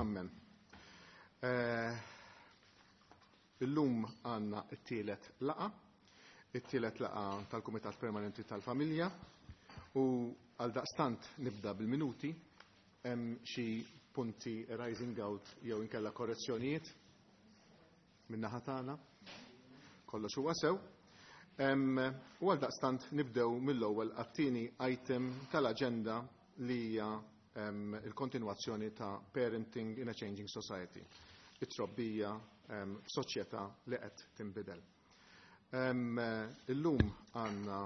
Amen. Eh, illum għandna t-tielet laqa, it-tielet laqa tal-Kumitat Permanenti tal-Familja u għal daqstant nibda bil-minuti hemm xi punti rising out jew inkella korrezzjonijiet min-naħa tagħna. Kollox huwa sew. U għal daqstant nibdew mill-ewwel għat-tieni item tal-aġenda li hija il-kontinwazzjoni ta' Parenting in a Changing Society, it-trobbija f'soċjetà li qed tinbidel. Illum għandna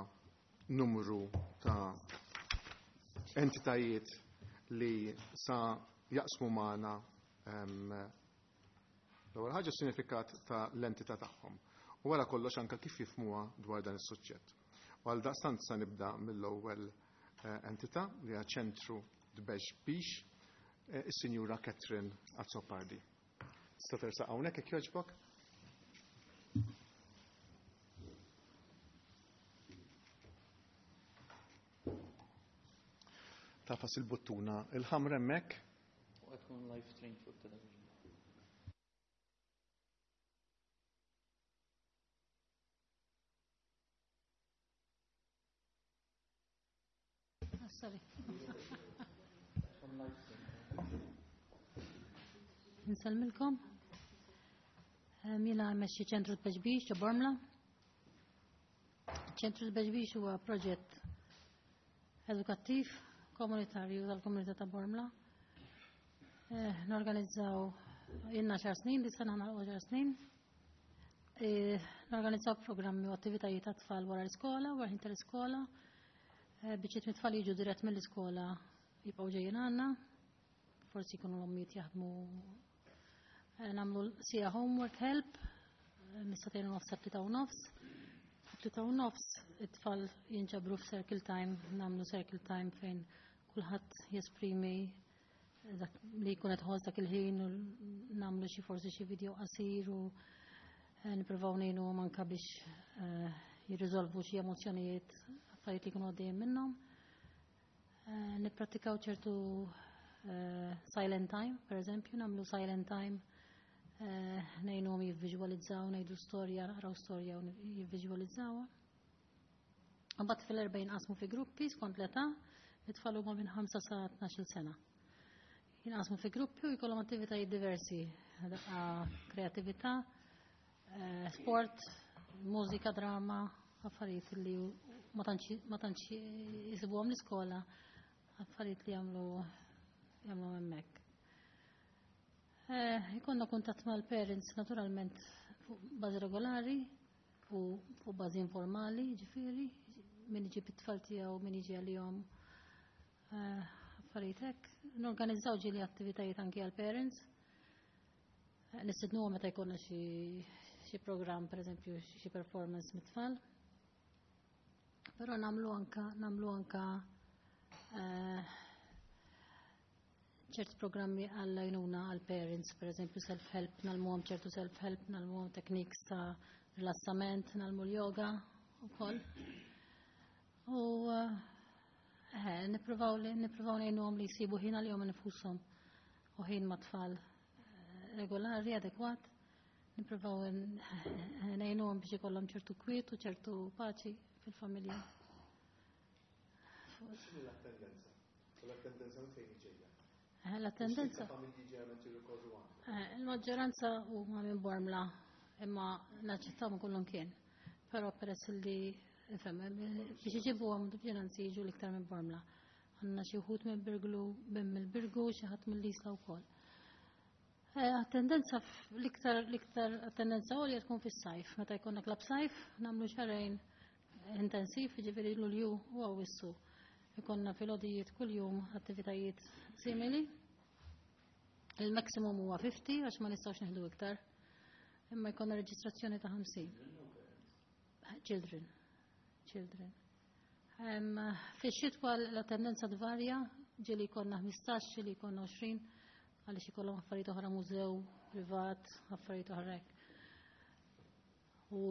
numru ta' entitajiet li sa jaqsmu magħna L-ewwel ħaġa s-sinifikat ta' l-entità tagħhom u wara kollox anke kif jifhmuha dwar dan is-suġġett. U għaldaqstant sa nibda mill-ewwel eh, entità li hija ċentru Tbex Bix, eh, is-Sinjura Catherine Azzopardi. Tista' tersaq hawnhekk jekk jogħġbok? Tafas il-buttuna il-ħamra hemmhekk. U qed tkun live stream fuq television. Ah, sorry. Nsalmilkom. Jiena mmexxi ċentru t-Beġbix ġo Bormla. Ċentru t-Beġbix huwa proġett edukattiv komunitarju tal-komunità ta' Bormla. Eh, norganizzaw jenna xar snin, di sena nagħlqu xar snin. Eh, norganizzaw programmi u attivitajiet ta' tfal wara l-iskola, wara ħin tal-iskola. Eh, biċċiet mit-tfal jiġu dirett mill-iskola jibqgħu ġejjin għandna. Forsi jkunu l-ommijiet jaħdmu nagħmlu sija homework help, mis-satejn u nofs sa u nofs. 3:30 it-tfal jinġabru f'circle time, nagħmlu circle time fejn kulħadd jesprimi dak li jkun qed ħoss dak il-ħin u nagħmlu xi forsi xi video qasir u eh, nippruvaw ngħinu anke biex eh, jirriżolvu xi emozzjonijiet affarijiet li jkunu għaddejjin minnhom. Eh, nipprattikaw ċertu silent time, per eżempju, nagħmlu silent time Eh, ngħinuhom jivviżwalizzaw, ngħidu storja, naqraw storja u jivviżwalizzawha. Mbagħad fil-erba' jinqasmu fi gruppi skont l-età, it-tfal huma minn 5 sa 12 sena. Jinqasmu fi gruppi u jkollhom attivitajiet diversi, daqqa kreatività, eh, sport, mużika, drama, affarijiet li ma tantx jisibuhom l-iskola, affarijiet li jagħmlu jagħmlu hemmhekk. Eh, ikonna kuntatt mal-parents naturalment fuq bażi regolari u fuq bażi informali, ġifieri, min iġib it-tfal tiegħu, min jiġi għalihom eh, affarijiet hekk. Norganizzaw ġieli attivitajiet anki għall-parents. Eh, nistednuhom meta jkollna xi programm, pereżempju xi performance mit-tfal. Però nagħmlu anka nagħmlu anka ċerti programmi għall-għajnuna għall-parents, per eżempju self-help, nalmuhom ċertu self-help, nalmuhom techniques ta' rilassament, nalmu l-yoga u koll. U eh, nippruvaw li nippruvaw ngħinuhom li jsibu ħin għalihom infushom u ħin ma' tfal eh, regolari, adekwat. Nippruvaw ngħinuhom biex ikollhom ċertu kwiet u ċertu paċi fil-familja. X'inhi l-attendenza? U l-attendenza minn fejn ġejja? Eh, l-attendenza. Familji ġeneralment jirrikorru għandhom. Eh, il-maġġoranza huma minn Bormla, imma naċċettaw minn kullum kien. Però peress li ifhem, biex iġibuhom ġenanzi jiġu l-iktar minn Bormla. Għandna xi wħud minn Birglu, minn mill-Birgu, xi ħadd mill-Isla wkoll. Eh, attendenza l-iktar l-iktar attendenza għolja tkun fis-sajf. Meta jkollna klab sajf, nagħmlu xarejn intensiv, ġifieri Lulju u Awwissu. Ikonna filgħodijiet kuljum attivitajiet simili. Il-maximum huwa 50 għax ma nistgħux neħdu iktar. Imma jkollna reġistrazzjoni ta' 50. Children. Children. Fix-xitwa l-attendenza tvarja, ġieli jkollna 15, ġieli jkollna 20, għaliex ikollhom affarijiet oħra mużew privat, affarijiet oħra hekk. U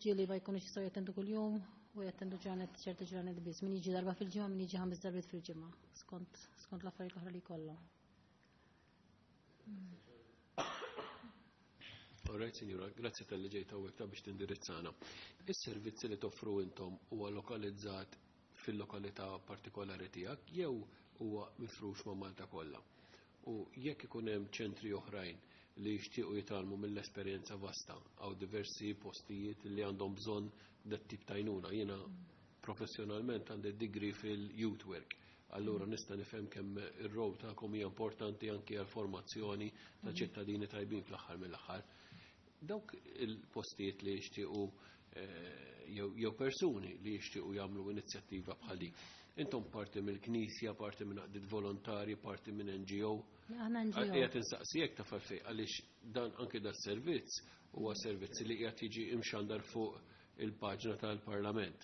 ġieli ma jkunux jistgħu jattendu kuljum u jattendu ġranet ċerti ġranet biss. Min jiġi darba fil-ġimgħa, min jiġi ħames darbiet fil-ġimgħa, skont skont l-affarijiet l-oħra li jkollhom. All right, signora, grazzi talli ġejt hawnhekk ta' biex tindirizzana. Is-servizzi li toffru intom huwa lokalizzat fil-lokalità partikolari tiegħek jew huwa mifrux ma' Malta kollha? U jekk ikun hemm ċentri oħrajn li jixtiequ jitgħallmu mill-esperjenza vasta għaw diversi postijiet li għandhom bżonn dat tip ta' għajnuna. Jiena professjonalment għandi degree fil-youth work. Allura nista' nifhem kemm ir-rol tagħkom hija importanti anki għal formazzjoni ta' ċittadini tajbin fl-aħħar mill-aħħar. Dawk il-postijiet li jixtiequ jew persuni li jixtiequ jagħmlu inizjattiva bħal dik. Intom parti mill-Knisja, parti minn għaqdiet volontari, parti minn NGO. Aħna NGO. Qiegħed insaqsijek ta' għalfejn għaliex dan anke da servizz huwa servizz li qiegħed jiġi imxandar fuq il-paġna tal-Parlament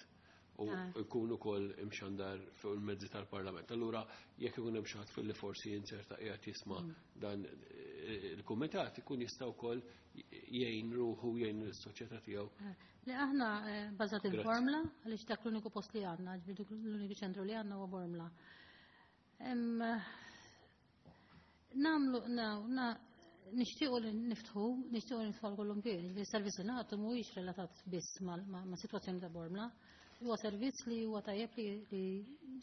u jkun ukoll imxandar fuq il-mezzi tal-Parlament. Allura jekk ikun hemm xi ħadd fil-li forsi jinserta qiegħed jisma' dan il-kumitat ikun jista' wkoll jgħin ruħu, jgħin is-soċjetà tiegħu. Li aħna bażat il-Bormla, għaliex dak l-uniku post li għandna, ġifieri l-uniku ċentru li għandna huwa Bormla. Namlu, nixtiequ li niftħu, nixtiequ li niftħu kullum kien, ġifieri s-servizz li nagħtu mhuwiex relatat biss ma' sitwazzjoni ta' Bormla. Huwa servizz li huwa tajjeb li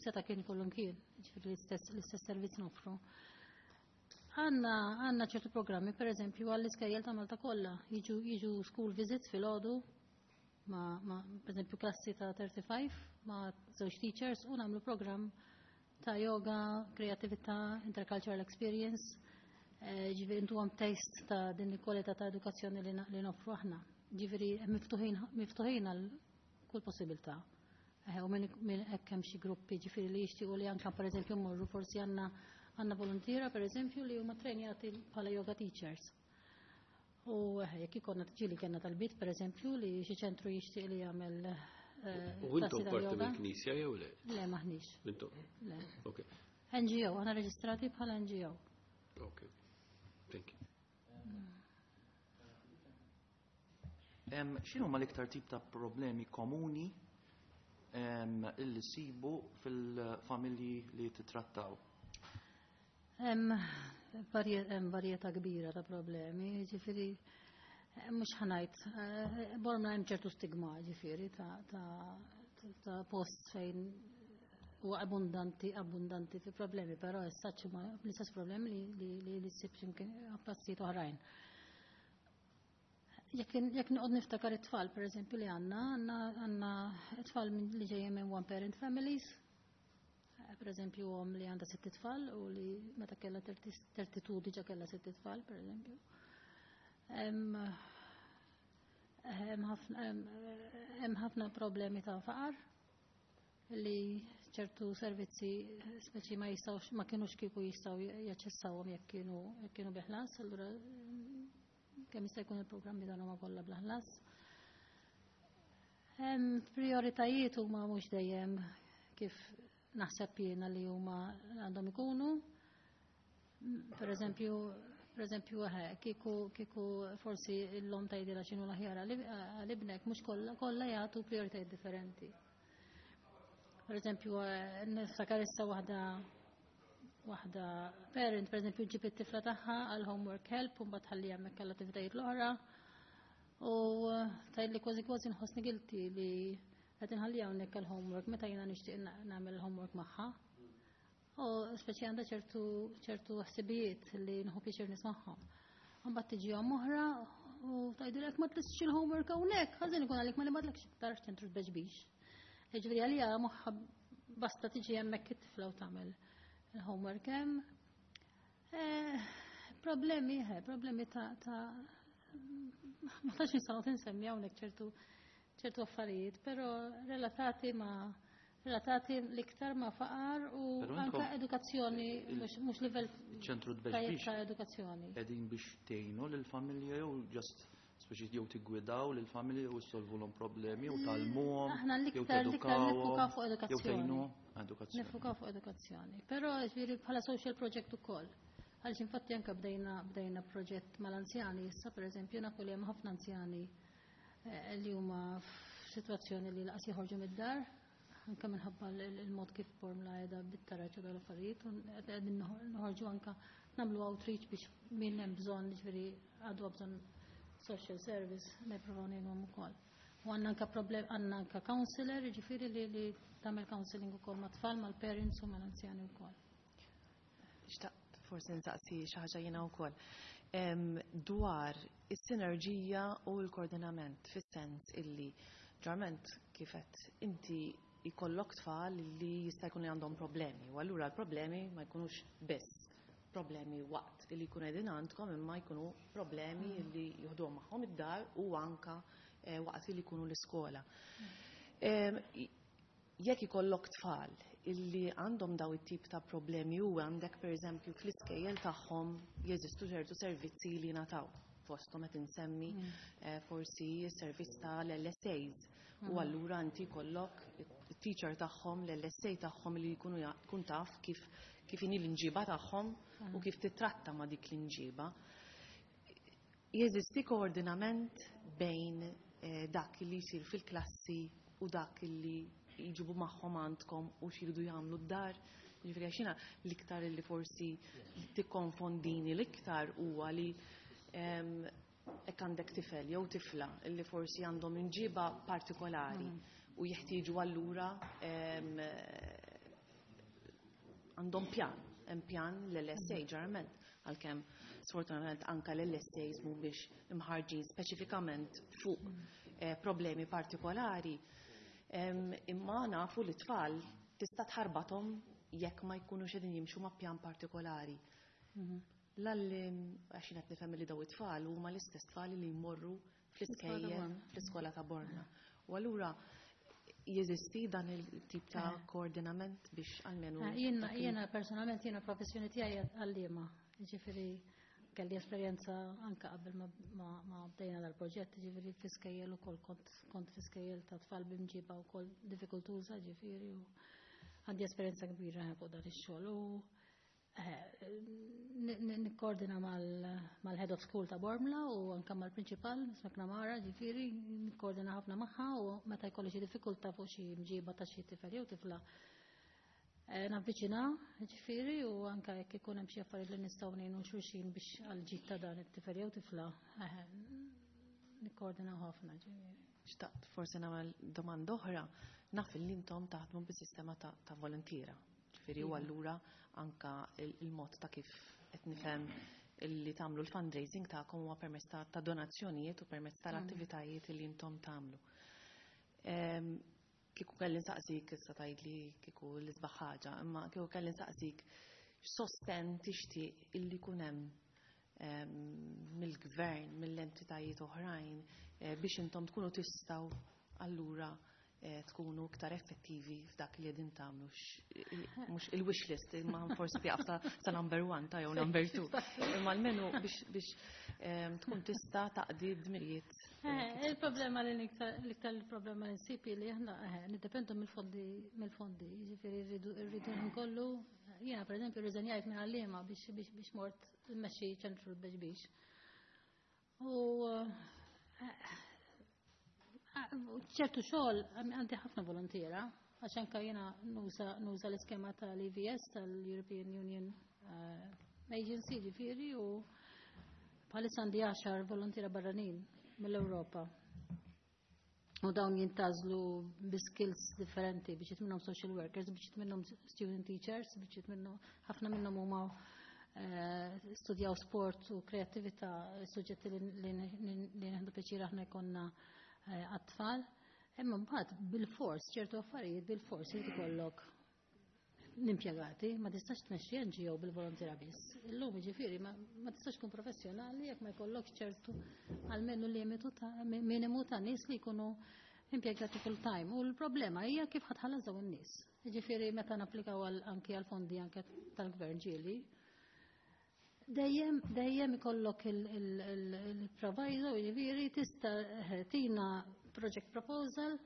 seta' kien kullum kien, ġifieri l-istess servizz nofru. Għanna ċertu programmi, per eżempju, għall-iskejjel ta' Malta kollha, jiġu school visits fil-għodu, ma, per eżempju, klassi ta' 35 ma' żewġ teachers u nagħmlu programm ta' yoga, kreatività, intercultural experience, ġifieri intu għam taste ta' din il-kwalità ta' edukazzjoni li noffru aħna. Ġifieri miftuħin għal kull possibilità. U minn hekk hemm xi gruppi ġifieri li jixtiequ li anke per eżempju mmorru, forsi għandna volontiera per eżempju li huma trejnjati bħala yoga teachers. U jekk ikollna ġieli kellna talbiet per eżempju li xi ċentru jixtieq li jagħmel U intom klassi ta' parti yoga. mill-Knisja jew le? Le, maħniex. Intom? Le. Ok. NGO, aħna reġistrati bħala NGO. Ok. Thank you. X'inhu ma l-iktar tip ta' problemi komuni illi sibu fil-familji li titrattaw? Hemm varjetà kbira ta' problemi, ġifieri mhux ħa ngħid, Bormla hemm ċertu stigma, ġifieri ta' post fejn huwa abbundanti fi problemi, però issa huma l-istess problemi li ssib x'imkien postijiet oħrajn. Jekk noqgħod niftakar it-tfal, per eżempju, li għandna tfal li ġejjin minn one parent families, per eżempju, omm li għandha 6 tfal u li meta kellha 32 diġà kellha 6 tfal, per eżempju. Hemm ħafna problemi ta' faqar li ċertu servizzi speċi ma jistgħux, ma kienux kieku jistgħu jaċċessawhom jekk kienu bi ħlas, allura kemm jista' jkun il-programmi dan huma kollha bla ħlas. Hemm prioritajiet huma mhux dejjem kif naħseb jiena li huma għandhom ikunu. Per eżempju, kieku forsi l-lom tgħidilha x'inhu l-aħjar għal-ibnek, mhux kollha jagħtu prioritajiet differenti. Per eżempju, niftakar issa waħda parent, per eżempju, ġib it-tifla tagħha għal homework help u mbagħad ħalli hemmhekk għall attivitajiet l-oħra. U tgħidli kważi kważi nħossni guilty li qed inħalli hawnhekk għal homework meta jiena nixtieq nagħmel homework magħha. U speċi għandha ċertu ħsibijiet li nħu pjaċir nismagħhom. Mbagħad tiġi omm oħra u tgħidilek ma tlistx il-homework hawnhekk, ħażin ikun għalik ma nibgħatlekx iktar ċentru tbeġbix. Jiġifieri għalija moħħa basta tiġi hemmhekk it-tifla u tagħmel il-homework hemm. Problemi ta' ma tax nistgħu tinsemmi hawnhekk ċertu affarijiet, però relatati l-iktar ma' faqar u Però anka intom edukazzjoni, mhux livell ċentru tajjeb tbeġbix ta' edukazzjoni. Qegħdin biex tgħinu lill-familja jew just speċi jew tiggwidaw lill-familja u solvulhom problemi u tgħallmuhom, Aħna jew l-iktar tedukaw nifukaw fuq jew edukazzjoni. tgħinuhom edukazzjoni. Nifukaw fuq edukazzjoni. Però ġifieri bħala social project ukoll. Għaliex infatti anke bdejna proġett mal-anzjani issa, pereżempju, nafu li hemm ħafna anzjani li huma f'sitwazzjoni li laqas joħorġu mid-dar, anke minħabba il-mod kif Bormla qiegħda bit-taraġ u dal-affarijiet, u qegħdin noħorġu anke nagħmlu outreach biex min hemm bżonn, ġifieri għadu bżonn social service, nippruvaw ngħinuhom ukoll. U għandna anke problem, għandna anke counselor, ġifieri li tagħmel counseling ukoll mat-tfal, mal-parents u mal-anzjani wkoll. Xtaqt forsi nsaqsi xi ħaġa jiena wkoll. Dwar is-sinerġija u l-koordinament, fis-sens illi ġarment kif qed inti jkollok tfal li jista' jkun li għandhom problemi, u allura l-problemi ma jkunux biss problemi waqt li jkunu qegħdin għandkom, imma jkunu problemi li joħduhom magħhom id-dar u anka waqt li jkunu l-iskola. Jekk ikollok tfal illi għandhom daw it-tip ta' problemi u għandek pereżempju fl-iskejjel tagħhom jeżistu ċertu servizzi li nataw, fosthom qed insemmi forsi s-servizz tal-LSAs, u allura inti jkollok it-teacher tagħhom, l-LSA tagħhom li jkunu tkun taf kif inhi l-inġiba tagħhom u kif titratta ma' dik l-inġiba. Jeżisti koordinament bejn dak li jsir fil-klassi u dak li jġibu magħhom għandkom u x'iridu jagħmlu d-dar? Ġifieri għax jiena l-iktar li forsi tikkonfondini l-iktar huwa li hekk għandek tifel jew tifla li forsi għandhom inġiba partikolari u jeħtieġu allura għandhom pjan, hemm pjan l-LSA ġeneralment, għalkemm sfortunatament anka l-LSAs mhumiex imħarġin speċifikament fuq problemi partikolari. Imma nafu li tfal tista' tħarbathom jekk ma jkunux qegħdin jimxu ma' pjan partikolari. L-għallim, għax jien qed nifhem li daw it-tfal huma l-istess tfal li jmorru fl-iskejjel, fl-iskola ta' Bormla. U allura jeżisti dan il-tip ta' koordinament biex almenu dak il- Jiena personalment, jiena professjoni tiegħi għalliema, ġifieri kelli esperjenza anka qabel ma bdejna dal-proġett, ġifieri fl-iskejjel ukoll kont fl-iskejjel ta' tfal b'imġiba wkoll diffikultuża, ġifieri, u għandi esperjenza kbira fuq dan ix-xogħol. U nikkoordina mal-head of school ta' Bormla u anka mal-principal, Miss McNamara, ġifieri, nikkoordina ħafna magħha, u meta jkolli xi diffikultà fuq xi mġiba ta' xi tifel jew tifla, navviċina, ġifieri, u anka jekk ikun hemm xi affarijiet li nistgħu ngħinu xulxin biex għall-ġid ta' dan it-tifel jew tifla, nikkoordina ħafna, ġifieri. Xtaqt forsi nagħmel domanda oħra, naf li intom taħdmu bis-sistema ta' volontiera. Ġifieri, u allura anka il-mod ta' kif qed nifhem li tagħmlu l-fundraising tagħkom huwa permezz ta' donazzjonijiet u permezz tal-attivitajiet li intom tagħmlu. Kieku kelli nsaqsik, issa tgħidli kieku l-isbaħ ħaġa, imma kieku kelli nsaqsik x'sosten tixtieq illi jkun hemm mill-gvern, mill-entitajiet oħrajn, biex intom tkunu tistgħu allura tkunu iktar effettivi f'dak li qegħdin tagħmlu, mhux il-wish list, imma forsi tieqaf ta' number 1 ta' jew number 2. Imma almenu biex tkun tista' taqdi d-dmirijiet. Il-problema li l-iktar il-problema li nsib li aħna niddependu mill-fondi, jiġifieri rridu nkollu. Jiena pereżempju rriżenjajt minn għalliema biex mort immexxi ċentru l-Bexbix. U ċertu xogħol għandi ħafna volontiera, għax anke jiena nuża l-iskema tal-EVS, tal-European Union Agency, ġifieri, u bħalissa għandi 10 volontiera barranin mill-Ewropa. U dawn jintażlu bi skills differenti, biex minnhom social workers, biex minnhom student teachers, biex minnhom ħafna minnhom huma studjaw sport u kreattività, suġġetti li nieħdu pjaċir aħna jkollna għat-tfal. Imma mbagħad bil-fors, ċertu affarijiet bil-fors irid ikollok l-impjegati, ma tistax tmexxi NGO bil-volontira biss. Illum jiġifieri ma tistax tkun professjonali jekk ma jkollokx ċertu almenu limitu ta' minimu ta' nies li jkunu impjegati full time. U l-problema hija kif ħatħallas dawn in-nies. Jiġifieri meta napplikaw anki għal fondi anke tal-gvern ġieli, dejjem ikollok il-proviso, jiġifieri tista' tina project proposal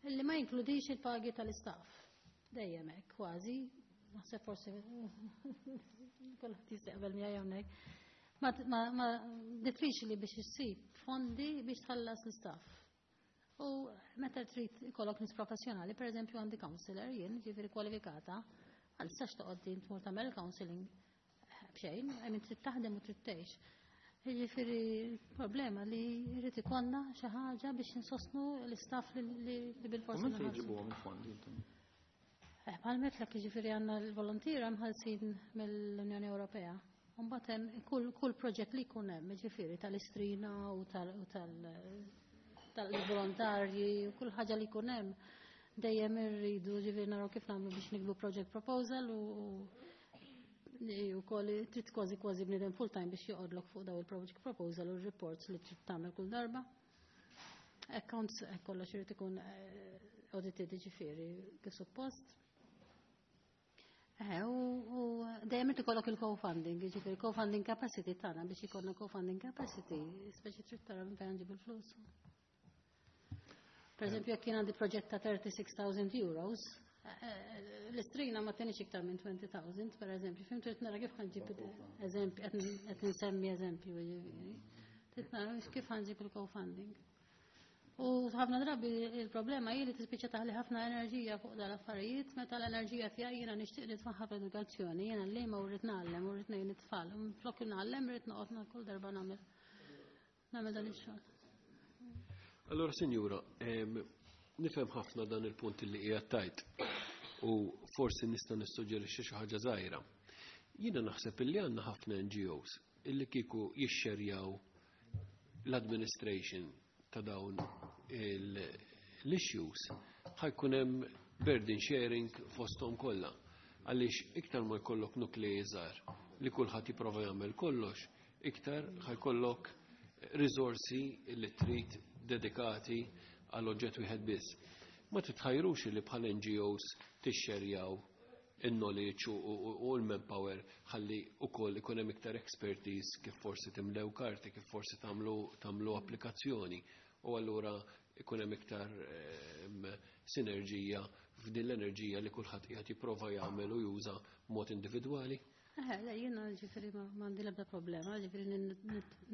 illi ma jinkludix il-pagi tal-istaff. Dejjem hekk, kważi, naħseb forsi kulħadd jistaqbel miegħi hawnhekk. Ma diffiċli biex issib fondi biex tħallas l-istaff. U meta trid ikollok nies professjonali, pereżempju għandi counselor jien, ġifieri kwalifikata, għal sax toqgħod din tmur tagħmel counseling b'xejn, I mean trid taħdem u trid tgħix. Jiġifieri problema li jrid ikollna xi ħaġa biex insostnu l-istaff li bil-forsi. U minn fejn ġibuhom il-fondi intom? Eh, bħal metlek jiġifieri għandna l-volontiera mħallsin mill-Unjoni Ewropea. Mbagħad hemm kull proġett li jkun hemm, jiġifieri tal-istrina u tal-volontarji u kull ħaġa li jkun hemm dejjem irridu ġifieri naraw kif nagħmlu biex nikbu project proposal u wkoll trid kważi kważi bniedem full time biex joqgħodlok fuq daw il-project proposal u r-reports li trid tagħmel kull darba. Accounts kollox irid ikun audited ġifieri kif suppost. U dejjem irid ikollok il-co-funding, jiġifieri co-funding capacity tagħna biex ikollna co-funding capacity, speċi trid tara minn fejn nġibu l-flus. Per eżempju, jekk jien għandi proġett ta' 36,000 euros, l-istrina ma tenix iktar minn 20,000, per eżempju, fim trid nara kif ħanġib eżempju, qed nsemmi eżempju, jiġifieri. Trid nara kif ħanġib il-co-funding. U ħafna drabi il-problema hi li tispiċċa taħli ħafna enerġija fuq dal-affarijiet, meta l-enerġija tiegħi jiena nixtieq nitfaħħa fl-edukazzjoni, jiena l-lejma u rrid ngħallem u rrid ngħin it-tfal. Flok ngħallem rrid noqgħod kull darba nagħmel dan ix-xogħol. Allora, sinjura, nifhem ħafna dan il-punt li qiegħed tajt u forsi nista' nissuġġerixxi xi ħaġa żgħira. Jiena naħseb illi għandna ħafna NGOs illi kieku jixxerjaw l-administration ta' dawn l-issues ħajkun hemm burden sharing fosthom kollha. Għaliex iktar ma jkollok nuklei żgħar li kulħadd jipprova jagħmel kollox, iktar ħajkollok risorsi li trid dedikati għal oġġett wieħed biss. Ma titħajrux li bħal NGOs tixxerjaw il-knowledge u l-manpower ħalli ukoll ikun hemm iktar expertise kif forsi timlew karti, kif forsi tagħmlu applikazzjoni u allura ikun hemm iktar sinerġija f'din l-enerġija li kulħadd qiegħed jipprova jagħmel u juża mod individwali. Le, jiena ġifieri m'għandi l-ebda problema, ġifieri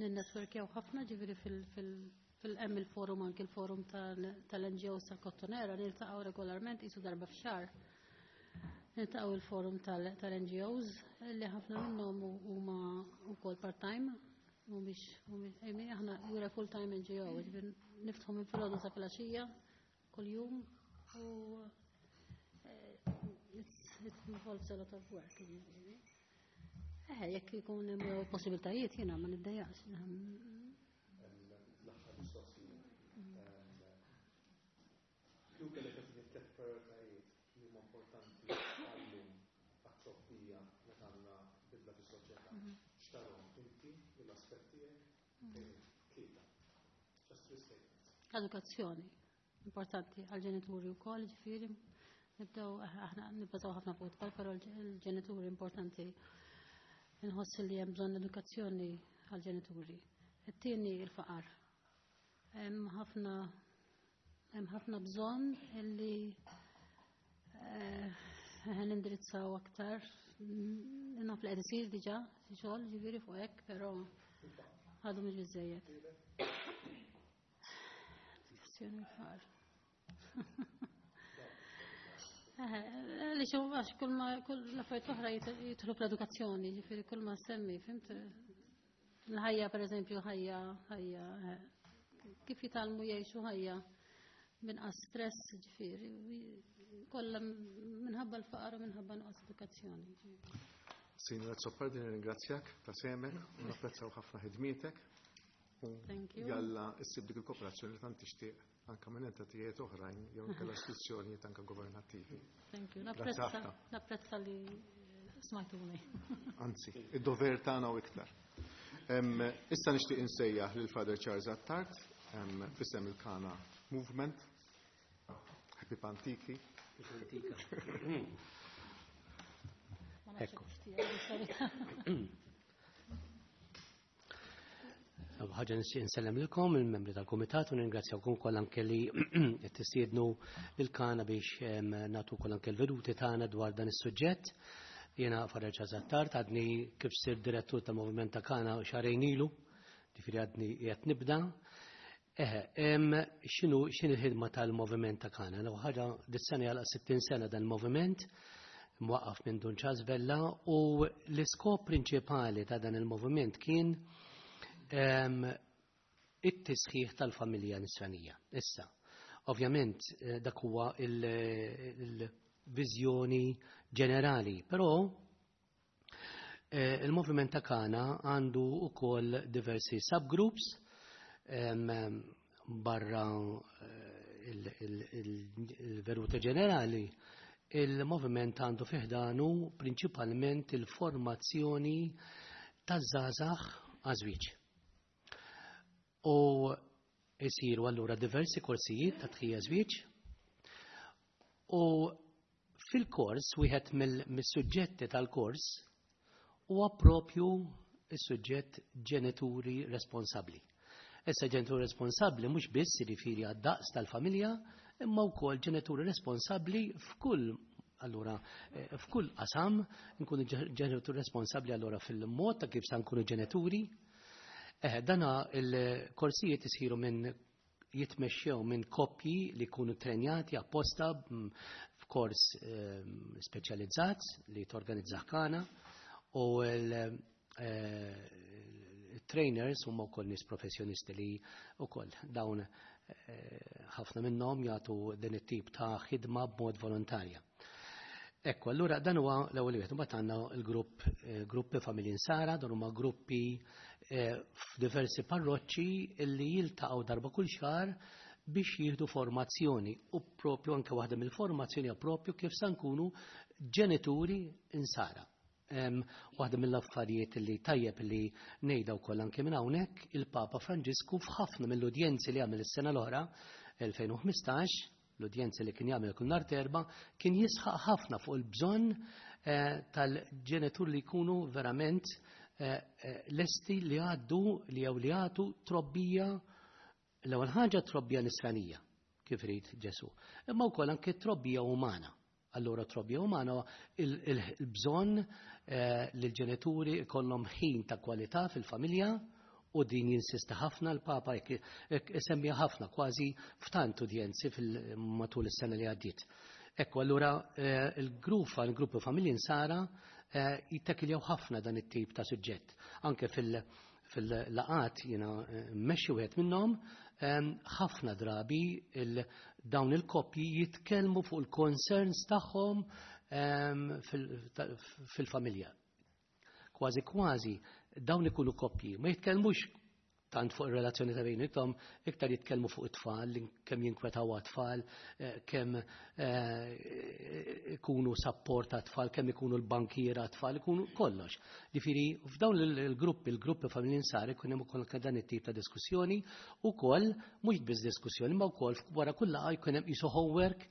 ninnetworkjaw ħafna, ġifieri fil-hemm il-forum, anki il-forum tal-NGOs tal-Kottonera, niltaqgħu regolarment qisu darba f'xahar. Niltaqgħu il-forum tal-NGOs li ħafna minnhom huma wkoll part-time, mhumiex, aħna we're a full-time NGO, ġifieri niftħu minn filgħodu sa filgħaxija kuljum u it involves a lot of work. Ġifieri. Jekk ikun hemm possibiltajiet jiena ma niddejjaqx. L-aħħar mistoqsija. Kieku kellek tagħtini tliet prioritajiet li huma importanti għallum għat-trobbija meta għandna bidla fis-soċjetà. X'tarhom inti mill-aspett tiegħek bejn tlieta. Just three statements. Edukazzjoni importanti għal-ġenituri wkoll, ġifieri nibdew aħna nibbażaw ħafna fuq it-tfal, però l-ġenituri importanti. Inħoss li hemm bżonn edukazzjoni għal-ġenituri. It-tieni il-faqar. Hemm ħafna bżonn illi nindirizzaw aktar. Naf li qed isir diġà xi xogħol ġifieri fuq hekk, però għadu mhux biżejjed. Edukazzjoni l-faqar. Li xo, għax kull ma, kull l-affarijiet oħra jidħlu fl-edukazzjoni, ġifieri kull ma semmi, fimt? L-ħajja, per eżempju, ħajja, ħajja, kif jitgħallmu jgħixu ħajja minqas stress, ġifieri, kollha minħabba l-faqar u minħabba nuqqas edukazzjoni. Sinjora Azzopardi, nirringrazzjak ta' semek, u napprezzaw ħafna ħidmietek. U Thank you. Jalla issib dik il-kooperazzjoni li tant tixtieq anka minn entitajiet oħrajn jew inkella istituzzjonijiet anka governattivi. Thank you. Grazzi ħafna. Napprezza li smajtuni. Anzi, id-dover tagħna u iktar. Issa nixtieq insejjaħ lil Father Charles Attard, f'isem il-Kana Movement. Happy Pantiki. Antika. Ma nafx Ekku. kif tiegħi, sorry. Ħaġa nixtieq insellem lilkom il-membri tal-Kumitat u ningrazzjawkom kollha anke li qed tistiednu lil-Kana biex nagħtu wkoll anke l-veduti tagħna dwar dan is-suġġett. Jiena Father Charles Attard, għadni kif sir direttur tal-Moviment ta' Kana xahrejn ilu, ġifieri għadni qiegħed nibda. X'inhi l-ħidma tal-Moviment ta' Kana? L-ewwel ħaġa dis-sena jagħlaq 60 sena dan il-moviment. mwaqqaf minn Dun Charles Vella, u l-iskop prinċipali ta' dan il-moviment kien it-tisħiħ tal-familja nisranija. Issa, ovvjament dak huwa il-viżjoni ġenerali, però il-moviment ta' Kana għandu ukoll diversi subgroups barra il-veruta ġenerali. Il-moviment għandu fi ħdanu prinċipalment il-formazzjoni taż-żgħażagħ għaż-żwieġ. U jsiru allura diversi korsijiet ta' tħejjija żwieġ, u fil-kors wieħed mill-suġġetti tal-kors huwa propju is-suġġett ġenituri responsabbli. Issa ġenituri responsabbli mhux biss jiġifieri għad-daqs tal-familja, imma wkoll ġenituri responsabbli f'kull allura f'kull qasam, nkunu ġenituri responsabbli allura fil-mod ta' kif sa nkunu ġenituri. Dana il-korsijiet isiru minn jitmexxew minn koppji li jkunu trenjati apposta f'kors speċjalizzat li torganizza Kana, u il-trainers huma wkoll nies professjonisti li wkoll dawn ħafna minnhom jagħtu din it-tip ta' ħidma b'mod volontarja. Ekku, allura dan huwa l-ewwel wieħed. Imbagħad għandna l-grupp gruppi Familji Nsara, dan huma gruppi f'diversi parroċċi li jiltaqgħu darba kull xahar biex jieħdu formazzjoni, u propju anke waħda mill-formazzjoni hija propju kif sa nkunu ġenituri insara. Waħda mill-affarijiet li tajjeb li ngħidha wkoll anke minn hawnhekk, il-Papa Franġisku f'ħafna mill-udjenzi li għamel is-sena l-oħra 2015, l-udjenzi li kien jagħmel kull nhar t'Erbgħa, kien jisħaq ħafna fuq il-bżonn tal-ġenitur li jkunu verament lesti li għaddu li jew li jagħtu trobbija, l-ewwel ħaġa trobbija nisranija, kif irid Ġesù, imma wkoll anke trobbija umana. Allura trobbija umana il-bżonn li l-ġenituri jkollhom ħin ta' kwalità fil-familja, u din jinsista ħafna l-Papa, jekk isemmija ħafna kważi f'tant udjenzi matul is-sena li għaddiet. Ekku, allura il-gruppi Familji Nsara jittakiljaw ħafna dan it-tip ta' suġġett. Anke fil-laqat jiena mmexxi wieħed minnhom, ħafna drabi dawn il-koppji jitkellmu fuq il-concerns tagħhom fil-familja. Kważi kważi dawn ikunu koppji, ma jitkellmux tant fuq ir-relazzjoni ta' bejniethom, iktar jitkellmu fuq it-tfal, kemm jinkwetaw għat-tfal, kemm ikunu support għat-tfal, kemm ikunu l-bankiera għat-tfal, ikunu kollox. Ġifieri f'dawn il-gruppi, il-gruppi Familji Nsara jkun hemm ukoll dan it-tip ta' diskussjoni, ukoll mhux biss diskussjoni, ma wkoll wara kull laqgħa jkun hemm qisu homework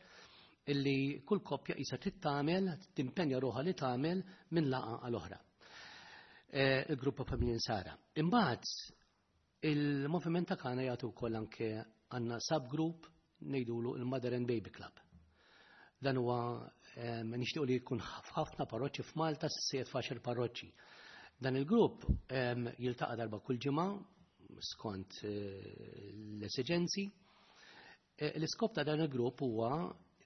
illi kull koppja qisha trid tagħmel, timpenja ruħha li tagħmel minn laqgħa għal oħra. Il-gruppa Familji Nsara. Imbagħad il-moviment ta' Kana jagħtu wkoll anke għandna subgroup ngħidulu il-Mother and Baby Club. Dan huwa nixtiequ li jkun f'ħafna parroċċi f'Malta, s'issa f'għaxar parroċċi. Dan il-grupp jiltaqa' darba kull ġimgħa skont l-esiġenzi. L-iskop ta' dan il-grupp huwa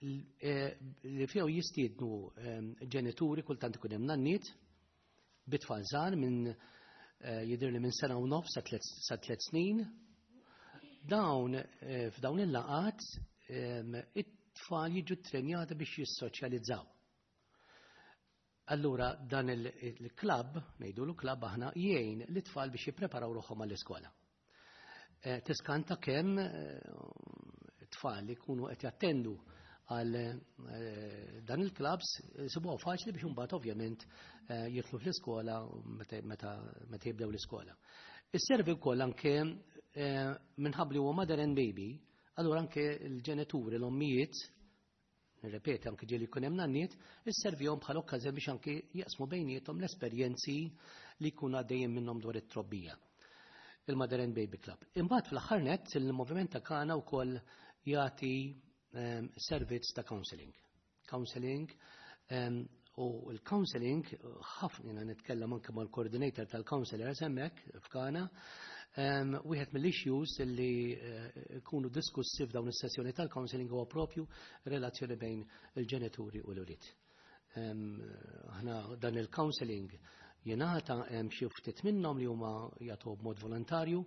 li fih jistiednu ġenituri, kultant ikun hemm nanniet, bit-tfal żgħar minn jidher li minn sena u nofs sa 3 snin. Dawn f'dawn il-laqat it-tfal jiġu ttrenjati biex jissoċjalizzaw. Allura dan il-klab, ngħidulu klab aħna, jgħin l-tfal biex jippreparaw ruħhom għall-iskola. Tiskanta kemm tfal li jkunu qed jattendu għal dan il-klabs sibuha faċli biex imbagħad ovvjament jidħlu fl-iskola meta jibdew l-iskola. Isservi wkoll anke minħabba li huwa mother and baby, allura anke l-ġenituri, l-ommijiet, nirrepeti anke ġieli jkun hemm nanniet, isservihom bħala okkażjoni biex anke jaqsmu bejniethom l-esperjenzi li jkunu għaddejjin minnhom dwar it-trobbija. Il-Mother and Baby Club. Imbagħad fl-aħħar nett il-moviment ta' Kana wkoll jagħti servizz ta' counseling. Counseling u l-counseling ħafna jiena nitkellem anke mal-coordinator tal-counselors hemmhekk f'Kana, wieħed mill-issues li jkunu diskussi f'dawn is-sessjoni tal-counseling huwa propju relazzjoni bejn il-ġenituri u l-ulied. Aħna dan il-counseling jingħata, hemm xi ftit minnhom li huma jagħtu b'mod volontarju,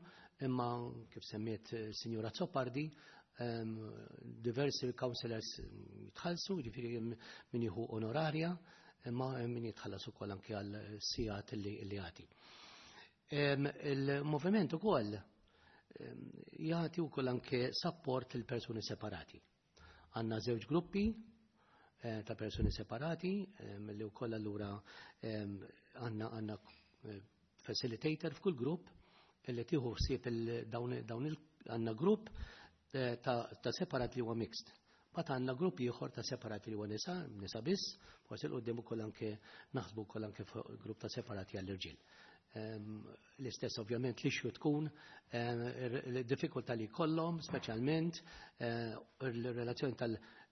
imma kif semmiet Sinjura Azzopardi, diversi counselors jitħallsu, jiġifieri min jieħu onorarja, imma min jitħallas ukoll anke għal sigħat li jagħti. Il-moviment ukoll jagħti wkoll anke support lil persuni separati. Għandna żewġ gruppi ta' persuni separati li wkoll allura għandna facilitator f'kull grupp li tieħu ħsieb dawn għandna grupp ta' separat li huwa mixed. Bat għandna grupp ieħor ta' separati li huwa nisa, nisa biss, forsi 'l quddiem ukoll anke naħsbu wkoll anke grupp ta' separati għall-irġiel. L-istess ovvjament li xju tkun il-diffikultà li kollhom, speċjalment il-relazzjoni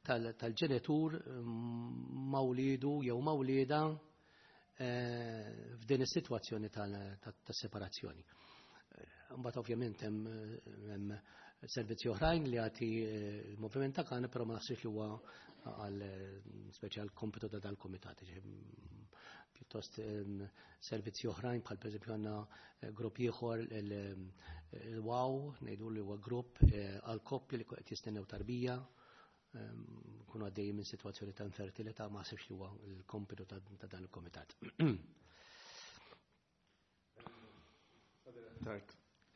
tal-ġenitur ma' wliedu jew ma' wliedha f'din is-sitwazzjoni tas-separazzjoni. Mbagħad ovvjament hemm servizzi oħrajn li jagħti il-moviment ta' Kana, però ma naħsibx li huwa għal speċjal kompitu ta' dal-komitat. Pjuttost servizzi oħrajn bħal pereżempju għandna grupp ieħor, il-WOW, ngħidu li huwa grupp għal koppji li qed jistennew tarbija, kunu għaddej minn situazzjoni ta' infertilità, ma naħsibx li huwa l-kompitu ta' dan il-komitat. Tard,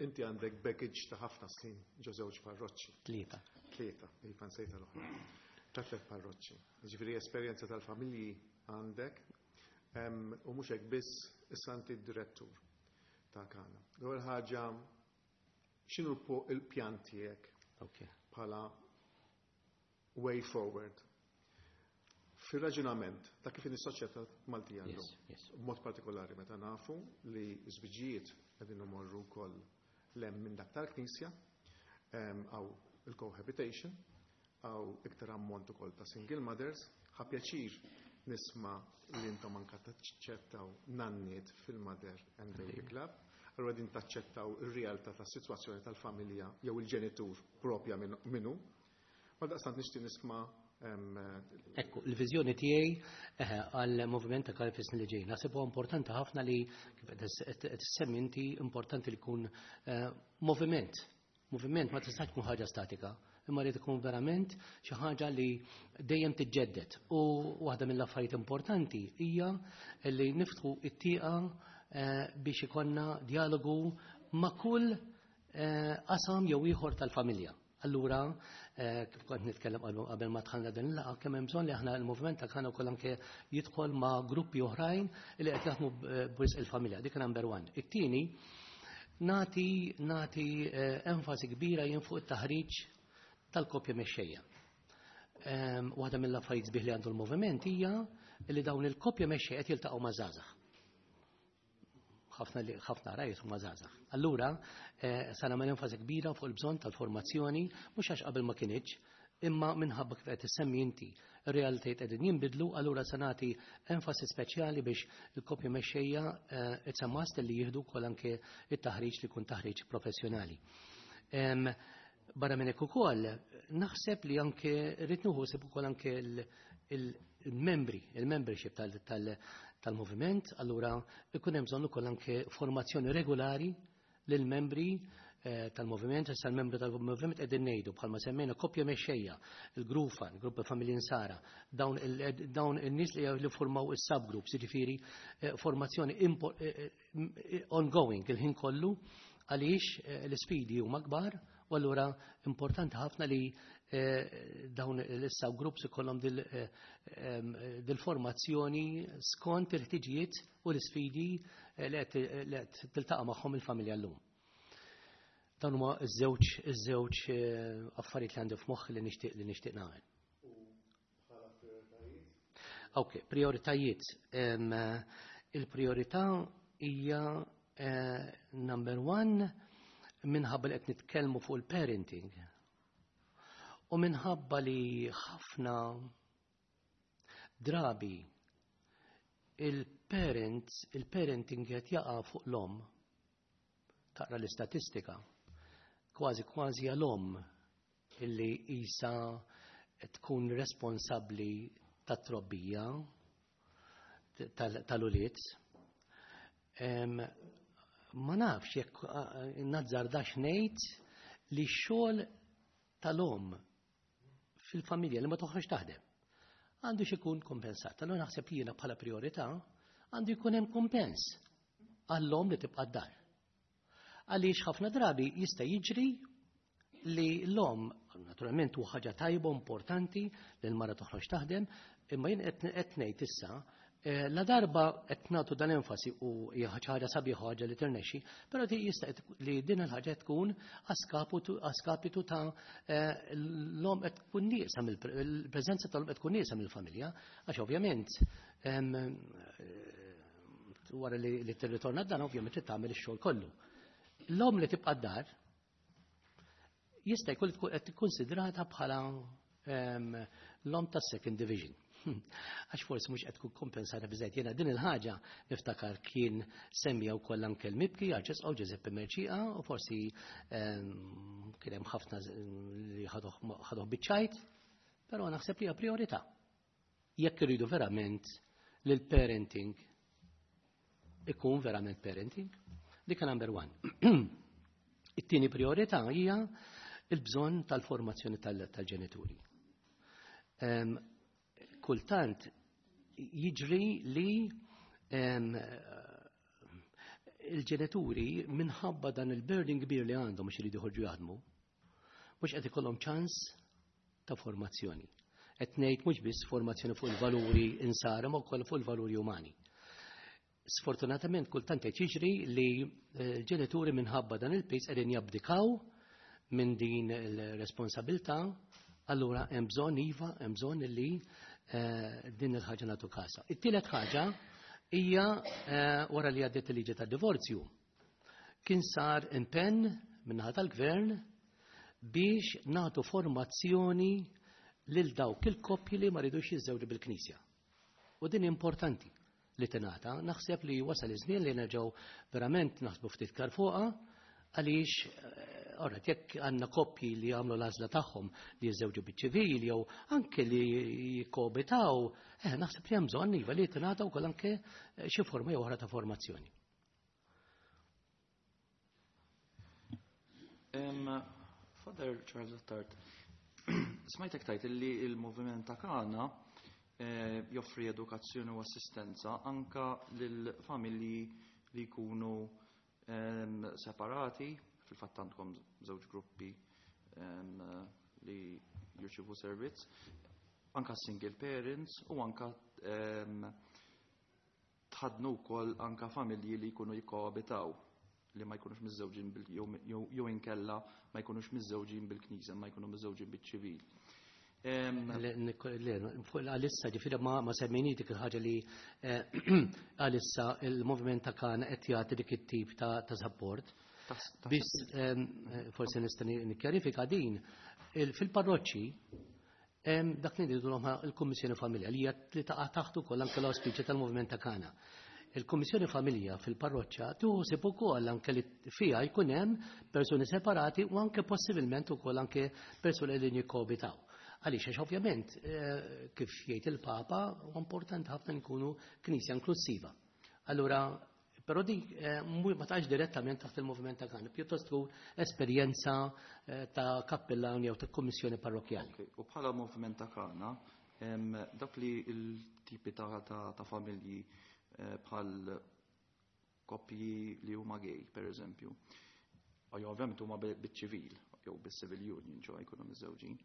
inti għandek baggage ta' ħafna snin ġo żewġ parroċċi. Tlieta. Tlieta, iva, nsejta l-oħra. Ta' tliet parroċċi. Ġifieri esperjenza tal-familji għandek, u mhux hekk biss, issa inti d-direttur ta' Kana. L-ewwel ħaġa, x'inhu il-pjan tiegħek bħala way forward fil-raġunament ta' kif is-soċjetà Maltija llum? B'mod partikolari meta nafu li żwiġijiet qegħdin imorru wkoll 'l hemm minn dak tal-Knisja, hawn il-cohabitation, hawn iktar ammont ukoll ta' single mothers. Ħa pjaċir nisma' li intom anka taċċettaw nanniet fil-Mother and Baby Club. Allura din taċċettaw ir-realtà tas-sitwazzjoni tal-familja jew il-ġenitur propja minnu. Ma daqstant nixtieq nisma' Ekku, il-viżjoni tiegħi għal moviment ta' Kana fis li ġej. Naħseb huwa importanti ħafna li kif qed issemmi inti, importanti li jkun moviment. Moviment ma tistax tkun ħaġa statika, imma li tkun verament xi ħaġa li dejjem tiġġedded. U waħda mill-affarijiet importanti hija li niftħu it-tieqa biex ikollna dialogu ma' kull qasam jew ieħor tal-familja. Allura, kif kont nitkellem qabel ma dħalna din il-laqgħa, kemm hemm bżonn li aħna l-moviment ta' Kana wkoll anke jidħol ma' gruppi oħrajn li qed jaħdmu b'risq il-familja. Dik number one. It-tieni, nati enfasi kbira jien fuq it-taħriġ tal-koppja mexxejja. Waħda mill-affarijiet sbieħ li għandu l-moviment hija li dawn il-koppja mexxejja qed jiltaqgħu ma' żgħażagħ. Ħafna li ħafna rajt huma żgħażagħ. Allura, sa nagħmel enfasi kbira fuq il-bżonn tal-formazzjoni, mhux għax qabel ma kinitx, imma minħabba kif qed issemmi inti, ir-realtajiet qegħdin jinbidlu, allura se nagħti enfasi speċjali biex il-koppja mexxejja it's a must li jieħdu wkoll anke it-taħriġ li jkun taħriġ professjonali. Barra minn hekk ukoll, naħseb li anke rrid nieħu ħsieb ukoll anke il-membri, il-membership tal-moviment, allura ikun hemm bżonn ukoll anke formazzjoni regolari lill-membri tal-moviment. Issa l-membri tal-moviment qegħdin ngħidu bħalma semmejna koppja mexxejja, il-Grufan, grupp familji Nsara, dawn in-nies li formaw is-subgroups, jiġifieri formazzjoni ongoing il-ħin kollu, għaliex l-isfidi huma kbar, u allura importanti ħafna li dawn l-subgroups ikollhom dil-formazzjoni skont il-ħtiġijiet u l-isfidi li qed tiltaqa' magħhom il-familja llum. Dan huma iż-żewġ affarijiet li għandi f'moħħi li nixtieq nagħmel. Ok, prioritajiet. Il-priorità hija number one, minħabba li qed nitkellmu fuq il-parenting. U minħabba li ħafna drabi il-parents, il-parenting qed jaqa' fuq l-omm. Taqra l-istatistika, kważi kważi għal-omm illi isa tkun responsabbli tat-trobbija. tal-ulied. Ma nafx jekk nazzardax ngħid li x-xogħol tal-omm fil-familja li ma toħroġ taħdem għandu ikun kompensat. Allura naħseb li jiena bħala priorità għandu jkun hemm kompens għall-omm li tibqa' d-dar. Għaliex ħafna drabi jista' jiġri li l-omm, naturalment hu ħaġa tajba importanti li l-mara toħroġ taħdem, imma jien qed ngħid issa la darba qed nagħtu dan enfasi u hija ħaġa sabiħa, ħaġa li tirnexxi, però jista' li din il-ħaġa tkun askapitu ta' l-omm qed tkun nieqsa mill-preżenza tal-omm qed tkun nieqsa mill-familja, għax ovvjament wara li tirritorna d-dar ovvjament trid tagħmel ix-xogħol kollu. L-omm li tibqa' d-dar jista' jkun tkun qed tikkonsidrata bħala l-omm tas-second division. Għax forsi mhux qed tkun kompensata biżejjed. Jiena din il-ħaġa niftakar kien semmija wkoll anke l-mibki Arċisqof Giuseppe Mercieca u forsi kien hemm ħafna li ħaduh biċ-ċajt, però naħseb li hija priorità. Jekk irridu verament li l-parenting ikun verament parenting, dik number one. It-tieni priorità hija il-bżonn tal-formazzjoni tal-ġenituri. Kultant jiġri li il-ġenituri minħabba dan il-burden kbir li għandhom mhux iridu joħorġu jaħdmu, mhux qed ikollhom ċans ta' formazzjoni. Qed ngħid mhux biss formazzjoni fuq il-valuri insara, ma wkoll fuq il-valuri umani. Sfortunatament kultant qed jiġri li l-ġenituri minħabba dan il-pis qegħdin jabdikaw minn din il-responsabilità, allura hemm bżonn iva, hemm bżonn li din il-ħaġa nagħtu kasa. It-tielet ħaġa hija wara li għaddiet il-liġi tad-divorzju. Kien sar impenn min-naħa tal-gvern biex nagħtu formazzjoni lil dawk il-koppji li ma ridux jiżżewġu bil-Knisja. U din importanti li tingħata, naħseb li wasal iż-żmien li nerġgħu verament naħsbu ftit iktar fuqha, għaliex ora jekk għandna koppji li jagħmlu l-għażla tagħhom li jiżżewġu biċ-ċivil jew anke li jikkoabitaw, naħseb li hemm bżonn iva li tingħata wkoll anke xi forma jew oħra ta' formazzjoni. Father Charles Attard, smajtek tajt li il-moviment ta' Kana joffri edukazzjoni u assistenza anka lil familji li jkunu separati, fil-fatt għandkom żewġ gruppi li jirċivu servizz, anka single parents u anka tħadnu wkoll anka familji li jkunu jikkoabitaw li ma jkunux miżżewġin jew inkella ma jkunux miżżewġin bil-knisja, ma jkunu miżżewġin biċ-ċivil. Le, għalissa ġifieri ma semmejni dik il-ħaġa li għalissa il-moviment ta' Kana qed jagħti dik it-tip ta' support. Biss forsi nista' nikkjarifika din, fil-parroċċi dak li ngħidu il-Kummissjoni Familja li hija li taqa' taħt ukoll anke l-auspiċi tal-Moviment ta' Kana. Il-Kummissjoni Familja fil-parroċċa tuħsib ukoll anke li fiha jkun hemm persuni separati u anke possibilment ukoll anke persuni li jikkoabitaw. Għaliex għax ovvjament kif jgħid il-Papa huwa importanti ħafna nkunu knisja inklusiva. Allura, però di ma tax direttament taħt il-moviment ta' Kana, pjuttost tkun esperjenza ta' kappellan jew ta' kummissjoni parrokjali. Okay. U bħala moviment ta' Kana, dak li l-tipi ta' familji bħal koppji li huma gay, per eżempju, u jew ovvjament huma biċ-ċivil, jew bis-civil union, ġo jkunu miżżewġin.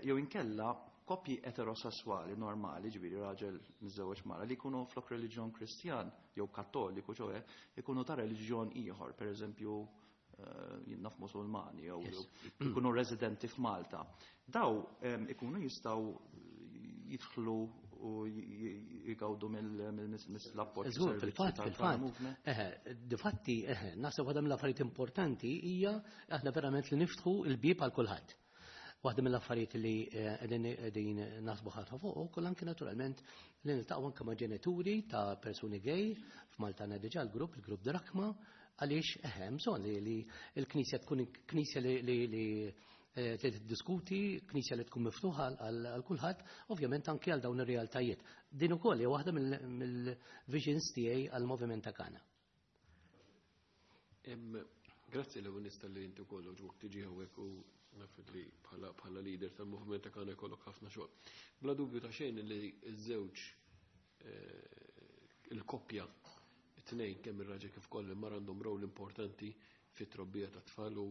Jew inkella koppji eterosessuali normali, ġifieri raġel miżżewweġ mara, li jkunu flok reliġjon Kristjan jew Kattoliku, ċoe, ikunu ta' reliġjon ieħor, per eżempju jien naf Musulmani jew ikunu residenti f'Malta. Daw ikunu jistgħu jidħlu u jgawdu mill-appoġġ Żgur, servizzi tal-Prime fil-fatt. Movement. Difatti, naħseb waħda mill-affarijiet importanti hija aħna verament li niftħu l-bieb għal kulħadd. Waħda mill-affarijiet li qegħdin naħsbu ħafna fuq ukoll anke naturalment li niltaqgħu anke ma' ġenituri ta' persuni gay f'Malta għandna diġà l-grupp, il-grupp Drakma, għaliex hemm bżonn li l-Knisja tkun knisja li li tiddiskuti, knisja li tkun miftuħa għal kulħadd, ovvjament anke għal dawn ir-realtajiet. Din ukoll hija waħda mill-visions tiegħi għall-moviment ta' Kana. Grazzi l nista li inti wkoll ġwok tiġi hawnhekk u naf li bħala leader tal-moviment ta' Kana jkollok ħafna xogħol. Bla dubju ta' xejn li ż-żewġ il-koppja it-tnejn kemm ir-raġel kif ukoll il-mara għandhom rol importanti fit-trobbija ta' tfal u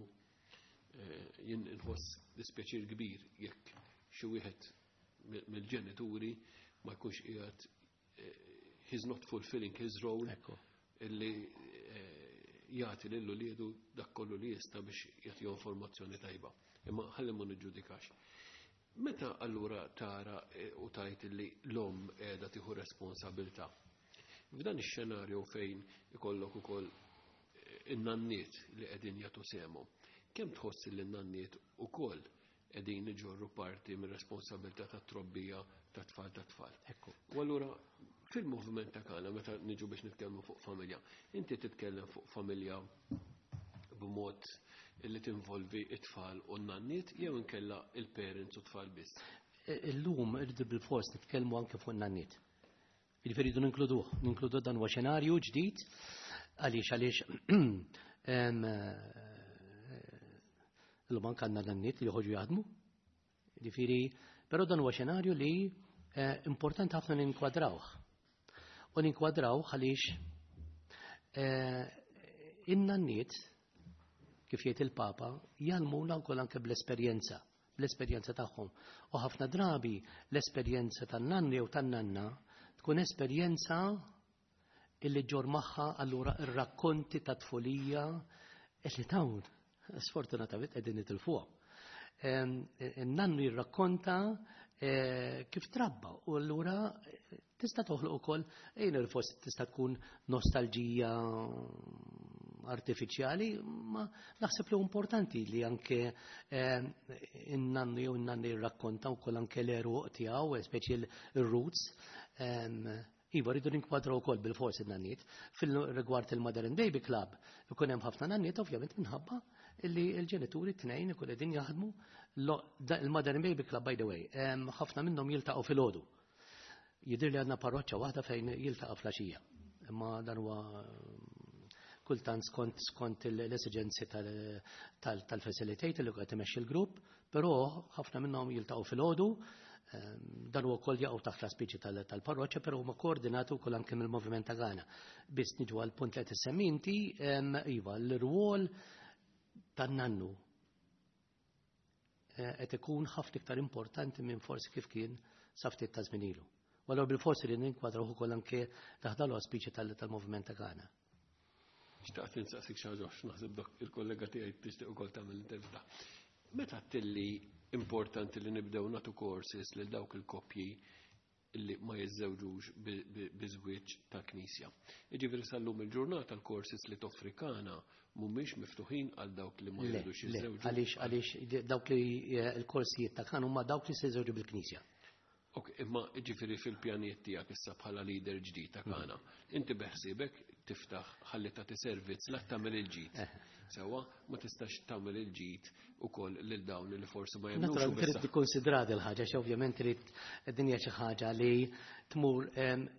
jien inħoss dispjaċir kbir jekk xi wieħed mill-ġenituri ma jkunx qiegħed, he's not fulfilling his role illi jagħti lil uliedu dak kollu li jista' biex jagħtihom formazzjoni tajba. Imma ħalli ma niġġudikax. Meta allura tara u tajt li l-omm qiegħda tieħu responsabilità? F'dan ix-xenarju fejn ikollok ukoll in-nanniet li qegħdin jagħtu sehemhom, kemm tħoss li n-nanniet ukoll qegħdin iġorru parti mir-responsabilità tat-trobbija tat-tfal tat-tfal? U allura fil-moviment ta' Kana, meta niġu biex nitkellmu fuq familja, inti titkellem fuq familja b'mod li tinvolvi it-tfal u n-nanniet jew inkella il-parents u tfal biss? Illum irridu bil-fors nitkellmu anke fuq n-nanniet. Jiġifieri rridu ninkluduh, ninkludu dan huwa xenarju ġdid għaliex illum anke għandna nanniet li joħorġu jaħdmu. Jiġifieri, però dan huwa xenarju li importanti ħafna ninkwadrawh. U ninkwadrawh għaliex in-nanniet, kif jgħid il-Papa, jgħallmuna wkoll anke bl-esperjenza tagħhom. U ħafna drabi l-esperjenza tan-nannu jew tan-nanna tkun esperjenza illi ġor magħha allura ir-rakkonti ta' tfulija illi dawn sfortunatament qegħdin nitilfuhom. In-nannu jirrakkonta kif trabba u allura tista' toħloq ukoll ejn il-fost tista' tkun nostalġija artifiċjali, ma naħseb li importanti li anke in-nannu jew in-nanna jirrakkonta wkoll anke l-għeruq tiegħu, speċi l-roots. Iva, rridu ninkwadraw ukoll bil-forsi n-nanniet. Fil-rigward il-Mother and Baby Club, ikun hemm ħafna nanniet ovvjament minħabba illi l-ġenituri t-tnejn ikun qegħdin jaħdmu. Il-Mother and Baby Club, by the way, ħafna minnhom jiltaqgħu filgħodu. Jidher li għandna parroċċa waħda fejn jiltaqa' filgħaxija. Imma dan huwa kultant skont l-esigenzi tal-facilitator li qed imexxi l-grupp, però ħafna minnhom jiltaqgħu filgħodu, dan huwa wkoll jaqgħu taħt l-aspiċi tal-parroċċa, però huma koordinati wkoll anke mill-Moviment ta' Ghana. Biss niġu għal punt li qed issemmi inti, iva, l-rwol tan-nannu qed ikun ħafna iktar importanti minn forsi kif kien sa ftit ta' żmien ilu. U allura bil-forsi li ninkwadraw ukoll anke taħt l-auspiċi tal-Moviment ta' Ghana. Xtaqt insaqsik xi ħaġa għax naħseb dak il-kollega tiegħi tixtieq ukoll tagħmel intervista. Meta tilli importanti li nibdew nagħtu courses lil dawk il-koppji li ma jiżżewġux bi żwieġ ta' knisja? Jiġifieri sal-lum il-ġurnata l-courses li toffri Kana mhumiex miftuħin għal dawk li ma jridux jiżżewġu. Għaliex dawk li l-korsijiet ta' Kana huma dawk li se jiżżewġu bil-knisja. Ok, imma ġifieri fil-pjanijiet tiegħek issa bħala leader ġdid ta' Kana, inti beħsiebek tiftaħ ħalli tagħti servizz la tagħmel il-ġid. Sewwa, ma tistax tagħmel il-ġid ukoll lil dawn li forsi ma jemmnux. Naturalment trid tikkonsidra il ħaġa xi ovvjament trid dinja xi ħaġa li tmur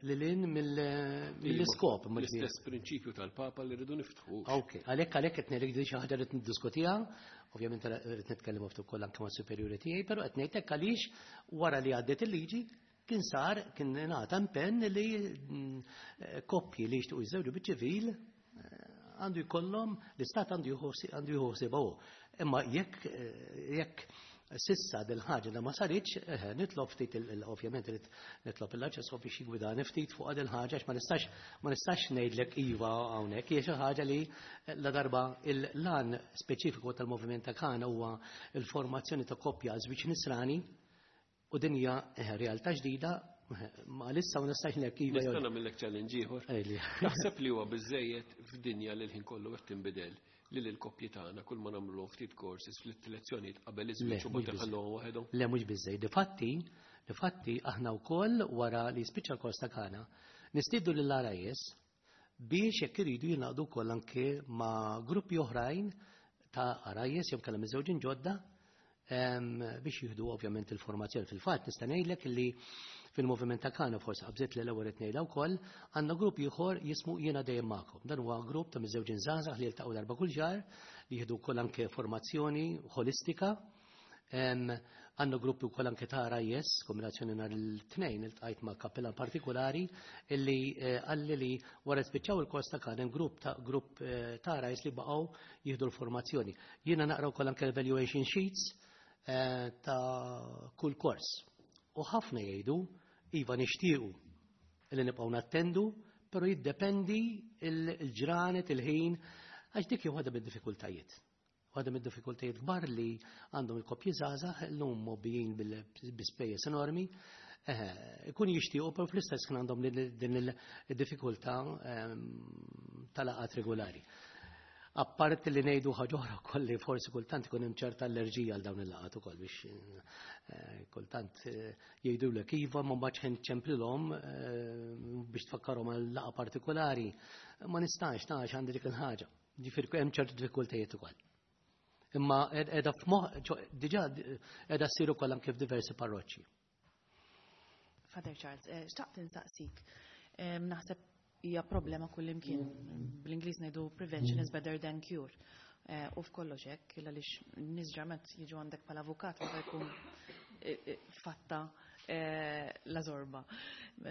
lil hinn mill-iskop. L-istess prinċipju tal-Papa li rridu niftħu. Ok, għalhekk qed ngħidlek din xi ħaġa li niddiskutiha. Ovvjament rrid nitkellem ftit ukoll anke mas-superjuri tiegħi, però qed ngħidlek għaliex wara li għaddiet il-liġi kien sar kien ngħata impenn li koppji li jixtiequ jiżżewġu biċ-ċivil għandu jkollhom l-istat għandu jieħu ħsiebha hu. Imma jekk sissa dil-ħaġa da ma saritx, nitlob ftit ovvjament irid nitlob il-Arċisqof biex jigwidani ftit fuq dil-ħaġa għax ma nistax ngħidlek iva hawnhekk, hija xi ħaġa li la darba il-lan speċifiku tal-moviment ta' Kana huwa l-formazzjoni ta' koppja żwieġ nisrani u din hija realtà ġdida, ma lissa ma nistax ngħidlek iva. Nista' nagħmellek challenge ieħor. Ejli. Naħseb li huwa biżejjed f'dinja li l-ħin kollu qed tinbidel li l-koppji tagħna kull ma nagħmlu ftit courses fl-lezzjonijiet qabel iż-żwieġ u mbagħad iħalluhom waħedhom. Le, mhux biżejjed. Difatti aħna wkoll wara li jispiċċa l-kors ta' Kana nistiednu lill-RIS biex jekk iridu jingħaqdu wkoll anke ma' gruppi oħrajn ta' RIS jew kellha miżewġin ġodda. Biex jieħdu ovvjament il-formazzjoni. Fil-fatt nista' ngħidlek li fil-moviment ta' Kana, forsi qabżet li l-ewwel qed ngħidha wkoll, għandna grupp ieħor jismu Jiena Dejjem Magħkom. Dan huwa grupp ta' miżżewġin żgħażagħ li jiltaqgħu darba kull xahar, li jieħdu wkoll anke formazzjoni ħolistika. Għandna gruppi wkoll anke ta' RIS, kombinazzjoni nhar il-Tnejn iltqajt ma' kappellan partikolari illi qalli li wara spiċċaw il-kors ta' Kana hemm grupp ta' grupp ta' RIS li baqgħu jieħdu l-formazzjoni. Jiena naqra wkoll anke evaluation sheets ta' kull kors. U ħafna jgħidu, iva, nixtiequ li nibqgħu nattendu, però jiddependi il-ġranet, il-ħin, għax dik hi waħda mid-diffikultajiet. Waħda mid-diffikultajiet kbar li għandhom il-koppji żgħażagħ illum mgħobbijin bil-spejjeż enormi, ikun jixtiequ, però fl-istess kien għandhom din il-diffikultà tal-laqgħat regolari. Apparti li ngħidu ħaġa oħra wkoll li forsi kultant ikun hemm ċerta allerġija għal dawn il-laqgħat ukoll biex kultant jgħidulek iva, ma mbagħad ħin ċemplilhom biex tfakkarhom għal laqgħa partikolari. Ma nistax, tax għandi dik il-ħaġa. Ġifieri hemm ċertu diffikultajiet ukoll. Imma qiegħda f'moħħ, diġà qiegħda ssir ukoll anke f'diversi parroċċi. Father Charles, xtaqt insaqsik. Naħseb hija problema kullimkien. Bl-Ingliż ngħidu "prevention is better than cure". U f'kollox hekk, għaliex nies ġarment jiġu għandek bħala avukat meta jkun fatta la zorba.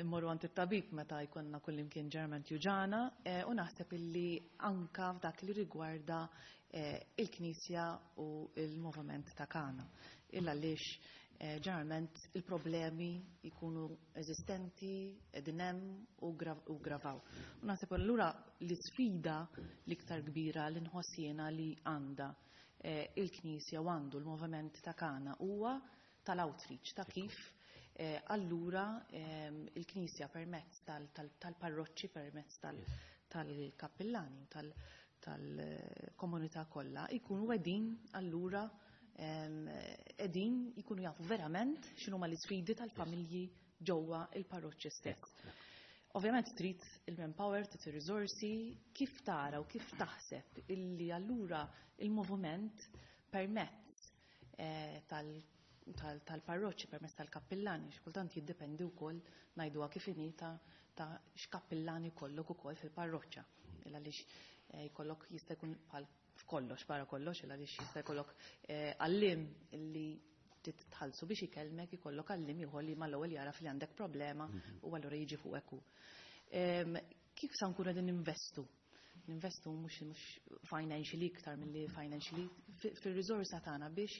Mmorru għand it-tabib meta jkollna kullimkien ġarment juġana, u naħseb illi anka f'dak li rigwarda il-Knisja u il-moviment ta' Kana. Illa għaliex ġeneralment il-problemi jkunu eżistenti, qegħdin hemm u gravaw. U naħseb allura l-isfida l-iktar kbira li nħoss jiena li għandha il-Knisja u għandu l-moviment ta' Kana huwa tal-outreach, ta' kif allura il-Knisja permezz tal-parroċċi, permezz tal-kappillani, tal-komunità kollha jkunu qegħdin allura qegħdin jkunu jafu verament x'inhuma l-isfidi tal-familji ġewwa il-parroċċi stess. Ovvjament trid il-manpower, trid ir-riżorsi, kif tara u kif taħseb illi allura il-moviment permezz tal-parroċċi, permezz tal-kappillani, xi kultant jiddependi wkoll, ngħiduha kif inhi, ta' x'kappillani jkollok ukoll fil-parroċċa. Illa għaliex jkollok, jista' jkun bħal f'kollox, barra kollox, illa għaliex jista' jkollok għallim li titħallsu biex ikellmek, ikollok għallim ieħor li mal-ewwel jara li għandek problema u allura jiġi fuq hu. Kif sa nkunu qegħdin ninvestu? Ninvestu mhux financially, iktar milli financially, fir-riżorsa tagħna biex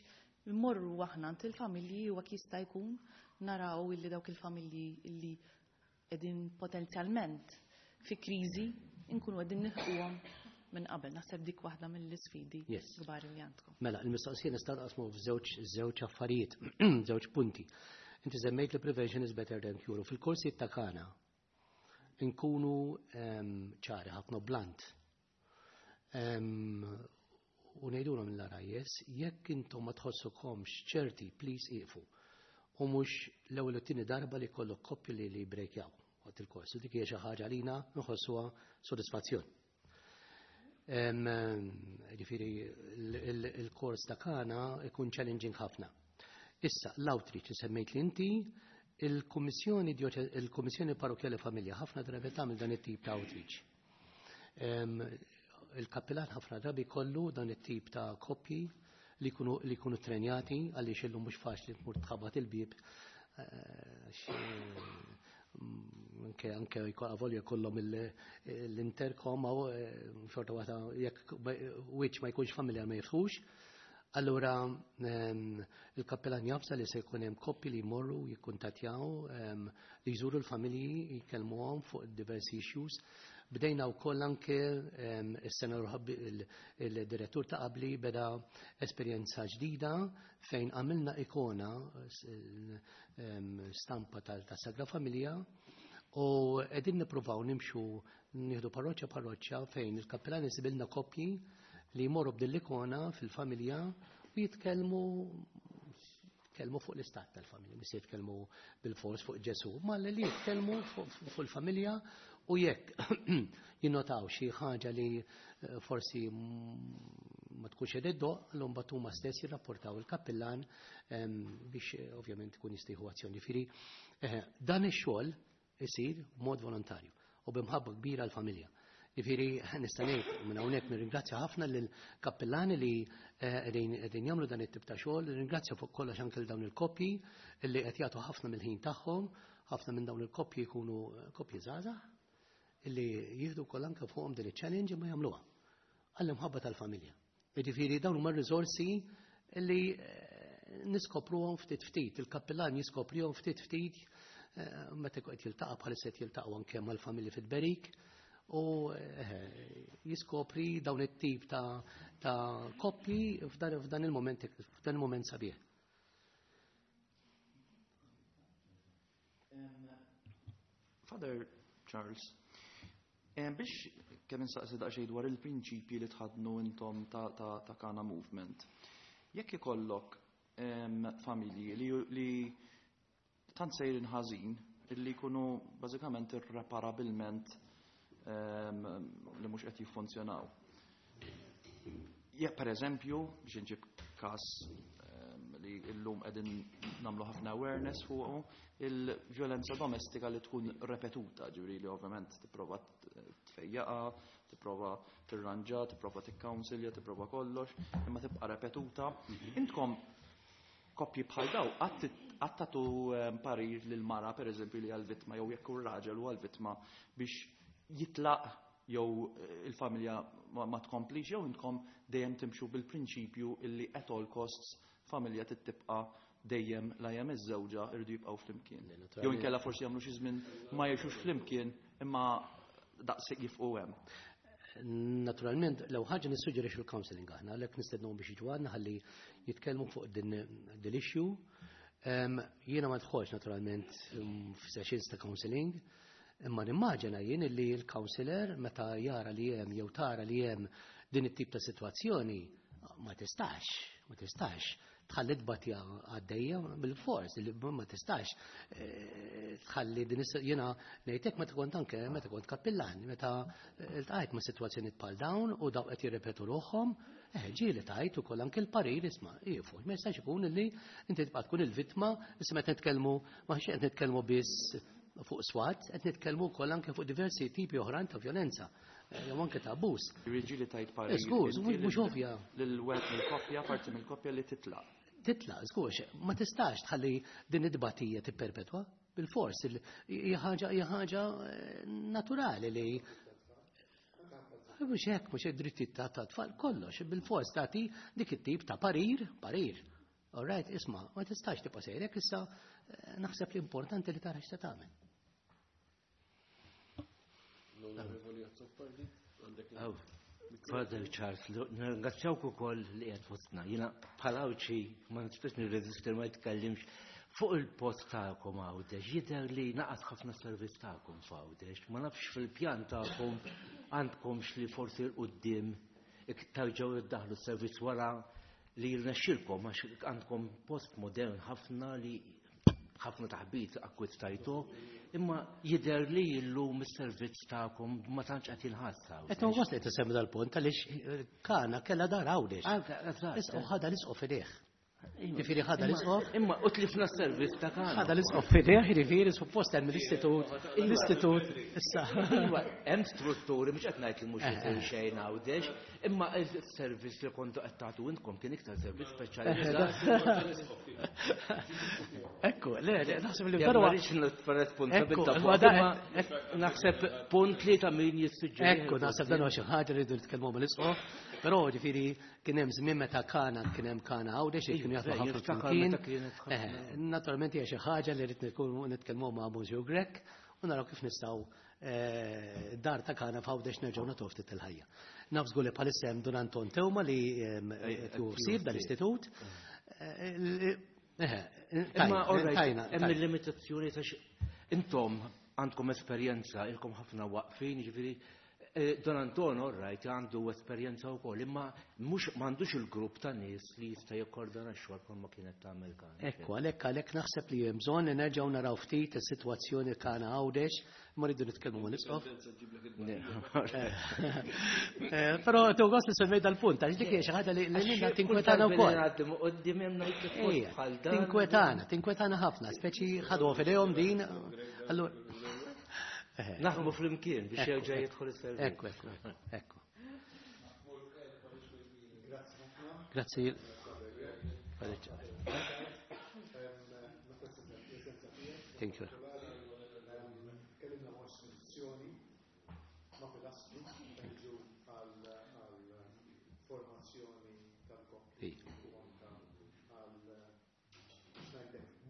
immorru aħna għand il-familji u hekk jista' jkun naraw illi dawk il-familji illi qegħdin potenzjalment fi kriżi nkunu qegħdin nilħquhom minn qabel. Naħseb dik waħda mill-isfidi kbar li għandkom. Mela, il-mistoqsija nista' naqsmu f'żewġ żewġ affarijiet, żewġ punti. Inti semmejt li prevention is better than cure. Fil-korsi ta' Kana nkunu ċari ħafna, blunt. U ngħidulhom mill-RIS, jekk intom ma tħossukomx ċerti, please iqfu. U mhux l-ewwel u t-tieni darba li kollok koppji li breakjaw waqt il-kors. U dik hija xi ħaġa lina nħossuha sodisfazzjon. Ġifieri il-kors ta' Kana ikun challenging ħafna. Issa, l-outreach li semmejt li inti, il-Kummissjoni Parrokjali Familja ħafna drabi tagħmel dan it-tip ta' outreach. Il-kappillan ħafna drabi kollu dan it-tip ta' koppji li jkunu trenjati, għaliex illum mhux faċli tmur tħabbat il-bib anke avolja jkollhom l-intercom aw xorta waħda jekk wiċċ ma jkunx familjar ma jiftħux. Allura il-kappellan jafsa li se jkun hemm koppji li jmorru jikkuntattjaw, li jżuru l-familji, jkellmuhom fuq diversi issues. Bdejna wkoll anke is-sena il-direttur ta' qabli beda esperjenza ġdida fejn għamilna ikona, stampa tal-Sagra Familja, u qegħdin nippruvaw nimxu, nieħdu parroċċa parroċċa fejn il-kappellan isibilna koppji li jmorru b'dil-ikona fil-familja u jitkellmu fuq l-istat tal-familja, mhux jitkellmu bil-fors fuq Ġesu, ma li jitkellmu fuq il-familja u jekk jinnotaw xi ħaġa li forsi ma tkunx qed iddoqq, allura mbagħad huma stess jirrapportaw il-kappillan biex ovvjament ikun jista' jieħu azzjoni. Jiġifieri dan ix-xogħol isir b'mod volontarju u b'imħabba kbira għall-familja. Jiġifieri nista' ngħid minn hawnhekk nirringrazzja ħafna lill-kappillani li qegħdin jagħmlu dan it-tip ta' xogħol, nirringrazzja fuq kollox anke lil dawn il-koppji li qed jagħtu ħafna mill-ħin tagħhom, ħafna minn dawn il-koppji jkunu koppji żgħażagħ illi jieħdu wkoll anke fuqhom din iċ-challenge imma jagħmluha għall-imħabba tal-familja. Jiġifieri dawn huma r-riżorsi li niskopruhom ftit ftit, il-kappillan jiskoprihom ftit ftit meta qed jiltaqa' bħalissa qed jiltaqgħu anke mal-familji fit-tberik u jiskopri dawn it-tip ta' koppji f'dan il-moment, f'dan il-moment sabiħ. Father Charles, biex kemm insaqsi daqsxejn dwar il-prinċipji li tħaddnu intom ta' Kana Movement. Jekk ikollok familji li tant sejrin ħażin illi jkunu bażikament irreparabilment li mhux qed jiffunzjonaw. Jekk per eżempju, biex inġib każ li llum qegħdin nagħmlu ħafna awareness fuqu, il-vjolenza domestika li tkun repetuta, ġifieri li ovvjament tipprova tfejjaqa, tipprova tirranġa, tipprova tikkawnsilja, tipprova kollox, imma tibqa' repetuta. Intkom koppji bħal daw qatt tagħtu parir lil mara pereżempju li għall-vittma jew jekk hu raġel u għall-vittma biex jitlaq jew il-familja ma tkomplix, jew intkom dejjem timxu bil-prinċipju illi at all costs familja tibqa' dejjem la hemm iż-żewġa irridu jibqgħu flimkien. Jew inkella forsi jagħmlu xi żmien ma jgħixux flimkien imma daqshekk jifqu hemm. Naturalment, l ħaġa nissuġġerixxu l-counseling aħna, għalhekk nistednuhom biex jiġu għandna ħalli jitkellmu fuq din l-issue. Jiena ma dħolx naturalment f'sessions ta' counseling, imma nimmaġina jien li l-counselor meta jara li hemm jew tara li hemm din it-tip ta' sitwazzjoni ma tistax, ma tistax tħalli tbatija għaddejja bil-fors, li ma tistax tħalli din jiena ngħidlek meta kont anke meta kont kappillan, meta iltqajt ma' sitwazzjonijiet bħal dawn u daw qed jirrepetu ruħhom, ġieli tajt ukoll anke l-parir isma' jiefu, ma jistax ikun li inti tibqa' tkun il-vittma, issa meta nitkellmu ma qed nitkellmu biss fuq swat, qed nitkellmu wkoll anke fuq diversi tipi oħrajn ta' vjolenza. Jew anke ta' abbuż. Ġieli tajt parir. Żgur, mhux ovvja. Lil wieħed mill-koppja, parti mill-koppja li titlaq. Titlaq, żgur, ma tistax tħalli din id-tbatija tipperpetwa bil-fors, hija ħaġa naturali li mhux hekk, mhux hekk drittijiet ta' tfal, kollox, bil-fors tagħti dik it-tip ta' parir, parir. All right, isma', ma tistax tibqa' sejrek, issa naħseb li importanti li tara x'se tagħmel. L-Onorevoli Azzopardi, għandek Father Charles, nirringrazzjawk ukoll li qiegħed fostna. Jiena bħala Għawdxi ma nistax nirreżisti ma nitkellimx fuq il-post tagħkom Għawdex. Jidher li naqas ħafna servizz tagħkom f'Għawdex. Ma nafx fil-pjan tagħkom għandkomx li forsi 'l quddiem iktar ġew iddaħlu s-servizz wara li jirnexxilkom għax għandkom post modern ħafna li ħafna taħbit akkwistajtu, imma jidher li llum is-servizz tagħkom ma tantx qed jinħass. Qed nħoss li tisemmi dal-punt għaliex Kana kellha dar Għawdex. Issa ħadha l-isqof fidejh. Jiġifieri ħadha l-isqof. Imma u tlifna s-servizz ta' Kana. Ħadha l-isqof fidejh, jiġifieri suppost hemm l-istitut, l-istitut issa. Iva, hemm strutturi mhux qed ngħid li mhux isir xejn Għawdex, imma s-servizz li kontu qed tagħtu intkom kien iktar servizz speċjalizzat. Ekku, le, le, naħseb li Ja, però ma rridx nitfa' responsabilità Ekku, fuq, imma imma naħseb punt li ta' min jissuġġeri. Ekku, naħseb dan huwa xi ħaġa li rridu nitkellmu mal-isqof, però ġifieri kien hemm żmien meta Kana kien hemm Kana Għawdex li kienu jaħdmu Iva, ħafna niftakar flimkien. meta kienet ħafna. Naturalment hija xi ħaġa li rrid nitkellmu ma' Monsieur Grech u naraw kif nistgħu dar ta' Kana f'Għawdex nerġgħu nagħtuh ftit il-ħajja. Naf żgur li bħalissa hemm Dun Anton Teuma li qed jsir dal-istitut. Imma, all right, Tajna, hemm tajna. il-limitazzjoni ta' intom għandkom esperjenza, ilkom ħafna waqfin, ġifieri Don Anton, all right, għandu esperjenza wkoll, imma mhux m'għandux il-grupp ta' nies li jista' jikkordona x-xogħol bħalma kienet tagħmel Kana. Ekku, għalhekk għalhekk naħseb li hemm bżonn li nerġgħu naraw ftit is-sitwazzjoni Kana Għawdex, ma rridu nitkellmu ma' l-Isqof. Però tu gost li semmejt dal-punt, għax dik hija xi ħaġa li lilna tinkwetana wkoll. Tinkwetana, tinkwetana ħafna, speċi ħadu f'idejhom din. Allura Naħdmu flimkien biex jerġa' jidħol is-servizz. Ekku, ekku, ekku. Grazzi. Thank you.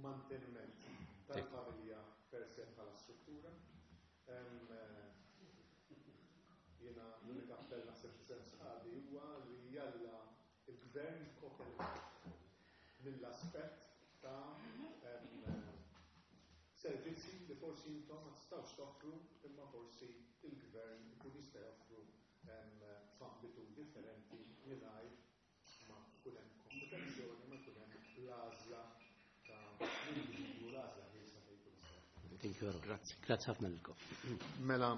Manteniment tal-familja per se bħala struttura. Jiena l-unika appell naħseb f'isem sħabi huwa li jalla il-gvern jikkopera mill-aspett ta' servizzi li forsi intom ma tistgħux toffru imma forsi il-gvern ikun jista' joffru f'ambitu differenti mingħajr ma jkun hemm kompetizzjoni, ma jkun hemm l-għażla ta' l-individwu, l-għażla ħielsa fejn jkun jista'. Thank you. Grazzi. Grazzi ħafna lilkom. Mela,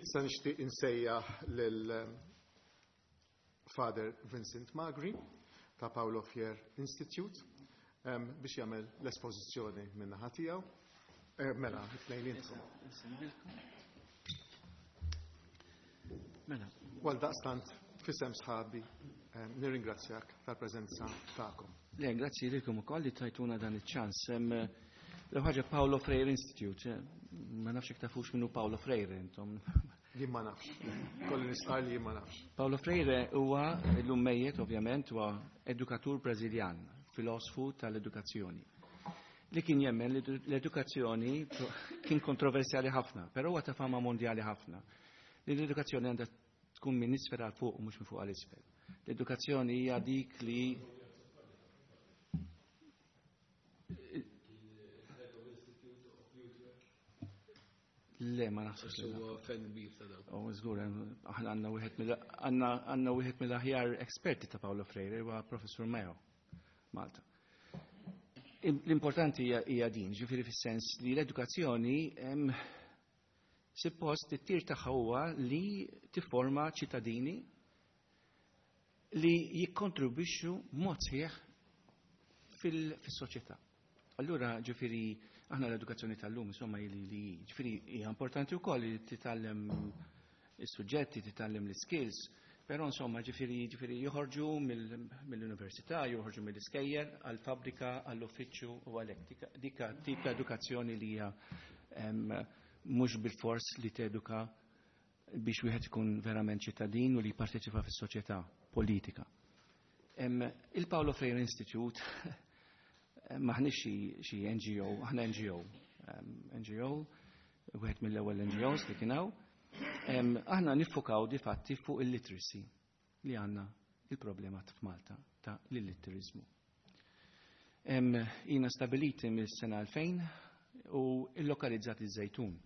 issa nixtieq insejjaħ lil Father Vincent Magri ta' Paolo Freire Institute biex jagħmel l-espożizzjoni min-naħa tiegħu. Mela, it-tnejn intkom. Mela. Għal daqstant, f'isem sħabi, nirringrazzjak tal-preżenza tagħkom. Le, grazzi lilkom ukoll li tajtuna dan iċ-ċans. L-ewwel ħaġa Paolo Freire Institute, ma nafx jekk tafux minnu Paolo Freire intom. Jien ma nafx. Kolli nistqar li jien ma nafx. Paolo Freire huwa llum mejjet ovvjament huwa edukatur Brażiljan, filosfu tal-edukazzjoni. Li kien jemmen li l-edukazzjoni kien kontroversjali ħafna, però huwa ta' fama mondjali ħafna. Li l-edukazzjoni għandha tkun minn isfel għal fuq u mhux minn fuq għal isfel. L-edukazzjoni hija dik li Le, ma naħsibx li Huwa fan kbir ta' dan. Oh, żgur, aħna għandna wieħed mill-, għandna, għandna wieħed mill-aħjar esperti ta' Paolo Freire, huwa Professur Meo, Malta. L-importanti hija din, ġifieri fis-sens li l-edukazzjoni suppost it-tir tagħha huwa li tifforma ċittadini li jikkontribwixxu b'mod sħiħ fis-soċjetà. Allura, ġifieri, aħna l-edukazzjoni tal-lum, insomma, li, li, ġifieri, hija importanti wkoll li titgħallem is-suġġetti, titgħallem l-skills, però insomma, ġifieri, ġifieri joħorġu mill-università, joħorġu mill-iskejjel għall-fabbrika, għall-uffiċċju u għalhekk. Dika tip ta' edukazzjoni li hija mhux bil-fors li teduka biex wieħed ikun verament ċittadin u li jipparteċipa fis-soċjetà politika. Il-Paolo Freire Institute maħniex xi NGO, aħna NGO. NGO, wieħed mill-ewwel N G Os li kien hawn. Aħna niffukaw di fatti fuq il-literacy li għandna il-problema f'Malta ta' l-illitterizmu. Jina stabiliti mill-sena 2000 u illokalizzati iż-Żejtun.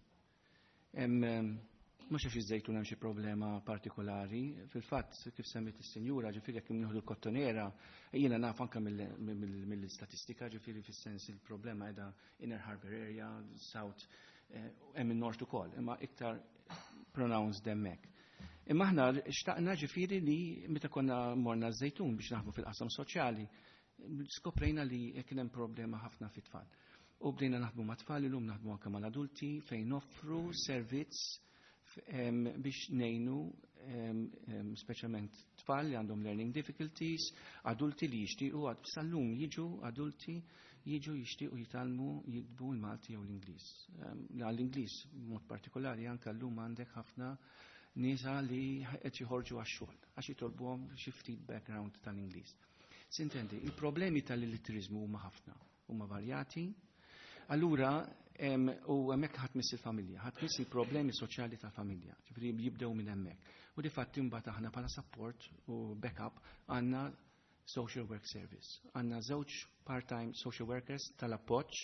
Mhux għax iż-Żejtun hemm xi problema partikolari, fil-fatt kif semmiet is-sinjura, ġifieri jekk nieħdu l-kottonera, jiena naf anke mill-istatistika, ġifieri fis-sens il-problema qiegħda Inner Harbour Area, South, hemm in-North ukoll, imma iktar pronounced hemmhekk. Imma aħna xtaqna ġifieri li meta konna morna ż-Żejtun biex naħdmu fil-qasam soċjali, skoprejna li kien hemm problema ħafna fit-tfal. U bdejna naħdmu ma' tfal, illum naħdmu anke mal-adulti fejn noffru servizz biex ngħinu speċjalment tfal li għandhom learning difficulties, adulti li jixtiequ, sal-lum jiġu adulti jiġu jixtiequ jitgħallmu jiktbu l-Malti jew l-Ingliż. L-Ingliż b'mod partikolari anke llum għandek ħafna nisa li qed joħorġu għax-xogħol għax jitolbuhom xi ftit background tal-Ingliż. Sintendi, il-problemi tal-illitterizmu huma ħafna, huma varjati. Allura, u hemmhekk ħadd miss il-familja, ħadd miss il-problemi soċjali tal-familja, ġifieri jibdew minn hemmhekk. U difatti mbagħad aħna bħala support u backup għandna social work service. Għandna żewġ part-time social workers tal-appoġġ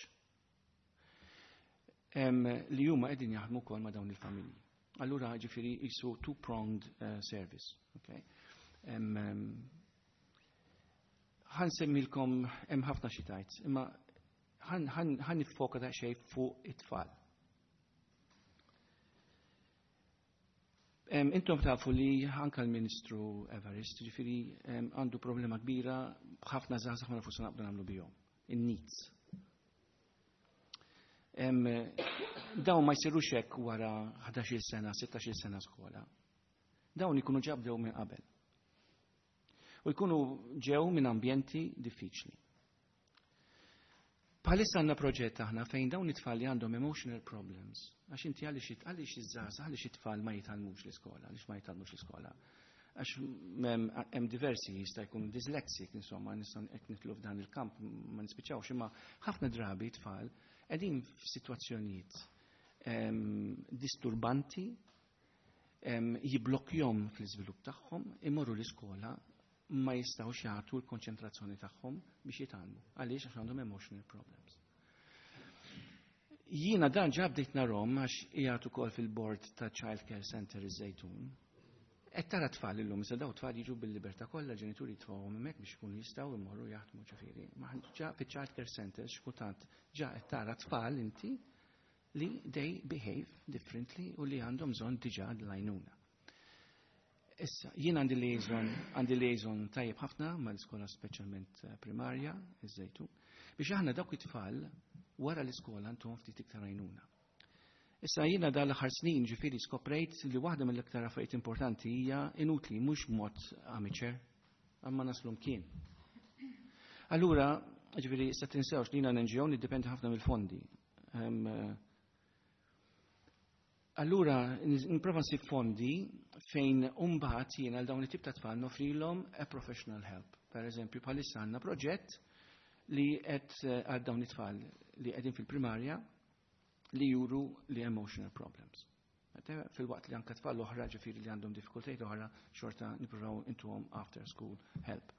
li huma qegħdin jaħdmu wkoll ma' dawn il-familji. Allura ġifieri jisu two-pronged service. Okay? Ħa nsemmilkom hemm ħafna xi tajt, imma ħa niffoka daqsxejn fuq it-tfal. Intom tafu li anka l-Ministru Evarist, ġifieri għandu problema kbira b'ħafna żgħażagħ ma nafux se naqbdu nagħmlu bihom, in-NEETs. Dawn ma jsirux hekk wara 11-il sena, 16-il sena skola. Dawn ikunu ġa bdew minn qabel. U jkunu ġew minn ambjenti diffiċli. Bħalissa għandna proġett aħna fejn dawn it-tfal li għandhom emotional problems, għax inti għaliex iż-żgħażagħ, għaliex it-tfal ma jitgħallmux l-iskola, għaliex ma jitgħallmux l-iskola. Għax hemm diversi, jista' jkun dyslexic, insomma, nistgħu hekk nitlu f'dan il-kamp ma nispiċċawx, imma ħafna drabi tfal qegħdin f'sitwazzjonijiet disturbanti, jiblokkjhom fl-iżvilupp tagħhom, imorru l-iskola ma jistgħux jagħtu l-konċentrazzjoni tagħhom biex jitgħallmu. Għaliex? Għax għandhom emotional problems. Jiena dan ġa bdejt narhom għax qiegħed ukoll fil-board ta' Child Care Center iż-Żejtun. Qed tara tfal illum, issa daw tfal jiġu bil-libertà kollha, ġenituri jitfgħuhom hemmhekk biex ikunu jistgħu jmorru jaħdmu ġifieri. Ma ġa fiċ-Child Care Center x'kultant ġa qed tara tfal inti li they behave differently u li għandhom bżonn diġà l-għajnuna. Issa, jien għandi liaison tajjeb ħafna mal-iskola speċjalment primarja, iż-Żejtun, biex aħna dawk it-tfal wara l-iskola ntuhom ftit iktar għajnuna. Issa jiena dal-aħħar snin ġifieri skoprejt li waħda mill-iktar affarijiet importanti hija inutli mhux b'mod amateur, imma naslu mkien. Allura, ġifieri issa tinsewx li jiena NGO niddependi ħafna mill-fondi. Allura, nipprova nsib fondi fejn mbagħad jiena għal dawn it-tip ta' tfal nofrilhom a professional help. Per eżempju, bħalissa għandna proġett li qed għal dawn it-tfal li qegħdin fil-primarja li juru li emotional problems. Fil-waqt li anka tfal oħra ġifieri li għandhom diffikultajiet oħra xorta nippruvaw intuhom after school help.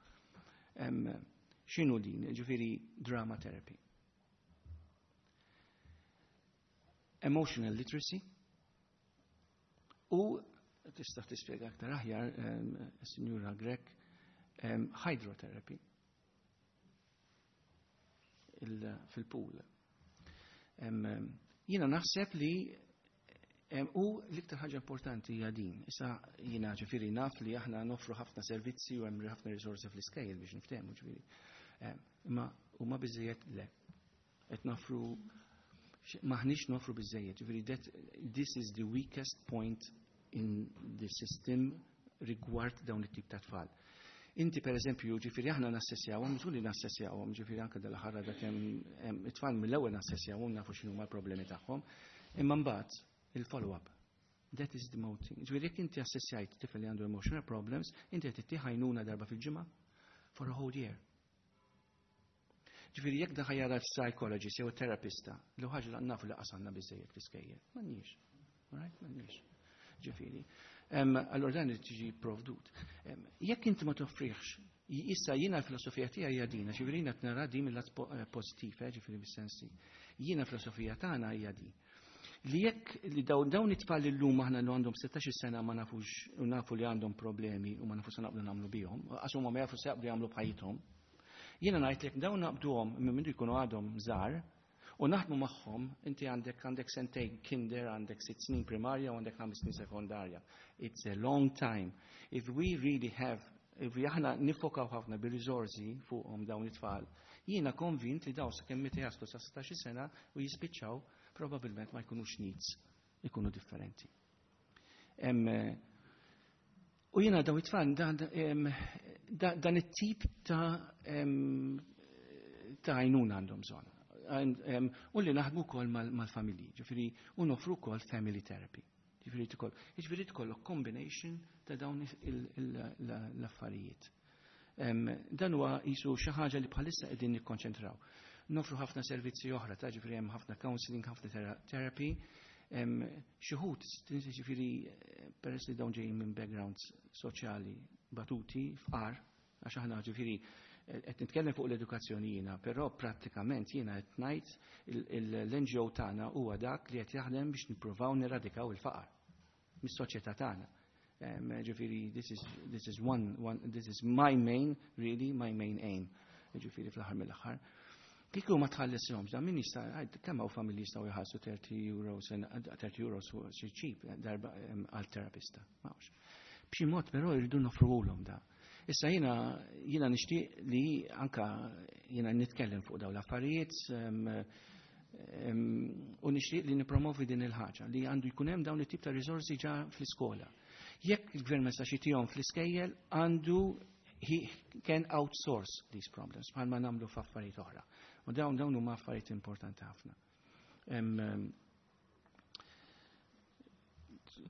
X'inhu din? Ġifieri drama therapy. Emotional literacy u tista' tispjega aktar aħjar, Sinjura Grech, hydrotherapy fil-pool. Jiena naħseb li u l-iktar ħaġa importanti hija din. Issa jiena ġifieri naf li aħna noffru ħafna servizzi u hemm ħafna risorsi fl-iskejjel biex niftehmu ġifieri. Imma huma biżejjed le. Qed nofru maħniex nofru biżejjed. Ġifieri this is the weakest point in the system rigward dawn it-tip ta' tfal. Inti per eżempju, ġifieri aħna nassessjawhom, mhux li nassessjawhom, ġifieri anke dal-aħħar dak hemm it-tfal mill-ewwel nassessjawhom nafu x'inhuma l-problemi tagħhom, imma mbagħad il-follow-up. That is the most thing. Ġifieri jekk inti assessjajt tifel li għandu emotional problems, inti qed ittih għajnuna darba fil-ġimgħa for a whole year. Ġifieri jekk dan jara psychologist jew terapista, li ħaġa li nafu li qasanna biżejjed fl-iskejjel. M'għandniex. Right? M'għandniex. Ġifieri. Allora dan irid tiġi provdut. Jekk inti ma toffriħx, issa jiena l-filosofija tiegħi hija din, ġifieri jiena qed nara din mill-lat pożittiv, ġifieri bis-sensi. Jiena l-filosofija tagħna hija din. Li jekk li dawn it-tfal illum aħna li għandhom 16 sena ma nafux u nafu li għandhom problemi u ma nafux se naqbdu nagħmlu bihom, għax huma ma jafu se jaqbdu jagħmlu b'ħajjithom. Jiena ngħid li dawn naqbduhom minn mindu jkunu għadhom żgħar u naħdmu magħhom, inti għandek sentejn kinder, għandek 6 snin primarja u għandek 5 snin sekondarja. It's a long time. If we really have, if we aħna nifokaw ħafna bir-riżorsi fuqhom dawn it-tfal, jiena konvint li dawn sakemm meta jaslu sa 16 sena u jispiċċaw probabilment ma jkunux NEETs, ikunu differenti. U jiena dawn it-tfal, dan it-tip ta' għajnuna għandhom bżonn. U li naħdmu wkoll mal-familji, ġifieri, u noffru wkoll family therapy. Ġifieri tkollok combination ta' dawn l-affarijiet. Dan huwa jisu xi ħaġa li bħalissa qegħdin nikkonċentraw. Nofru ħafna servizzi oħra, ta' ġifieri hemm ħafna counseling, ħafna therapy. Xi wħud, ġifieri, peress li dawn ġejjin minn backgrounds soċjali batuti, fqar, għax aħna ġifieri qed nitkellem fuq l-edukazzjoni jiena, però prattikament jiena qed ngħid l-NGO tagħna huwa dak li qed jaħdem biex nippruvaw niradikaw il-faqar. mis-soċjetà tagħna. Ġifieri this is, this is one, one, this is my main, really, my main aim. Ġifieri fl-aħħar mill-aħħar. Kieku ma tħallishomx, dan min jista' kemm hawn familji jistgħu jħallsu 30 euros, 30 euros xi ċip darba għal terapista. M'hawnx. B'xi mod però jridu nofruhulhom da. Issa jiena jiena nixtieq li anka jiena nitkellem fuq dawn l-affarijiet u nixtieq li nippromovi din il-ħaġa li għandu jkun hemm dawn it-tip ta' riżorsi ġa fl-iskola. Jekk il-gvern ma jistax jitihom fl-iskejjel għandu he can outsource these problems bħalma nagħmlu f'affarijiet oħra. U dawn dawn huma affarijiet importanti ħafna.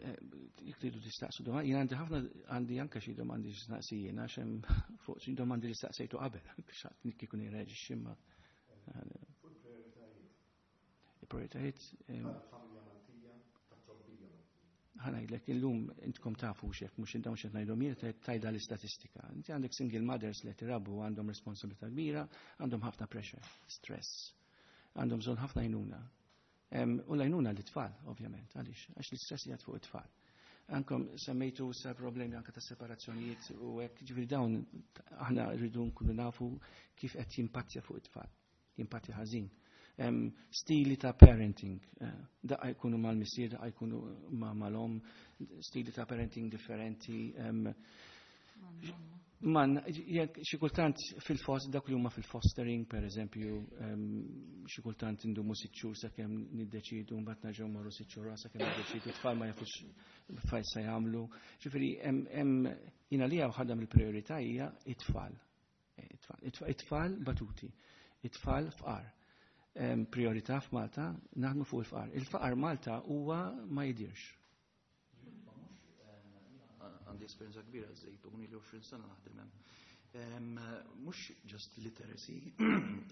Jekk tridu tistaqsu domandi, jien għandi ħafna għandi anke xi domandi x'naqsi jien għax hemm fuq xi domandi li staqsejtu qabel, x'għad kieku nirreġixxi imma. Il-prioritajiet. Ħanajdlek illum intkom tafu xek, mhux intom xed ngħidhom jien tajda l-istatistika. Inti għandek single mothers li tirabu għandhom responsabilità kbira, għandhom ħafna pressure, stress. Għandhom bżonn ħafna għajnuna. U l-għajnuna l-tfal, ovvjament, għaliex, għax l-istress jgħad fuq it-tfal. Ankom semmejtu sa problemi anka ta' separazzjonijiet u hekk, ġifieri dawn aħna rridu nkunu nafu kif qed jimpattja fuq it-tfal, jimpattja ħażin. Stili ta' parenting, eh, daqqa jkunu mal-missier, daqqa jkunu mal-om, stili ta' parenting differenti. Man, jekk xi kultant fil-fost dak li huma fil-fostering, per eżempju, xi kultant indumu sitt xhur sakemm niddeċidu, mbagħad nerġgħu morru sitt xhur sakemm niddeċidu, tfal ma jafux fejn se jagħmlu. Ġifieri hemm jiena li ħadha mill-priorità hija it-tfal. It-tfal batuti, it-tfal fqar. Priorità f'Malta naħdmu fuq il-fqar. Il-faqar Malta huwa ma jidirx. Għandi esperjenza kbira żejtun li 20 sena naħdem hemm. Mhux just literacy,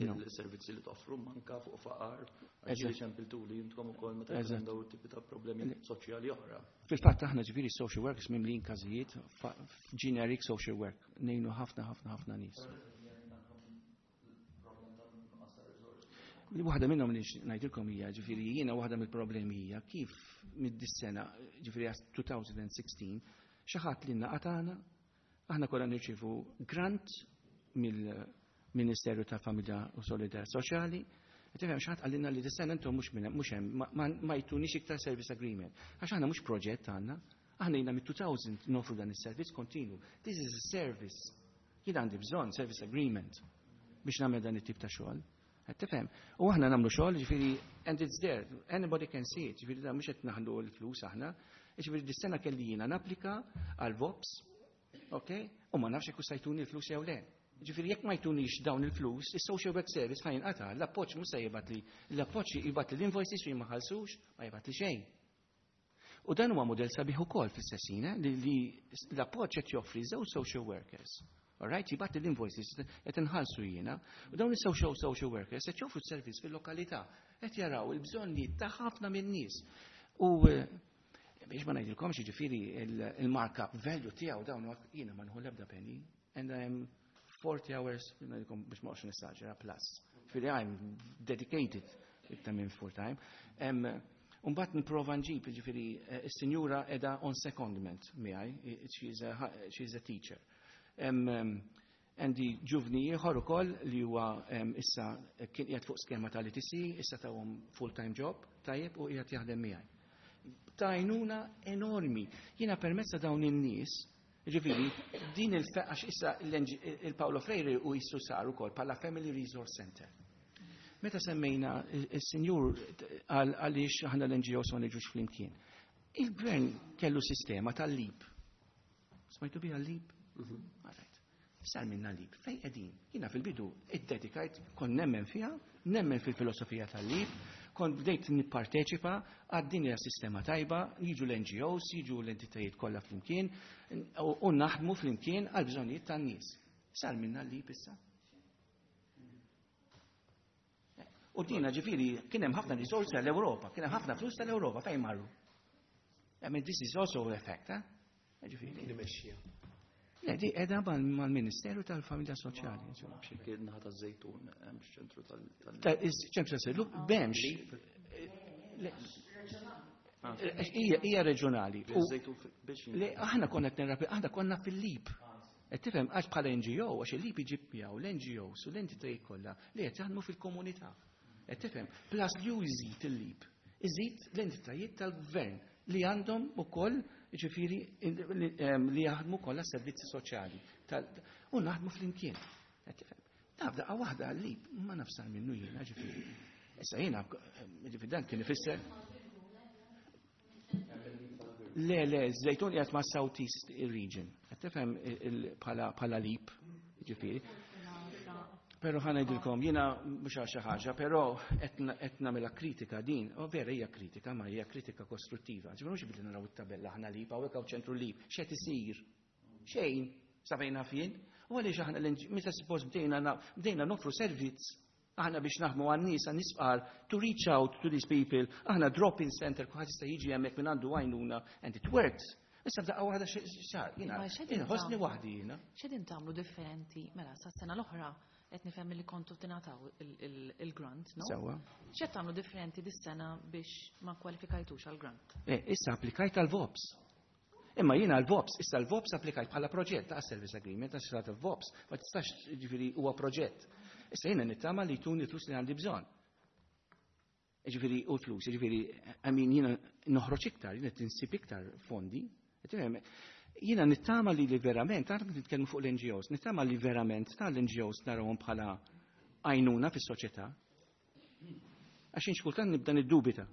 il-servizzi li toffru manka fuq faqar, għax ċempiltu li jintkom ukoll meta jkun dawn tipi ta' problemi soċjali oħra. Fil-fatt aħna ġifieri social workers mimlin każijiet generic social work, ngħinu ħafna ħafna ħafna nies. Waħda minnhom li ngħidilkom hija, ġifieri jiena waħda mill-problemi hija kif mid-dis-sena, ġifieri 2016, xi ħadd li naqatana, aħna kollha nirċievu grant mill-Ministeru tal-Familja u Solidarità Soċjali, Tifhem xi ħadd qalilna li dis-sena intom mhux minn mhux hemm ma jtunix iktar service agreement. Għax aħna mhux proġett għandna, aħna ilna mit-2000 nofru dan is-servizz kontinu. This is a service. Jien għandi bżonn service agreement biex nagħmel dan it-tip ta' xogħol. Qed tifhem? U aħna nagħmlu xogħol, ġifieri and it's there, anybody can see it, ġifieri da mhux qed naħlu l-flus aħna. Ġifieri dis-sena kelli jiena napplika għal VOPS, ok? U ma nafx jekk sajtuni l-flus jew le. Ġifieri jekk ma jtunix dawn il-flus, is-social work service ħa jinqata', l-appoġġ mhux se jibgħat li l-appoġġ jibgħat li l-invoices u jien ma ħallsux, ma jibgħat li xejn. U dan huwa mudell sabiħ ukoll fl-istess ħin, eh, li l-appoġġ qed joffri żewġ social workers. All right, jibgħat l-invoices qed inħallsu jiena, u dawn is-social social workers qed joffru servizz fil-lokalità, qed jaraw il-bżonnijiet ta' ħafna min-nies. U eh, biex ma ngħidilkomx jiġifieri il-markup value tiegħu dawn jiena ma nħu l-ebda penny and I'm 40 hours biex ma nessaġera plus. Ġifieri I'm dedicated iktar minn full time. Umbat niprofa nġib, ġifieri, eh, is-sinjura edha on secondment miegħi, she's a teacher. Għandi ġuvni ieħor ukoll li huwa issa kien qiegħed fuq skema tal-ITC, issa tawhom full-time job, tajjeb u qiegħed jaħdem miegħi. Tajnuna enormi. Jiena permezz ta' dawn in-nies, ġifieri, din il-għax issa il-Paolo Freire u jissu sar ukoll bħala Family Resource Center. Meta semmejna il-sinjur għaliex aħna l-NGOs ma niġux flimkien. Il-gvern kellu sistema tal-lib. Smajtu biha l-lib? Mhm. Sar minna lib. Fej qegħdin? Jiena fil-bidu iddedikajt kont nemmen fiha, nemmen fil-filosofija tal-lib, kont bdejt nipparteċipa għad din hija sistema tajba, jiġu l-NGOs, jiġu l-entitajiet kollha flimkien u naħdmu flimkien għal bżonnijiet tan-nies. Sar minna l-lib issa. U dina ġifiri, kien hemm ħafna risorsi tal-Ewropa, kien hemm ħafna flus tal-Ewropa, fejn marru? I mean, this is also a fact, eh? Ġifiri. Nimexxija. Le, di edha mal-Ministeru tal-Familja Soċjali. Kien naħa taż-Żejtun, hemm ċentru tal- Ċentru tal-Żejtun, bemx. Hija reġjonali. Le aħna konna qed nirrapi, aħna konna fil-LEAP. Qed tifhem għax bħala NGO, għax il-LEAP iġib miegħu l-NGOs u l-entitajiet kollha li qed jaħdmu fil-komunità. Qed tifhem, plus li hu jżid il-LEAP. Iżid l-entitajiet tal-gvern li għandhom ukoll ġifieri li jaħdmu kollha servizzi soċjali. U naħdmu flimkien. Qed tifhem. Naf daqqa waħda għal-LEAP ma nafsar minnu jiena ġifieri. Issa jiena ġifieri dan kien ifisser Le, le, Żejtun qiegħed ma' South East Region. Qed tifhem bħala LEAP, ġifieri. Però ħa ngħidilkom, jiena mhux għal xi ħaġa, però qed nagħmilha kritika din, u vera hija kritika, ma hija kritika kostruttiva. Ġifieri mhux billi naraw it-tabella aħna LEAP, hawnhekk hawn ċentru LEAP, x'qed isir? Xejn, sa fejn naf jien. U għaliex aħna meta suppost bdejna noffru servizz aħna biex naħdmu għan-nies għan-nies fqar to reach out to these people, aħna drop-in center, kulħadd jista' jiġi hemmhekk minn għandu għajnuna and it works. Issa f'daqqa waħda xar, jiena ħossni waħdi jiena. X'qegħdin tagħmlu differenti mela sas-sena l-oħra qed nifhem li kontu tingħataw il-grant, no? Sewwa. X'qed tagħmlu differenti dis-sena biex ma kwalifikajtux għall-grant? Eh, issa applikajt għal-VOPS. Imma jiena l-VOPS, issa l-VOPS applikajt bħala proġett ta' service agreement, ta' xrat il-VOPS, ma tistax ġifieri huwa proġett. Issa jiena nittama li jtuni flus li għandi bżonn. Ġifieri u flus, ġifieri, I mean jiena noħroġ iktar, jiena tinsib iktar fondi. Jiena nittama li li verament, għandek nitkellmu fuq l-NGOs, nittama li verament tal-NGOs narawhom bħala għajnuna fis-soċjetà. Għax xi kultant nibda niddubita.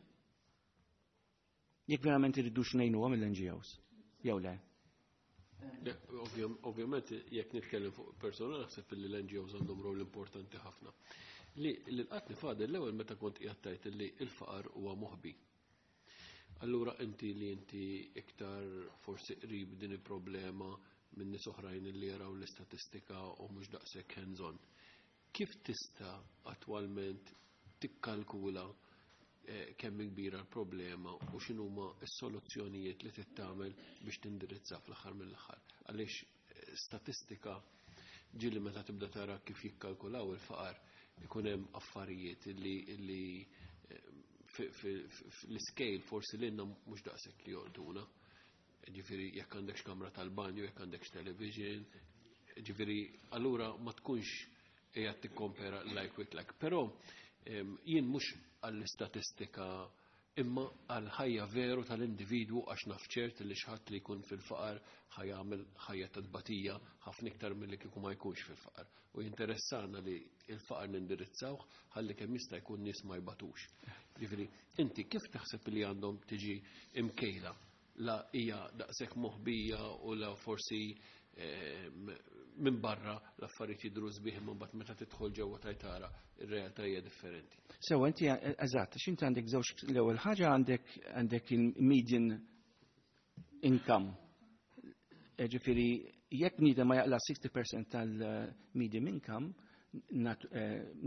Jekk verament irridux ngħinuhom mill-NGOs, jew le. Ovvjament, jekk nitkellem fuq persona, naħseb li l-NGOs għandhom rol importanti ħafna. Li l-qatni fadel l-ewwel meta kont qiegħed li l-faqar huwa moħbi. Allura inti li inti iktar forsi qrib din il-problema minn nies oħrajn li jaraw l-istatistika u mhux daqshekk hands-on. Kif tista' attwalment tikkalkula kemm kbira l-problema u x'inhuma s-soluzzjonijiet li tittamel biex tindirizza fl-aħħar mill-aħħar? Għaliex statistika ġieli meta tibda tara kif jikkalkulaw il-faqar ikun hemm affarijiet li fl-scale forsi lilna mhux daqshekk li jolqtuna. Ġifieri jekk għandekx kamra tal-banju, jekk għandekx television, ġifieri allura ma tkunx qiegħed tikkompera like with like. Però jien mhux għall-istatistika imma għal-ħajja veru tal-individwu għax naf ċert li xi ħadd li jkun fil-faqar ħa jagħmel ħajja ta' tbatija ħafna iktar milli kieku ma jkunx fil-faqar. U jinteressana li il-faqar nindirizzawh ħalli kemm jista' jkun nies ma jbatux. Ġifieri, inti kif taħseb li għandhom tiġi imkejla la hija daqshekk moħbija u la forsi minn barra l-affarijiet jidhru sbieħ imma mbagħad meta tidħol ġewwa tajtara ir-realtà hija differenti. Sewa inti eżatt, x'inti għandek żewġ l-ewwel ħaġa għandek il-median income. Ġifieri jekk bniedem ma jaqla 60% tal-median income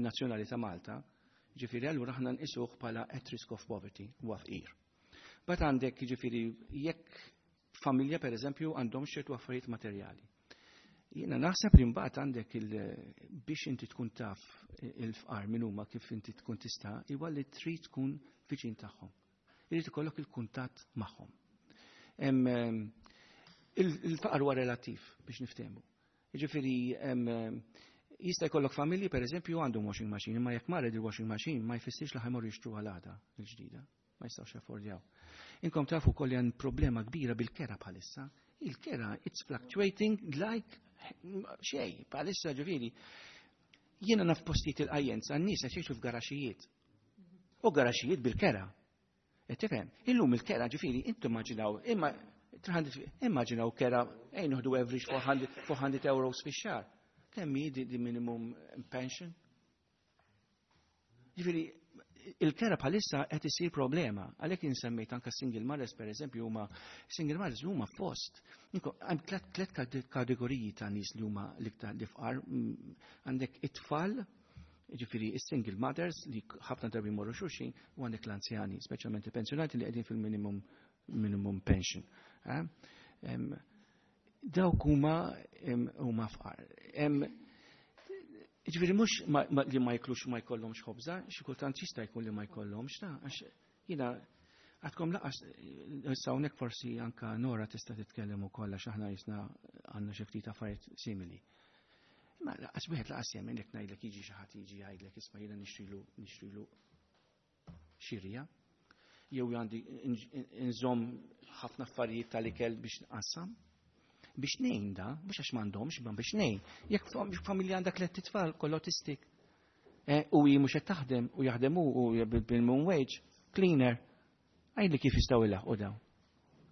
nazzjonali ta' Malta, ġifieri allura aħna nqisuh bħala at risk of poverty huwa fqir. But għandek ġifieri jekk familja per eżempju għandhom ċertu affarijiet materjali. Jiena naħseb li mbagħad għandek biex inti tkun taf il-fqar min huma kif inti tkun tista' huwa li trid tkun viċin tagħhom. Irid ikollok il-kuntatt magħhom. Il-faqar huwa relattiv biex niftehmu. Jiġifieri jista' jkollok familji pereżempju għandhom washing machine, imma jekk marret il-washing machine ma jfissirx li ħa jmorru jixtru għal il-ġdida. Ma jistgħux jaffordjaw. Inkom tafu kolli għan problema kbira bil-kera bħalissa. Il-kera, it's fluctuating like xej, bħalissa ġifieri. Jiena naf postijiet il-qajjenza, n-nies qed jgħixu f'garaxijiet. U garaxijiet bil-kera. Qed tifhem? Illum il-kera ġifieri, intom immaġinaw, imma 300, immaġinaw kera, ejn noħdu average 400 euros fix-xahar. Kemm hi di minimum pension? Ġifieri, il-kera bħalissa qed isir problema. Għalhekk insemmejt anke single mothers pereżempju huma single mothers huma fost. Hemm tliet kategoriji ta' nies li huma l-iktar li fqar. Għandek it-tfal, ġifieri is-single mothers li ħafna drabi jmorru xulxin, u għandek l-anzjani, speċjalment il-pensjonati li qegħdin fil-minimum minimum pension. Dawk huma fqar. Ġifieri mhux li ma jiklux ma jkollhomx ħobża, xi kultant jista' jkun li ma jkollhomx ta' għax jiena Għadkom laqas, issa hawnhekk forsi anka Nora tista' titkellem ukoll għax aħna jisna għandna xi ftit affarijiet simili. Imma laqas wieħed laqas jemmen jekk ngħidlek jiġi xi ħadd jiġi jgħidlek isma' jiena nixtrilu nixtrilu xirja jew għandi nżomm ħafna affarijiet tal-ikel biex nqassam. Biex ngħin da, mhux għax m'għandhomx, imma biex ngħin. Jekk familja għandha tliet tfal kollha autistic, u hi mhux qed taħdem u jaħdem hu u bil-minimum wage, cleaner, għidli kif jistgħu jlaħqu dawn.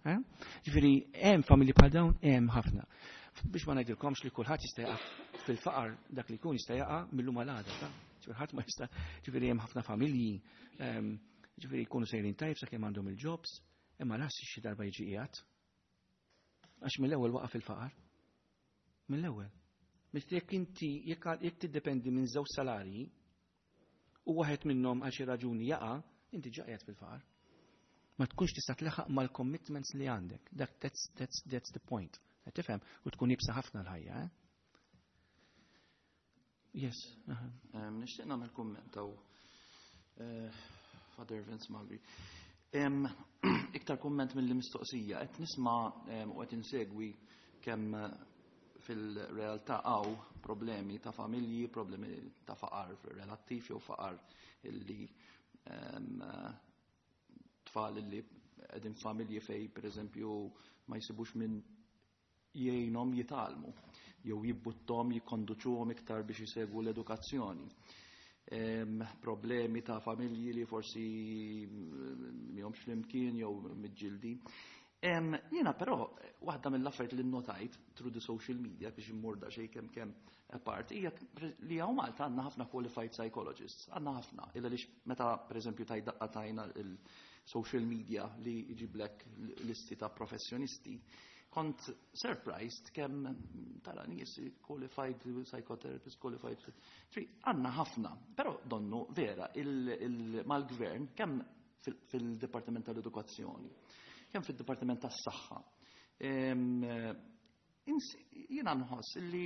Eh? Ġifieri hemm familji bħal dawn hemm ħafna. Biex ma ngħidilkomx li kulħadd jista' jaqa' fil-faqar dak li jkun jista' jaqa' mill-lum għal għada, ta' ġifieri ħadd ma jista' ġifieri hemm ħafna familji ġifieri jkunu sejrin tajb sakemm għandhom il-jobs, imma las xi darba jiġi qiegħed. Għax mill-ewwel waqa' fil-faqar. Mill-ewwel. Meta jekk inti jekk tiddependi minn żewġ salarji u waħed minnhom għal xi raġuni jaqa', inti ġa qiegħed fil-faqar. Ma tkunx tista' tleħaq mal-commitments li għandek. Dak that's, that's, that's the point. Qed tifhem? U tkun ibsa ħafna l-ħajja, eh? Yes. Nixtieq nagħmel kumment hawn eh, Father Vince Magri. Iktar kumment mill-mistoqsija, qed nisma' u qed insegwi kemm fil-realtà hawn problemi ta' familji, problemi ta' faqar relattiv jew faqar illi tfal illi qegħdin familji fej pereżempju ma jsibux minn jgħinhom jitgħallmu jew jibbuttom jikkonduċuhom iktar biex isegwu l-edukazzjoni. Problemi ta' familji li forsi mihomx flimkien jew miġġildin. Jiena però waħda mill-affarijiet li nnotajt through the social media biex immur daqsxejn kemm kemm apart hija li hawn Malta għandna ħafna qualified psychologists, għandna ħafna. Illa li meta pereżempju taj daqqa tajna il-social media li jġiblek listi ta' professjonisti, kont surprised kemm tara nies qualified psychotherapist, qualified. Għandna ħafna, però donnu vera mal-gvern kemm fil-Dipartiment tal-Edukazzjoni, kemm fil-Dipartiment tas-Saħħa. Jiena nħoss li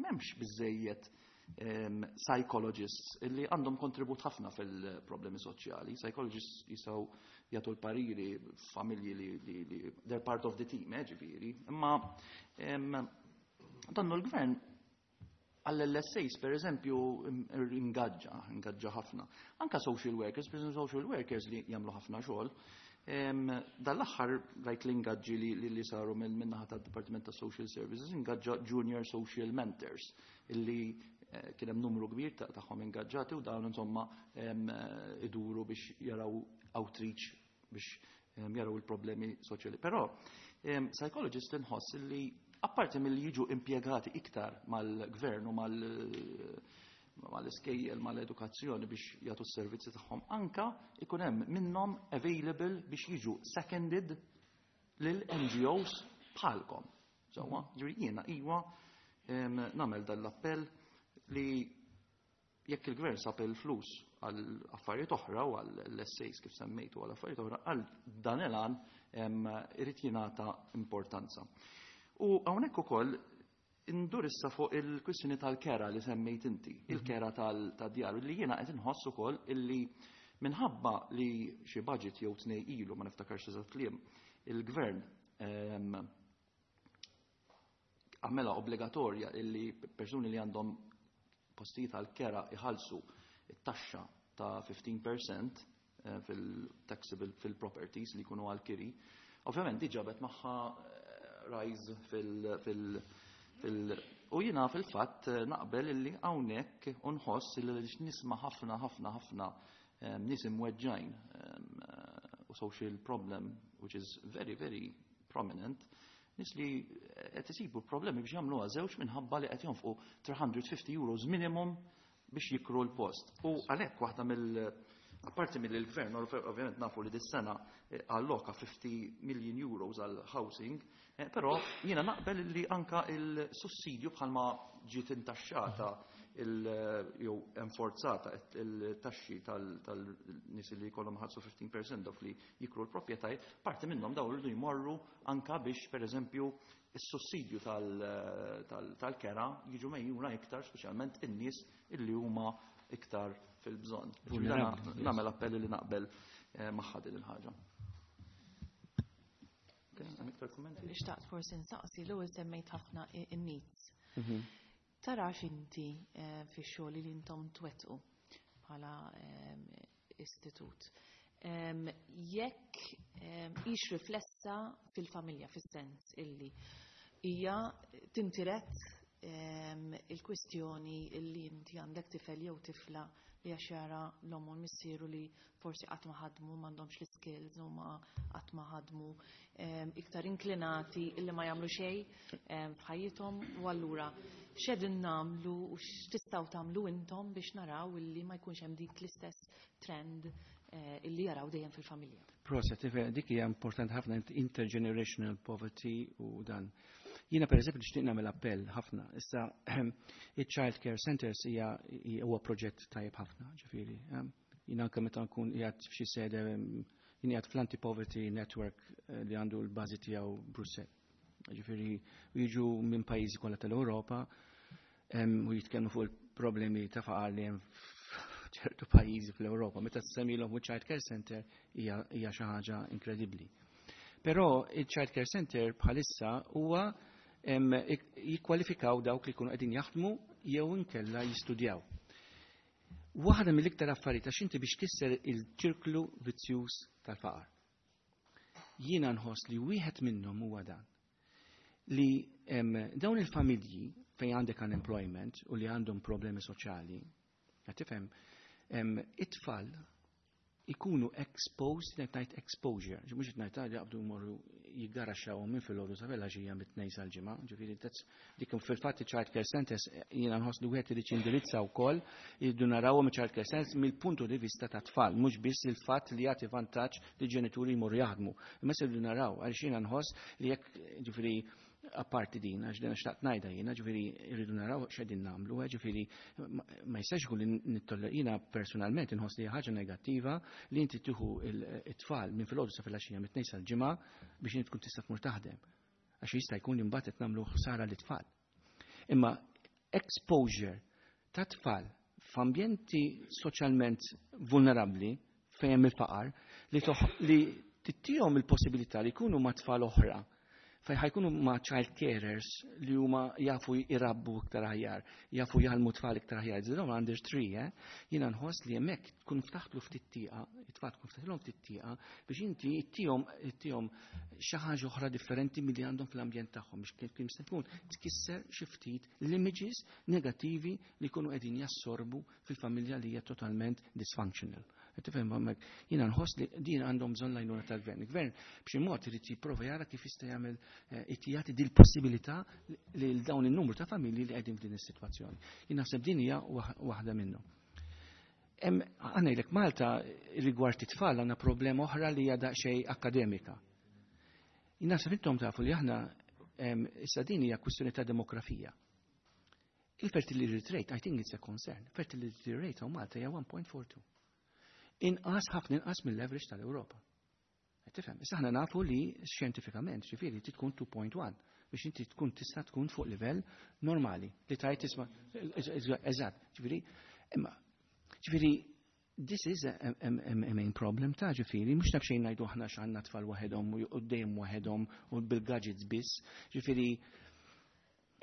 m'hemmx biżejjed psychologists li għandhom kontribut ħafna fil-problemi soċjali. Psychologists jistgħu jagħtu l-pariri familji li they're part of the team, ġifieri. Imma donnu l-gvern għall-LSAs, per eżempju, ingaġġa ħafna. Anka social workers, per eżempju, social workers li jagħmlu ħafna xogħol. Dal-aħħar rajt l-ingaġġi li saru minn-naħa tad-Dipartiment ta' Social Services, ingaġġa junior social mentors illi kien hemm numru kbir tagħhom ingaġġati u dawn insomma iduru biex jaraw outreach biex jaraw il-problemi soċjali. Però psychologist inħoss li apparti mill-li jiġu impjegati iktar mal-gvern u mal-iskejjel, mal-edukazzjoni biex jagħtu s-servizzi tagħhom, anka ikun hemm minnhom available biex jiġu seconded lil NGOs bħalkom. Sewwa, ġifieri jiena iwa nagħmel dan l-appell li jekk il-gvern sab il-flus għal affarijiet oħra u għal essays kif semmejtu għal affarijiet oħra, għal dan il-għan irid jingħata importanza. U hawnhekk ukoll indur issa fuq il-kwistjoni tal-kera li semmejt inti, il-kera tad-djar, li jiena qed inħoss ukoll illi minħabba li xi budget jew tnej ilu, ma niftakarx eżatt kliem, il-gvern għamela obbligatorja illi persuni li għandhom postijiet għal-kera iħallsu it-taxxa ta' 15% fil-taxable fil-properties li jkunu għal-kiri. Ovvjament diġà ġabet magħha rise fil u jiena fil-fatt naqbel illi hawnhekk unħoss illi nisma' ħafna ħafna ħafna nies imweġġajn u social problem which is very very prominent, nies li qed isibu problemi biex jagħmluha żewġ minħabba li qed jonfqu 350 euros minimum biex jikru l-post. U għalhekk waħda mill apparti mill-gvern, ovvjament nafu li dis-sena alloka 50 million euros għal housing, però jiena naqbel li anka il-sussidju bħalma ġiet intaxxata jew enforzata il-taxxi tal-nies li jkollhom ħallsu 15% dawk li jikru l-proprjetajiet, parti minnhom dawn iridu jmorru anka biex pereżempju is-sussidju tal-kera jiġu mejjuna iktar, speċjalment in-nies illi huma iktar fil-bżonn. Vulnerabbli. Nagħmel appelli li naqbel magħha din il-ħaġa. Ok, hemm iktar kummenti? Xtaqt forsi nsaqsi l-ewwel semmejt ħafna in-needs. Tarax inti fix-xogħol li intom twettqu bħala istitut, jekk hix riflessa fil-familja, fis-sens illi hija tintiret il-kwistjoni illi inti għandek tifel jew tifla li għax jara l-omm u l-missieru li forsi qatt ma ħadmu, m'għandhomx l-skills u ma qatt ma ħadmu, iktar inklinati illi ma jagħmlu xejn f'ħajjithom, u allura x'qegħdin nagħmlu u x'tistgħu tagħmlu intom biex naraw illi ma jkunx hemm dik l-istess trend illi jaraw dejjem fil-familja? Proset, dik hija importanti ħafna, intergenerational poverty u dan. Jiena, per eżempju, nixtieq nagħmel appell ħafna. Issa, il-Child Care Centers hija huwa proġett tajjeb ħafna, ġifieri. Jiena anke meta nkun qiegħed f'xi sede, jien qiegħed fl-Anti-Poverty Network li għandu l-bażi tiegħu Brussell. Ġifieri jiġu minn pajjiżi kollha tal-Ewropa u jitkellmu fuq il-problemi ta' faqar li hemm ċertu pajjiżi fl-Ewropa. Meta tsemmilhom Child Care Center, hija xi ħaġa inkredibbli. Però il-Child Care Center bħalissa huwa jikkwalifikaw dawk li jkunu qegħdin jaħdmu jew inkella jistudjaw. Waħda mill-iktar affarijiet, għax inti biex tkisser il-ċirklu vizzjuż tal-faqar, jiena nħoss li wieħed minnhom huwa dan, li dawn il-familji fejn għandek unemployment u li għandhom problemi soċjali, qed tifhem, it-tfal ikunu exposed, qed ngħid exposure, mhux qed ngħid jaqbdu jmorru jigaraxxawhom minn filgħodu sa filgħaxija mit-Tnejn sal-Ġimgħa, ġifieri dik fil-fatt child care centers jiena nħoss li wieħed irid jindirizza wkoll, jridu narawhom child care centers mill-puntu di vista ta' tfal, mhux biss il-fatt li jagħti vantaġġ li ġenituri jmorru jaħdmu. Imma se rridu naraw, għaliex jiena nħoss li jekk, ġifieri, apparti din, għax din xtaqt ngħidha jiena, ġifieri rridu naraw x'qegħdin nagħmlu, ġifieri ma jistax ikun li nittoller. Jiena personalment inħoss li ħaġa negattiva li inti tieħu it-tfal minn filgħodu sa filgħaxija mit-Tnejn sal-Ġimgħa biex inti tkun tista' tmur taħdem. Għax jista' jkun li mbagħad qed nagħmlu ħsara lit-tfal. Imma exposure ta' tfal f'ambjenti soċjalment vulnerabbli fejn hemm il-faqar li tittihom il-possibilità li jkunu ma' tfal oħra fej ħa jkunu ma' child carers li huma jafu jrabbu iktar aħjar, jafu jgħallmu tfal iktar aħjar. Dawn under 3, eh? Jiena nħoss li hemmhekk tkun ftaħtlu ftit tieqa, it-tfal tkun ftaħtlhom ftit tieqa biex inti ittihom xi ħaġa oħra differenti milli għandhom fl-ambjent tagħhom, biex kif jista' jkun tkisser xi ftit l-images negattivi li jkunu qegħdin jassorbu fil-familja li hija totalment dysfunctional. Tifhem hemmhekk jiena nħoss li din għandhom bżonn l-għajnuna tal-gvern. Il-gvern b'xi mod irid jipprova jara kif jista' jagħmel jagħti dil possibilità lil dawn in-numru ta' familji li qegħdin f'din is-sitwazzjoni. Jien naħseb din hija waħda minnhom. Għandek Malta, rigward it-tfal, għandna problema oħra li hija daqsxejn akademika. Jien naħseb intom tafu li aħna issa din hija kwistjoni ta' demografija. Il-fertility rate, I think it's a concern. Fertility rate hawn Malta hija 1.42. Inqas, ħafna inqas mill-average tal-Ewropa. Tifhem, issa aħna nafu li xjentifikament, ġifieri, tkun 2.1 biex inti tkun tista' tkun fuq livell normali li tajt tisma', eżatt, ġifieri, imma ġifieri this is a main problem ta' ġifieri, mhux naf xejn ngħidu aħna x'għandna tfal waħedhom u dejjem waħedhom u bil-gadgets biss, ġifieri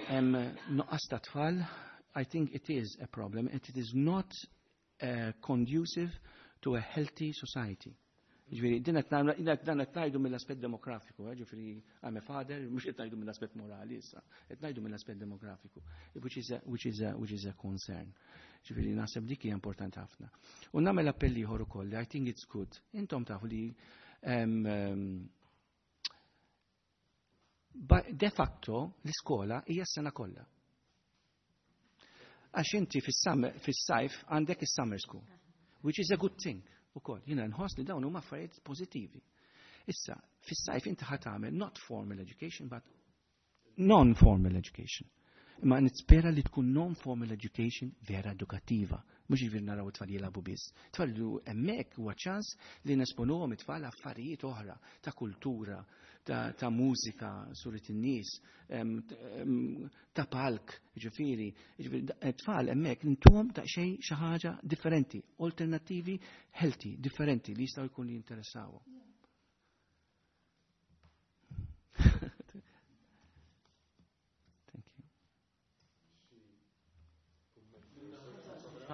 hemm nuqqas ta' tfal. I think it is a problem and it is not conducive to a healthy society. Ġifieri, din qed dan qed ngħidu mill-aspett demografiku, ġifieri I'm a father, mhux qed ngħidu mill-aspett morali issa, qed ngħidu mill-aspett demografiku, which is a concern. Ġifieri naħseb dik hija importanti ħafna. U nagħmel appell ieħor ukoll, I think it's good. Intom tafu li de facto l-iskola hija s-sena kollha. Għax inti fis-sajf għandek is-summer school, which is a good thing ukoll. Jiena nħoss li dawn huma affarijiet pożittivi. Issa, fis-sajf inti ħa tagħmel not formal education but non-formal education. Imma nispera li tkun non-formal education vera edukattiva. Mhux ġifieri naraw it-tfal jilagħbu biss. Tfal li hemmhekk huwa ċans li nesponuhom it-tfal affarijiet oħra ta' kultura, ta' mużika, surit in-nies, ta' palk, ġifieri, tfal hemmhekk intuhom ta' xejn xi ħaġa differenti, alternattivi healthy, differenti li jistgħu jkunu jinteressawhom.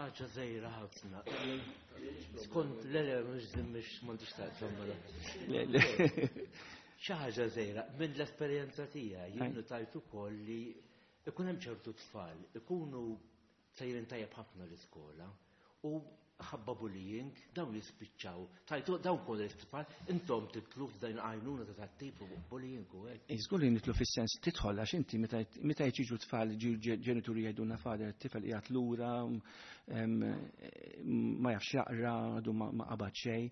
Ħaġa żgħira ħafna. Skont le le mhux mhux m'għandix taqsam mela. Xi ħaġa żgħira minn l-esperjenza tiegħi jien tajt ukoll li ikun hemm ċertu tfal ikunu sejrin tajjeb ħafna l-iskola u ħabba bullying dawn jispiċċaw. Tajtu dawn kol l-tfal intom titlu f'dajn għajnuna ta' tat-tip bullying u hekk. Iżgur li nitlu fis-sens tidħol għax inti meta jiġu tfal ġenituri jgħidulna fader it-tifel qiegħed lura ma jafx jaqra għadu ma qabad xejn.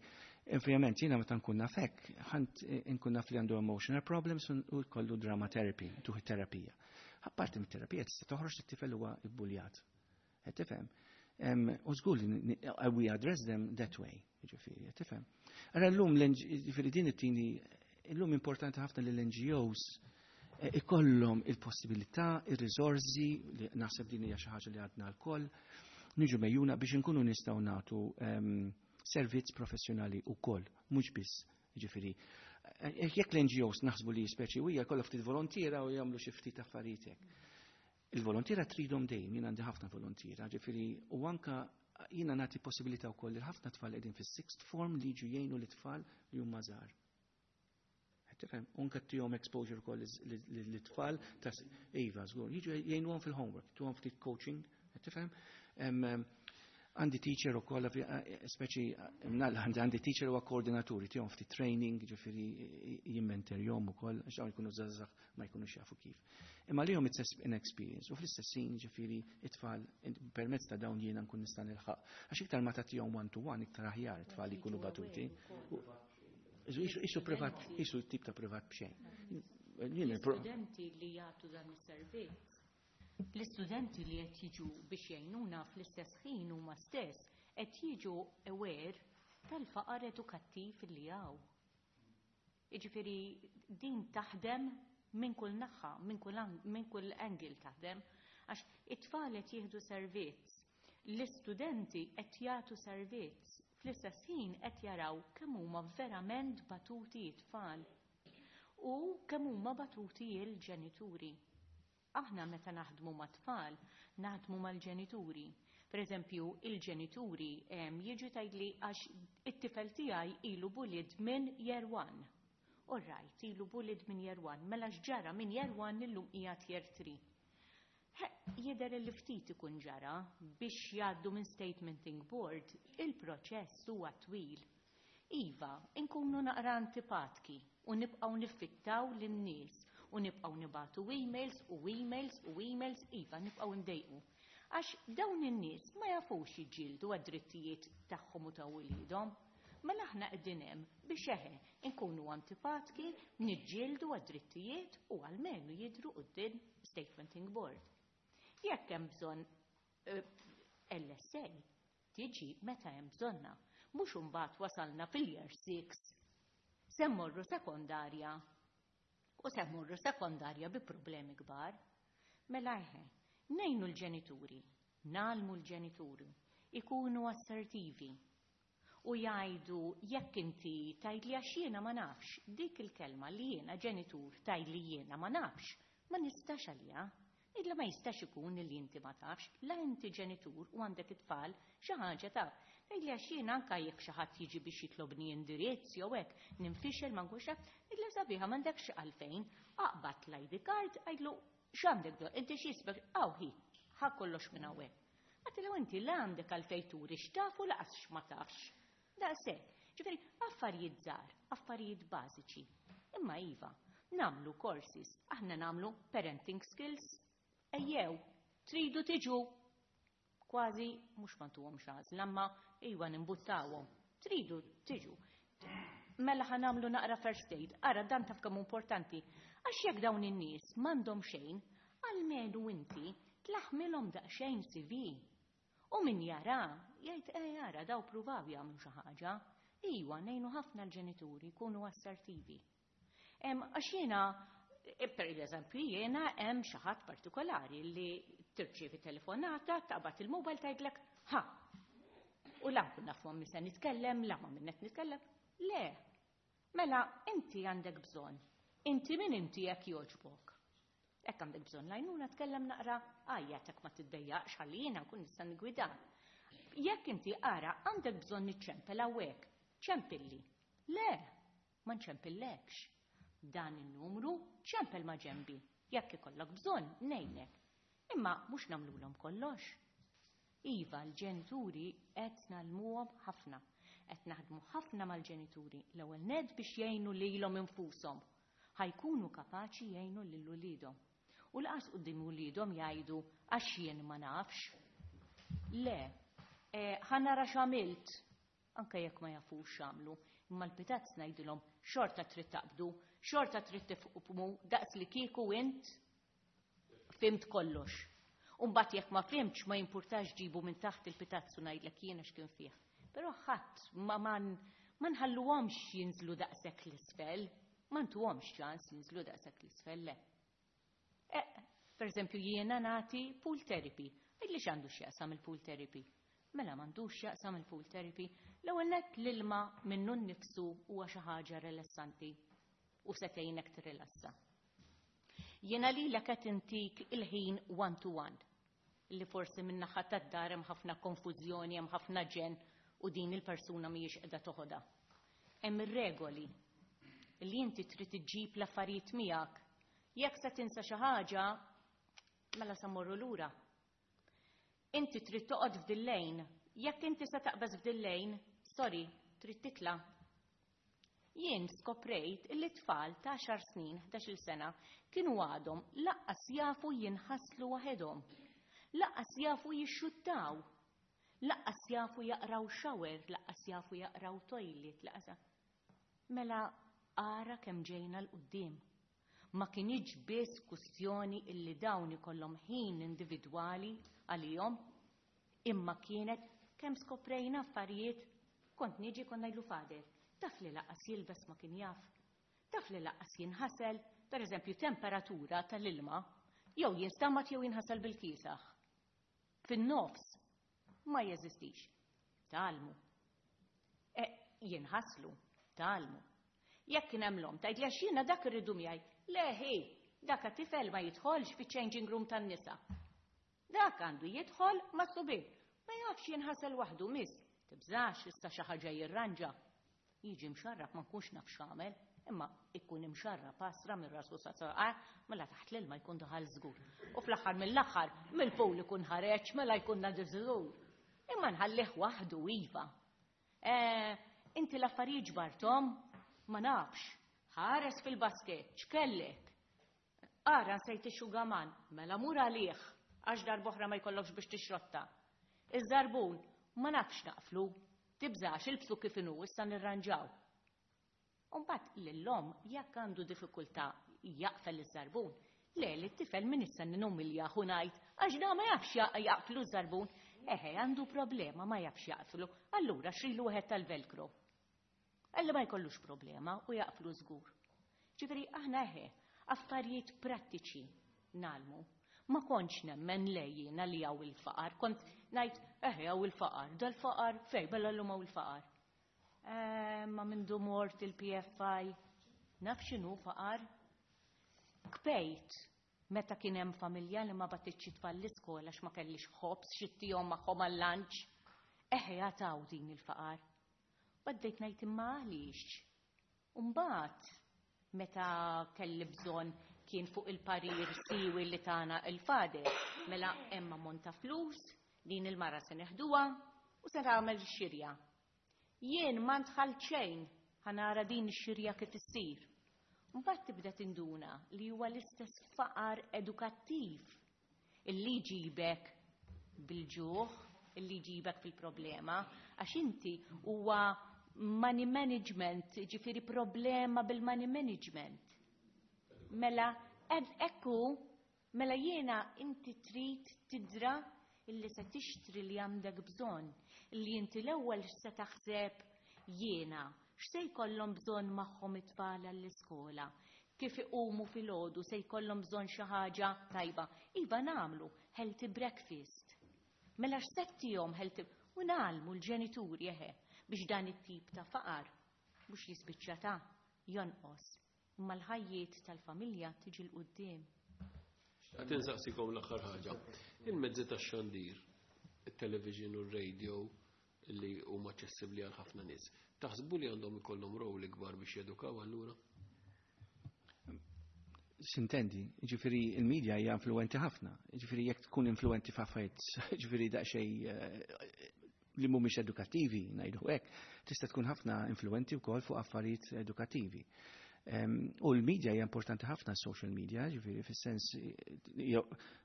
Ovvjament jiena meta nkun naf hekk, ħant nkun naf li għandu emotional problems u jkollu drama therapy, tuħi terapija. Apparti mit-terapija tista' toħroġ it-tifel huwa ibbuljat. Qed tifhem? U żgur li we address them that way, jiġifieri, qed tifhem? Ara llum ġifieri din it-tieni illum importanti ħafna li l-NGOs eh, ikollhom il-possibilità, ir-riżorsi li naħseb din hija xi ħaġa li għadna lkoll, niġu mejjuna biex inkunu nistgħu nagħtu servizz professjonali wkoll, mhux biss ġifieri. Eh, jekk l-NGOs naħsbu li speċi u hija kollha ftit volontiera u jagħmlu xi ftit affarijiet hekk. Il-volontiera tridhom dejjem, jien għandi ħafna volontiera, ġifieri u anka jiena nagħti possibilità wkoll li ħafna tfal qegħdin fis-sixth form li jiġu jgħinu l-tfal li huma żgħar. Tifhem, unka tihom exposure ukoll lit-tfal ta' iva, żgur, jiġu jgħinuhom fil-homework, tuhom ftit coaching, tifhem? Għandi teacher u koll, speċi, għandi teacher u koordinaturi, tihom ftit training, ġifieri jimmenterjom u koll, għax dawn jkunu żgħażagħ ma jkunux jafu kif. Imma lihom it's an experience u fl-istess ħin ġifieri it-tfal permezz ta' dawn jiena nkun nista' nilħaq. Għax iktar ma tagħtihom one to one iktar aħjar it-tfal jkunu batuti. Isu privat, isu tip ta' privat b'xejn. L-istudenti li jagħtu dan is-servizz, l-istudenti li qed jiġu biex jgħinuna fl-istess ħin huma stess qed jiġu aware tal-faqar edukattiv li hawn. Jiġifieri din taħdem minn kull naħa, minn kull angle taħdem, għax it-tfal qed jieħdu servizz, l-istudenti qed jagħtu servizz, fl-istess ħin qed jaraw kemm huma verament batuti t-tfal u kemm huma batuti l-ġenituri. Aħna meta naħdmu mat-tfal, naħdmu mal-ġenituri. Per eżempju, il-ġenituri jiġu tgħidli għax it-tifel tiegħi ilu bullied minn year one. All right, ilu bullied minn year one, mela x'ġara minn year one illum qiegħed year three. Jidher li ftit ikun ġara biex jgħaddu minn statementing board, il-proċess huwa twil. Iva, inkunu naqra antipatki u nibqgħu niffittaw lin-nies u nibqgħu nibagħtu emails u emails u emails, iva, nibqgħu ndejqu. Għax dawn in-nies ma jafux jiġġieldu għad-drittijiet tagħhom u ta' wliedhom. Mela aħna qegħdin hemm biex eħe nkunu antipatki, niġġieldu għad-drittijiet u almenu jidhru quddiem statementing board. Jekk hemm bżonn LSA tiġi meta hemm bżonna, mhux imbagħad wasalna fil-year 6 se mmorru sekondarja u se mmorru sekondarja bi problemi kbar. Mela eħe, ngħinu l-ġenituri, ngħallmu l-ġenituri, ikunu assertivi u jgħidu jekk inti tgħidli għax jiena ma nafx, dik il-kelma li jiena ġenitur tgħidli jiena ma nafx, ma nistax għalija. Illa ma jistax ikun li inti ma tafx, la inti ġenitur u għandek it-tfal xi ħaġa taf. Tgħidli għax jiena anke jekk xi ħadd jiġi biex jitlobni indirizz jew hekk, ninfixel ma nkunx naf, tgħidli sabiħa m'għandekx għalfejn, aqbad l-ID card, għidlu x'għandek bżonn, inti x'jisbek, hawn hi, ħa kollox minn hawnhekk. Għattilu inti la għandek għalfejn turi x'taf u laqas x'ma tafx. Daqshekk. Ġifieri affarijiet żgħar, affarijiet bażiċi. Imma iva, nagħmlu courses, aħna nagħmlu parenting skills. Ejjew, tridu tiġu kważi mhux ma ntuhomx għażla, imma iva nimbuttawhom. Tridu tiġu. Mela ħa nagħmlu naqra first aid, ara dan taf kemm importanti. Għax jekk dawn in-nies m'għandhom xejn, almenu inti tlaħmilhom daqsxejn CV. U min jara, jgħid eh jara daw pruvaw jagħmlu xi ħaġa. Iwa, ngħinu ħafna l-ġenituri jkunu assertivi. Għax jiena, per eżempju, jiena hemm xi ħadd partikolari li tirċievi telefonata, taqbad il-mobile tgħidlek, ha. U la nkun naf ma' se nitkellem, la ma' min qed nitkellem. Le. Mela, inti għandek bżonn. Inti min inti jekk jogħġbok. Hekk għandek bżonn l-għajnuna tkellem naqra għajjatek ma tiddejjaqx ħalli jiena nkun nista' nigwidak. Jekk inti ara għandek bżonn iċċempel hawnhekk, ċempilli. Le, ma nċempillekx. Dan in-numru ċempel ma' ġenbi. Jekk ikollok bżonn, ngħinek. Imma mhux nagħmlulhom kollox. Iva, l-ġenituri qed ngħallmuhom ħafna. Qed naħdmu ħafna mal-ġenituri l-ewwel nett biex jgħinu lilhom infushom. Ħa jkunu kapaċi jgħinu lil uliedhom. U lanqas quddiem uliedhom jgħidu għax jien ma nafx. Le, ħa nara x'għamilt, anke jekk ma jafux x'għamlu, imma l-pitazz ngħidilhom xorta trid taqbdu, xorta trid tifhmu daqs li kieku int fhimt kollox. Umbagħad jekk ma fhimtx ma jimpurtax ġibu minn taħt il-pitazzu ngħidlek jiena x'kien fih. Però ħadd ma nħalluhomx jinżlu daqshekk l-isfel, ma ntuhomx ċans jinżlu daqshekk l-isfel le. Per eżempju jiena nagħti pool therapy. Illi x'għandu x'jaqsam il-pool therapy? Mela m'għandux x'jaqsam il-pool therapy. L-ewwel nett l-ilma minnu nnifsu huwa xi ħaġa rilassanti u se tgħinek tirrilassa. Jiena lilek qed intik il-ħin one to one li forsi min-naħa tad-dar hemm ħafna konfużjoni, hemm ħafna ġen u din il-persuna mhijiex qiegħda toħodha. Hemm ir-regoli li inti trid iġġib l-affarijiet miegħek. Jekk se tinsa xi ħaġa, mela sa morru lura. Inti trid toqgħod f'dil-lane. Jekk inti se taqbeż f'dil-lane, sorry, trid titla'. Jien skoprejt illi tfal ta' 10 snin, 11 sena, kienu għadhom lanqas jafu jinħaslu waħedhom. Lanqas jafu jixxuttaw. Lanqas jafu jaqraw shower, lanqas jafu jaqraw toilet, lanqas. Mela ara kemm ġejna 'l quddiem. Ma kinitx biss kwistjoni illi dawn ikollhom ħin individwali għalihom, imma kienet kemm skoprejna affarijiet kont niġi kont ngħidlu Father, taf li lanqas jilbes ma kien jaf, taf li lanqas jinħasel, per eżempju temperatura tal-ilma, jew jinstamat jew jinħasel bil-kiesaħ. Fin-nofs ma jeżistix. Tgħallmu. Jinħaslu, tgħallmu. Jekk kien hemm l-omm tgħid li għax jiena dak irridu miegħi. Le ħi, dak tifel ma jidħolx fiċ-changing room tan-nisa. Dak għandu jidħol ma' subien. Ma jafx jinħasel waħdu miss. Tibżax issa xi ħaġa jirranġa. Jiġi mxarrab ma nkunx naf x'għamel, imma ikun imxarrab pasra minn rasu sa saqajh, mela taħt l-ilma jkun daħal żgur. U fl-aħħar mill-aħħar mill-pool ikun ħareġ mela jkun nadif żgur. Imma nħallih waħdu iva. Inti l-affarijiet ġbarthom? Ma nafx. Ħares fil-basket, x'kellek? Ara nsejt ix-xugaman, mela mur għalih, għax darb'oħra ma jkollokx biex tixrotta. Iż-żarbun, ma nafx naqflu, tibżax ilbsu kif inhu issa nirranġaw. Umbagħad lill-omm jekk għandu diffikultà jaqfel iż-żarbun, le li t-tifel min issa ninumilja u ngħid għax da ma jafx jaqflu ż-żarbun, eħe għandu problema ma jafx jaqflu, allura xrilu wieħed tal-velcro. Għalli ma jkollux problema u jaqflu żgur. Ġifieri aħna eħe, affarijiet prattiċi ngħallmu. Ma kontx nemmen lejjina li hawn il-faqar, kont ngħid eħe hawn il-faqar, dal-faqar fej bella llum hawn il-faqar. Ma mindu mort il-PFI, naf x'inhu faqar. Kpejt meta kien hemm familja li ma bagħtitx it-tfal l-iskola għax ma kellix ħobż x'ttihom magħhom għal-lunch. Eħe jataw din il-faqar. Bdejt ngħid imma għaliex. Umbagħad meta kelli bżonn kien fuq il-parir siwi li tana il-Father, mela hemm ammont ta' flus, din il-mara se neħduha u se nagħmel xirja. Jien ma ndħal xejn ħa nara din ix-xirja kif issir. Mbagħad tibda tinduna li huwa l-istess faqar edukattiv illi jġibek bil-ġuħ, illi jġibek fil-problema, għax inti huwa money management, ġifieri problema bil-money management. Mela, ekku, mela jiena inti trid tidra illi se tixtri li għandek bżonn, illi inti l-ewwel se taħseb jiena, x'se jkollhom bżonn magħhom it-tfal għall-iskola, kif iqumu filgħodu se jkollhom bżonn xi ħaġa tajba. Iva nagħmlu healthy breakfast. Mela x'se ttihom healthy u ngħallmu l-ġenituri eħe biex dan it-tip ta' faqar mhux jispiċċa ta' jonqos, imma l-ħajjiet tal-familja tiġi 'l quddiem. Xtaqt insaqsikom l-aħħar ħaġa. Il-mezzi tax-xandir. it-television u r-radio li huma aċċessibbli għal ħafna nies. Taħsbu li għandhom ikollhom rol ikbar biex jedukaw allura? Sintendi, ġifiri il-medja hija influenti ħafna, ġifiri jekk tkun influenti f'affarijiet, ġifiri daqsxejn li mhumiex edukattivi, ngħidu hekk, tista' tkun ħafna influenti wkoll fuq affarijiet edukattivi. U l-media hija importanti ħafna, social media, ġifieri fis-sens,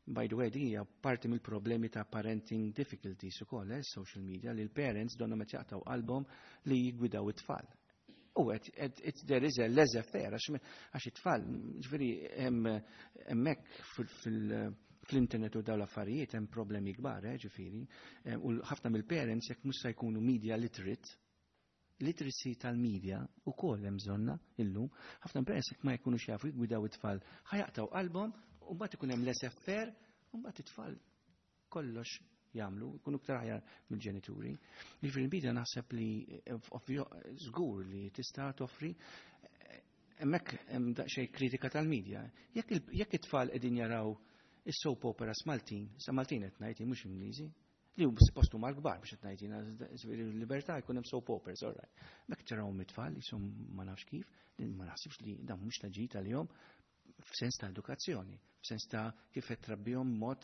by the way, din hija parti mill-problemi ta' parenting difficulties ukoll, social media, li l-parents donnhom qed jaqtgħu qalbhom li jigwidaw it-tfal. U qed there is a laissez-faire għax it-tfal, ġifieri hemmhekk fl-internet u dawn l-affarijiet hemm problemi kbar, ġifieri. U ħafna mill-parents jekk mhux se jkunu media literate, literacy tal-media u koll hemm bżonna illum, ħafna parents jekk ma jkunux jafu jgwidaw it-tfal, ħa jaqtgħu qalbhom u mbagħad ikun hemm laissez-faire u mbagħad it-tfal kollox jagħmlu, jkunu iktar aħjar mill-ġenituri. Jiġifieri l-media naħseb li ovvjo żgur li tista' toffri hemmhekk hemm daqsxejn kritika tal-media. Jekk it-tfal qegħdin jaraw is-soap operas Maltin, sa Maltin qed ngħid mhux Ingliżi, li hu suppost huma l-kbar biex qed ngħid jiena, libertà jkun hemm soap operas, all right. Mek tarawhom it-tfal jisom ma nafx kif, din ma naħsibx li dan mhux ta' ġid għalihom f'sens ta' edukazzjoni, f'sens ta' kif qed trabbihom mod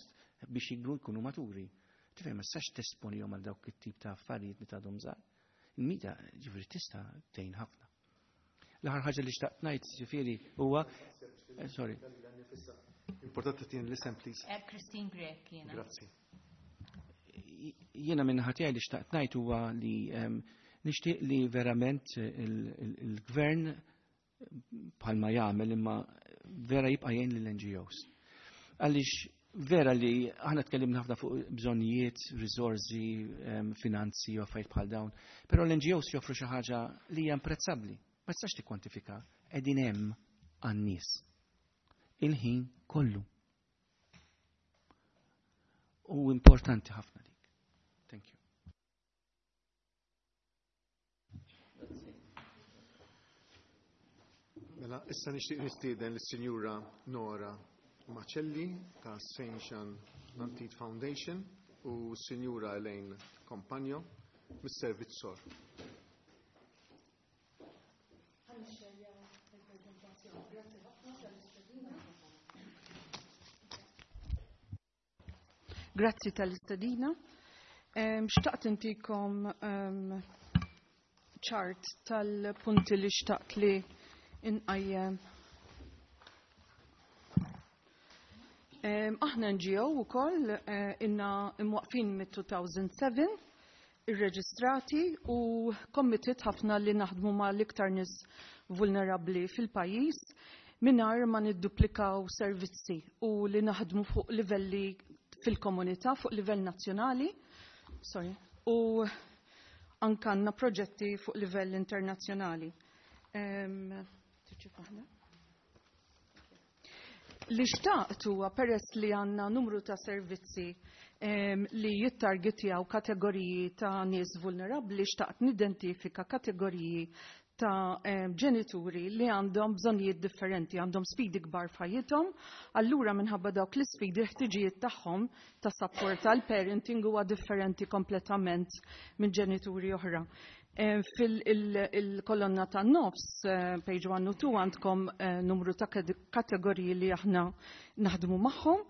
biex jikbru jkunu maturi. Tifhem, ma tistax tesponihom għal dawk it-tip ta' affarijiet li tgħadhom żgħar. Il-media ġifieri tista' tgħin ħafna. L-aħħar ħaġa li xtaqt ngħid ġifieri huwa sorry. Importanti tien l-isem, please. Christine Grech jiena. Grazzi. Jiena minn ħatijaj li xtaqt ngħid huwa li nixtieq li verament il-gvern bħalma jagħmel imma vera jibqa' jgħin lill-NGOs. Għaliex vera li aħna tkellimna ħafna fuq bżonnijiet, riżorsi, finanzi u affarijiet bħal dawn, però l-NGOs joffru xi ħaġa li hija imprezzabbli. Ma tistax tikkwantifika, qegħdin hemm għan-nies. Il-ħin kollu. U importanti ħafna dik. Thank you. Mela, issa nixtieq nistieden lis-Sinjura Nora Macelli ta' St. Jean Antide Foundation u s-Sinjura Elaine Compagno mis-Servizz Sor. Grazzi tal-istedina. Xtaqt intikom ċart tal-punti li xtaqt li inqajjem. Aħna NGO ukoll inna imwaqfin mit-2007, irreġistrati u committed ħafna li naħdmu ma' l-iktar nies vulnerabbli fil-pajjiż mingħajr ma nidduplikaw servizzi u li naħdmu fuq livelli fil-komunità, fuq livell nazzjonali, sorry, u anka għandna proġetti fuq livell internazzjonali. Li xtaqt huwa peress li għandna numru ta' servizzi li jittargetjaw kategoriji ta' nies vulnerabbli, xtaqt nidentifika kategoriji ta' ġenituri li għandhom bżonnijiet differenti, għandhom sfidi kbar f'ħajjithom, allura minħabba dawk l-isfidi l-ħtiġijiet tagħhom ta' support tal-parenting huwa differenti kompletament minn ġenituri oħra. Fil-kolonna ta' nofs, page 1 u 2, għandkom numru ta' kategoriji li aħna naħdmu magħhom.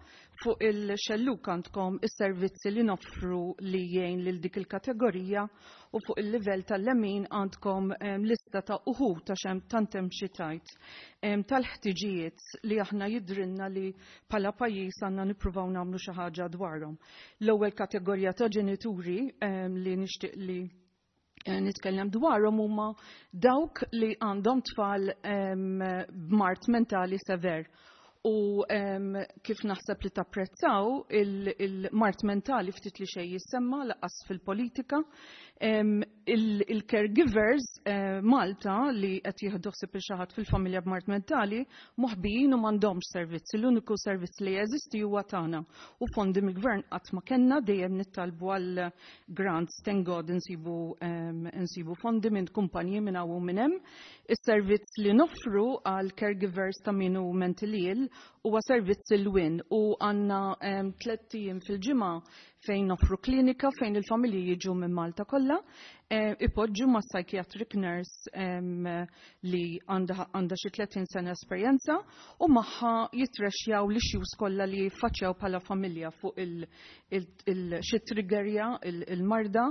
Fuq il-xelluk għandkom is-servizzi li noffru li jgħin lil dik il-kategorija u fuq il-livell tal-lemin għandkom lista ta' uħud ta' xem tant hemm xi tajt tal-ħtiġijiet li aħna jidrinna li bħala pajjiż għandna nippruvaw nagħmlu xi ħaġa dwarhom. L-ewwel kategorija ta' ġenituri li nixtieq li nitkellem dwarhom huma dawk li għandhom tfal b'mard mentali sever. U kif naħseb li tapprezzaw il-mard mentali ftit li xejn jissemma laqas fil-politika. Il-caregivers Malta li qed jieħdu ħsieb il xi ħadd fil-familja b'mard mentali moħbijin u m'għandhomx servizz. L-uniku servizz li jeżisti huwa tagħna. U fondi mill-gvern qatt ma kellna, dejjem nittalbu għal grants, thank God insibu fondi minn kumpaniji minn hawn u minn hemm. Is-servizz li noffru għal caregivers ta' min hu mentally ill huwa servizz il-win u għandna 3 ijiem fil-ġimgħa fejn noffru klinika fejn il-familji jiġu minn Malta kollha, ipoġġu ma' psychiatric nurse li għandha xi 30 sena esperjenza u magħha jitrexjaw l-issues kollha li jiffaċċjaw bħala familja fuq xi triggerja il-marda,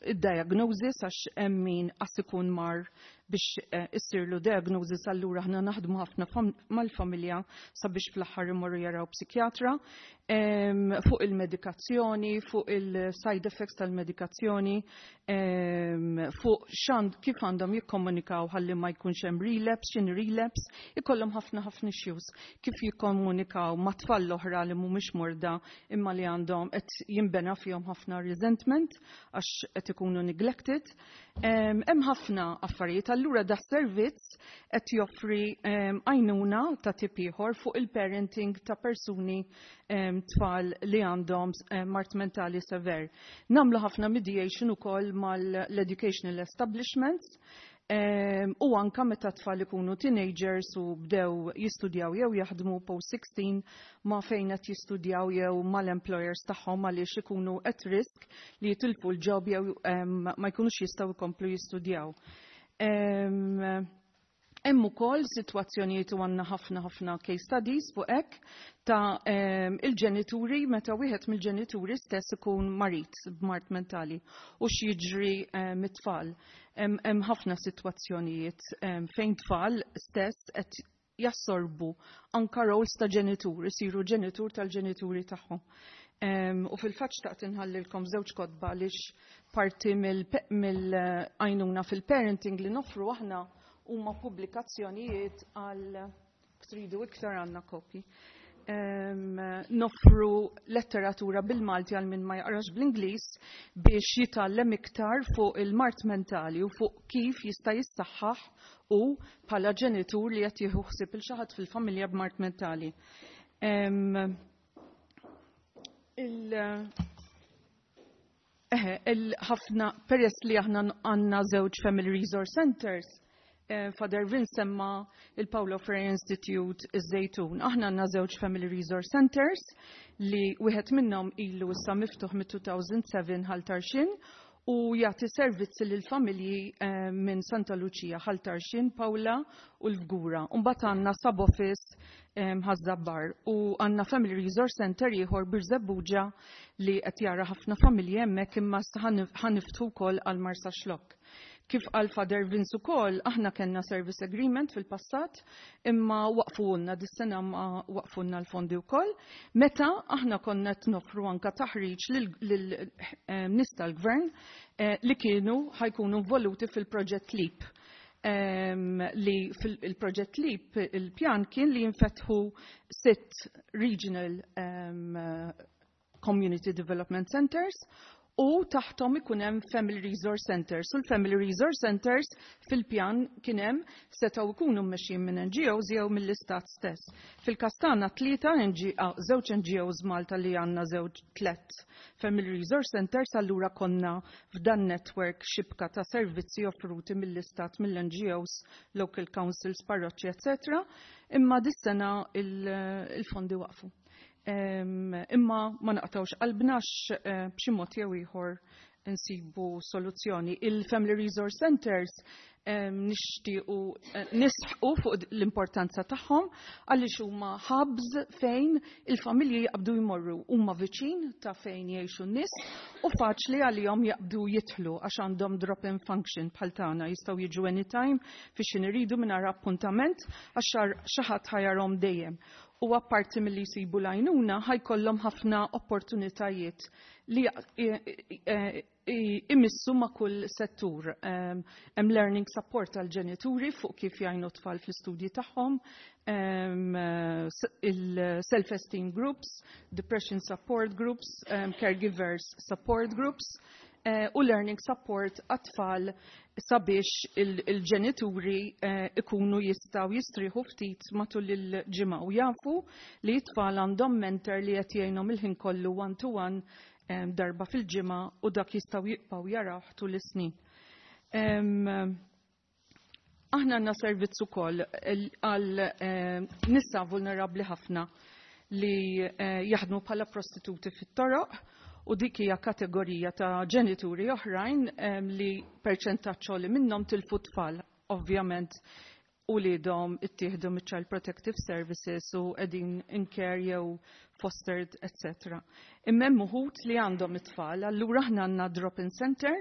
il-diagnosis għax hemm min qas ikun mar biex issirlu diagnosis, allura aħna naħdmu ħafna mal-familja sabiex fl-aħħar imorru jaraw psikjatra, fuq il-medikazzjoni, fuq il-side effects tal-medikazzjoni, fuq xand kif għandhom jikkomunikaw ħalli ma jkunx hemm relapse, x'in relapse, ikollhom ħafna ħafna issues kif jikkomunikaw ma' tfal l-oħra li mhumiex morda imma li għandhom qed jinbena fihom ħafna resentment għax qed ikunu neglected. Hemm ħafna affarijiet, allura da servizz qed joffri għajnuna ta' tip ieħor fuq il-parenting ta' persuni tfal li għandhom mard mentali sever. Namlu ħafna mediation ukoll mal-educational establishments u anka meta tfal ikunu teenagers u bdew jistudjaw jew jaħdmu post 16 ma fejn qed jistudjaw jew mal-employers tagħhom għaliex ikunu at risk li jitilfu l-job jew ma jkunux jistgħu jkomplu jistudjaw. Hemm ukoll sitwazzjonijiet u għandna ħafna ħafna case studies fuq hekk ta' il-ġenituri meta wieħed mill-ġenituri stess ikun marid b'mard mentali u x'jiġri mit-tfal. Hemm ħafna sitwazzjonijiet fejn tfal stess qed jassorbu anka roles ta' ġenitur, isiru ġenitur tal-ġenituri tagħhom. U fil-fatt xtaqt inħallilkom żewġ kotba għaliex parti mill-għajnuna fil-parenting li noffru aħna huma pubblikazzjonijiet għal tridu iktar għandna kopji. Noffru letteratura bil-Malti għal min ma jaqrax bl-Ingliż biex jitgħallem iktar fuq il-mard mentali u fuq kif jista' jissaħħaħ u bħala ġenitur li qed jieħu ħsieb il xi ħadd fil-familja b'mard mentali. Il-ħafna peress li aħna għandna żewġ Family Resource Centers, Father Vince semma il-Paulo Freire Institute iż-Żejtun. Aħna għandna żewġ Family Resource Centers li wieħed minnhom ilu issa miftuħ mit-2007 Ħal Tarxien u jagħti servizzi lil familji minn Santa Lucia, Ħal Tarxien, Paola u l-Fgura. Mbagħad għandna sub-office Ħaż-Żabbar u għandna Family Resource Center ieħor Birżebbuġa li qed jara ħafna familji hemmhekk imma ħa niftħu wkoll għal Marsaxlokk. Kif qal Father Vince ukoll, aħna kellna service agreement fil-passat imma waqfulna dis-sena ma waqfulna l-fondi wkoll. Meta aħna konna qed noffru anka taħriġ lil nies tal-gvern li kienu ħa jkunu involuti fil-proġett LEAP. Li fil-proġett LEAP il-pjan kien li jinfetħu 6 regional community development centers u taħtom ikun hemm Family Resource Centers. U l-Family Resource Centers fil-pjan kien hemm setgħu jkunu mmexxijin minn NGOs jew mill-istat stess. Fil-każ tagħna tlieta żewġ NGOs Malta li għandna żewġ tliet Family Resource Centers, allura konna f'dan network xibka ta' servizzi offruti mill-istat, mill-NGOs, local councils, parroċċi, eccetera. Imma dis-sena il-fondi waqfu. Imma ma naqtawx qalbnax, b'xi mod jew ieħor insibu soluzzjoni. Il-Family Resource Centers nixtiequ nisħqu fuq l-importanza tagħhom għaliex huma hubs fejn il-familji jaqbdu jmorru, huma viċin ta' fejn jgħixu n-nies u faċli għalihom jaqbdu jidħlu għax għandhom drop-in function bħal tagħna, jistgħu jiġu anytime fiex iridu mingħajr appuntament għax xi ħadd ħa jarahom dejjem. U apparti milli jsibu l-għajnuna ħa jkollhom ħafna opportunitajiet li imissu ma' kull settur. Hemm learning support għal ġenituri fuq kif jgħinu tfal fl-istudji tagħhom, il-self-esteem groups, depression support groups, caregivers support groups, u learning support għat-tfal sabiex il-ġenituri ikunu jistgħu jistrieħu ftit matul il-ġimgħa u jafu li t-tfal għandhom mentor li qed jgħinhom il-ħin kollu one to one darba fil-ġimgħa u dak jistgħu jibqgħu jaraw tul is-snin. Aħna għandna servizz ukoll għal nisa vulnerabbli ħafna li jaħdmu bħala prostituti fit-toroq, u dik hija kategorija ta' ġenituri oħrajn li perċentaġġ li minnhom tilfu tfal, ovvjament uliedhom ittieħdu miċ-Child Protective Services u qegħdin in care jew fostered, etc. Imma hemm uħud li għandhom it-tfal, allura aħna għandna drop-in center,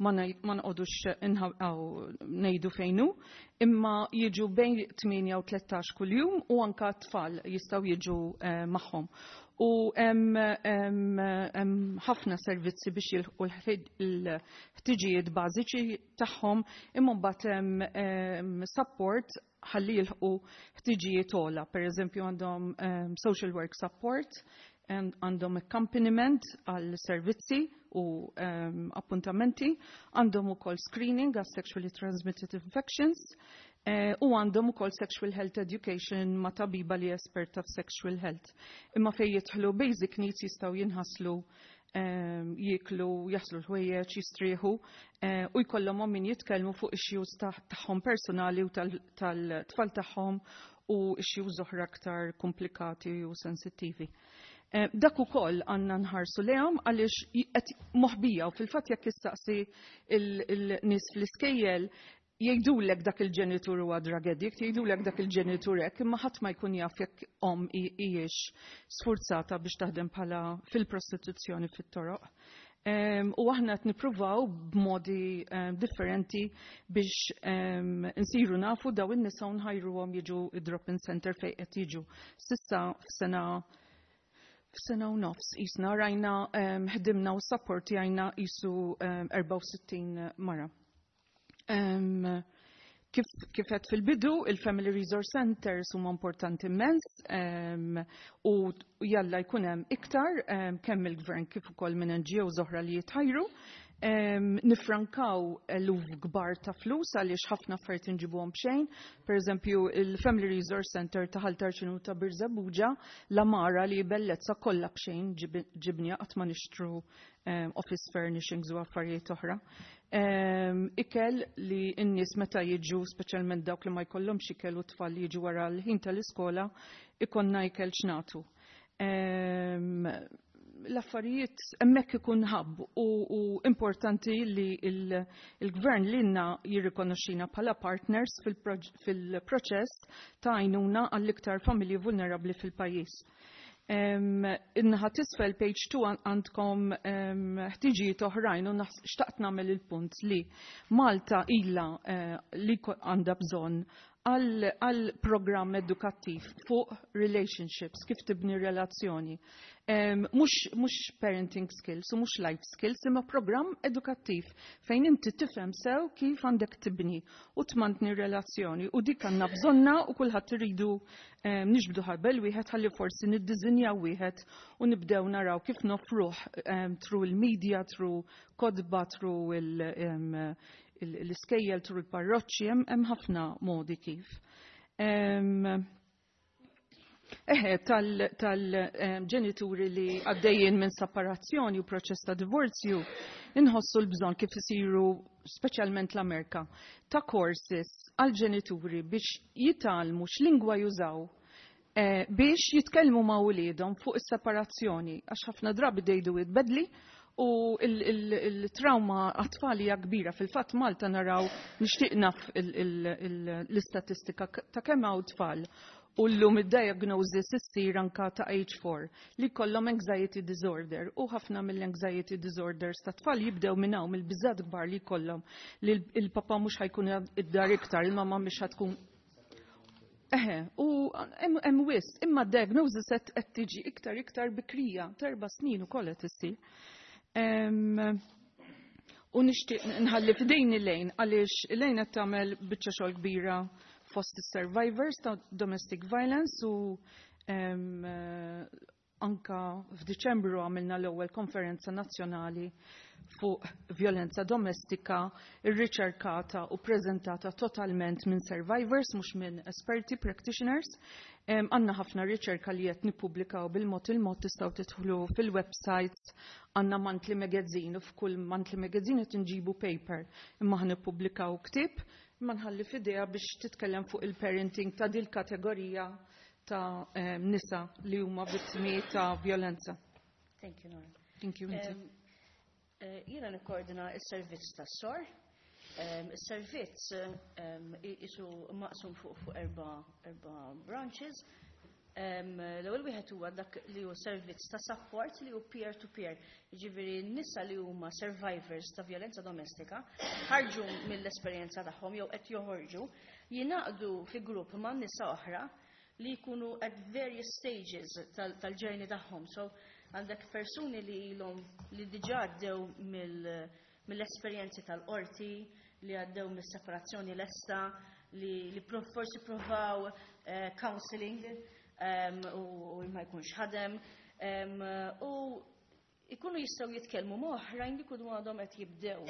ma nqogħdux ngħidu fejn hu, imma jiġu bejn 8 u 13 kuljum u anka t-tfal jistgħu jiġu magħhom. U hemm ħafna servizzi biex jilħqu l-ħtiġijiet bażiċi tagħhom, imma mbagħad hemm support ħalli jilħqu ħtiġijiet ogħla. Per eżempju, għandhom social work support, għandhom accompaniment għal servizzi u appuntamenti, għandhom ukoll screening għal sexually transmitted infections, u għandhom ukoll sexual health education ma' tabiba li esperta f'sexual health. Imma fejn jidħlu basic needs, jistgħu jinħaslu, jieklu, jaħslu l-ħwejjeġ, jistrieħu u jkollhom min jitkellmu fuq issues tagħhom personali u tal-tfal tagħhom u issues oħra aktar komplikati u sensittivi. Dak ukoll għandna nħarsu lejhom għaliex qed moħbija, u fil-fatt jekk issaqsi il-nies fl-iskejjel jgħidulek dak il-ġenitur huwa drug addict, jgħidulek dak il-ġenitur hekk, imma ħadd ma jkun jaf jekk omm hijiex sfurzata biex taħdem bħala fil-prostituzzjoni fit-toroq. U aħna qed nippruvaw b'modi differenti biex insiru nafu daw in-nisa u nħajruhom jiġu id-drop-in center fejn qed jiġu. S'issa f'sena u nofs jisna rajna ħdimna u supportjajna jisu 64 mara. Kif qed fil-bidu, il-Family Resource Centers huma importanti immens u jalla jkun hemm iktar kemm il-gvern kif ukoll minn NGOs oħra li jitħajru. Nifrankaw eluf kbar ta' flus għaliex ħafna affarijiet inġibuhom b'xejn. Per eżempju, il-Family Resource Center ta' Ħal Tarxien u ta' Birżebbuġa, l-għamara li bellezza kollha b'xejn ġibniha, qatt ma nixtru office furnishings u affarijiet oħra. Ikel li n-nies meta jiġu, speċjalment dawk li ma jkollhomx ikel u tfal li jiġu wara l-ħin tal-iskola, ikollna ikel x'nagħtu. L-affarijiet hemmhekk ikun hub u importanti li il-gvern lilna jirrikonoxxina bħala partners fil-proċess ta' għajnuna għall-iktar familji vulnerabbli fil-pajjiż. In-naħa t'isfel, page 2, għandkom ħtiġijiet oħrajn u xtaqt nagħmel il-punt li Malta ila li għandha bżonn għal programm edukattiv fuq relationships, kif tibni relazzjoni. Mhux parenting skills u mhux life skills, imma programm edukattiv fejn inti tifhem sew kif għandek tibni u tmantni relazzjoni, u dik għandna bżonna u kulħadd iridu niġbdu ħabel wieħed ħalli forsi niddiżinjaw wieħed u nibdew naraw kif nofruh through il-media, through kotba, through l-iskejjel, through il-parroċċi, hemm ħafna modi kif. Eħe, tal-ġenituri li għaddejjin minn separazzjoni u proċess ta' divorzju, inħossu l-bżonn kif isiru speċjalment l-Amerika, ta' courses għal-ġenituri biex jitgħallmu x'lingwa jużaw biex jitkellmu ma' uliedhom fuq is-separazzjoni, għax ħafna drabi they do it badly u il-trauma għat-tfal hija kbira. Fil-fatt Malta naraw, nixtieq naf l-istatistika ta' kemm hawn tfal u llum id-diagnosis issir anka ta' age 4 li kollhom anxiety disorder, u ħafna mill-anxiety disorders ta' tfal jibdew minn hawn, mill-biżat kbar li kollhom li il-papa mhux ħa jkun id-dar iktar, il-mama mhux ħa tkun. Eħe, u hemm wisq, imma diagnosis qed tiġi iktar iktar bikrija, t'4 snin ukoll qed issir. U nixtieq nħalli f'idejn Elaine, għaliex Elaine qed tagħmel biċċa xogħol kbira fost survivors ta' domestic violence u anka f'Diċembru għamilna l-ewwel konferenza nazzjonali fuq violenza domestika irriċerkata u prezentata totalment minn survivors, mhux minn esperti practitioners. Għandna ħafna riċerka li qed nippubblikaw bil-mod il-mod, tistgħu tidħlu fil-websites, għandna monthly magazine u f'kull monthly magazine qed nġibu paper, imma ħa nippubblikaw ktieb. Imma nħalli f'idejha biex titkellem fuq il-parenting ta' dil kategorija ta' nisa li huma vittmi ta' violenza. Thank you, Nora. Thank you, inti. Jiena nikkoordina s-servizz tas-SOR. Is-servizz isu maqsum fuq erba branches. L-ewwel wieħed huwa dak li hu servizz ta' support li hu peer to peer. Jiġifieri n-nisa li huma survivors ta' violenza domestika ħarġu mill-esperjenza tagħhom jew qed joħorġu, jingħaqdu fi grupp ma' nisa oħra li jkunu at various stages tal-journey tagħhom. So għandek persuni li ilhom li diġà għaddew mill-esperjenzi tal-qorti, li għaddew mis-separazzjoni lesta, li forsi provaw counseling u ma jkunx ħadem, u ikunu jistgħu jitkellmu ma' oħrajn li jkunu għadhom qed jibdew.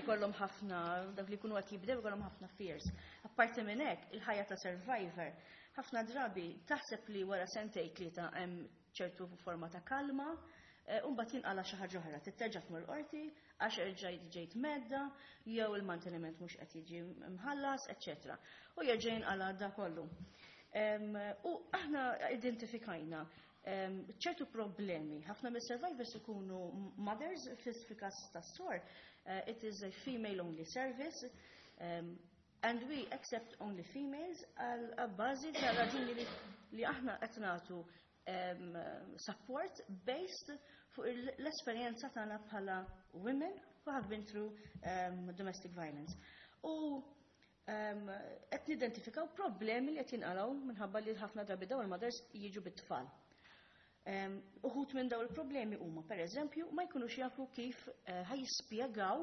Ikollhom ħafna, dak li jkunu qed jibdew ikollhom ħafna fears. Apparti minn hekk, il-ħajja ta' survivor, ħafna drabi taħseb li wara sentejn tlieta hemm ċertu forma ta' kalma, u mbagħad jinqala xi ħaġa oħra, titterġa' tmur qorti għax erġajt ġejt mheddda, jew il-manteniment mhux qed jiġi mħallas, eċċetera. U jerġa' jinqala da kollu. U aħna identifikajna ċertu problemi. Ħafna mis-survivors ikunu mothers, fil-każ tas-SOR, it is a female-only service, and we accept only females għal bażi ta' raġuni li aħna qed nagħtu support based fuq l-esperjenza tagħna bħala women who have been through domestic violence. U qed nidentifikaw problemi li qed jinqalgħu minħabba li ħafna drabi dawn il-mothers jiġu bit-tfal. Uħud minn dawn il-problemi huma, per eżempju, ma jkunux jafu kif ħa jispjegaw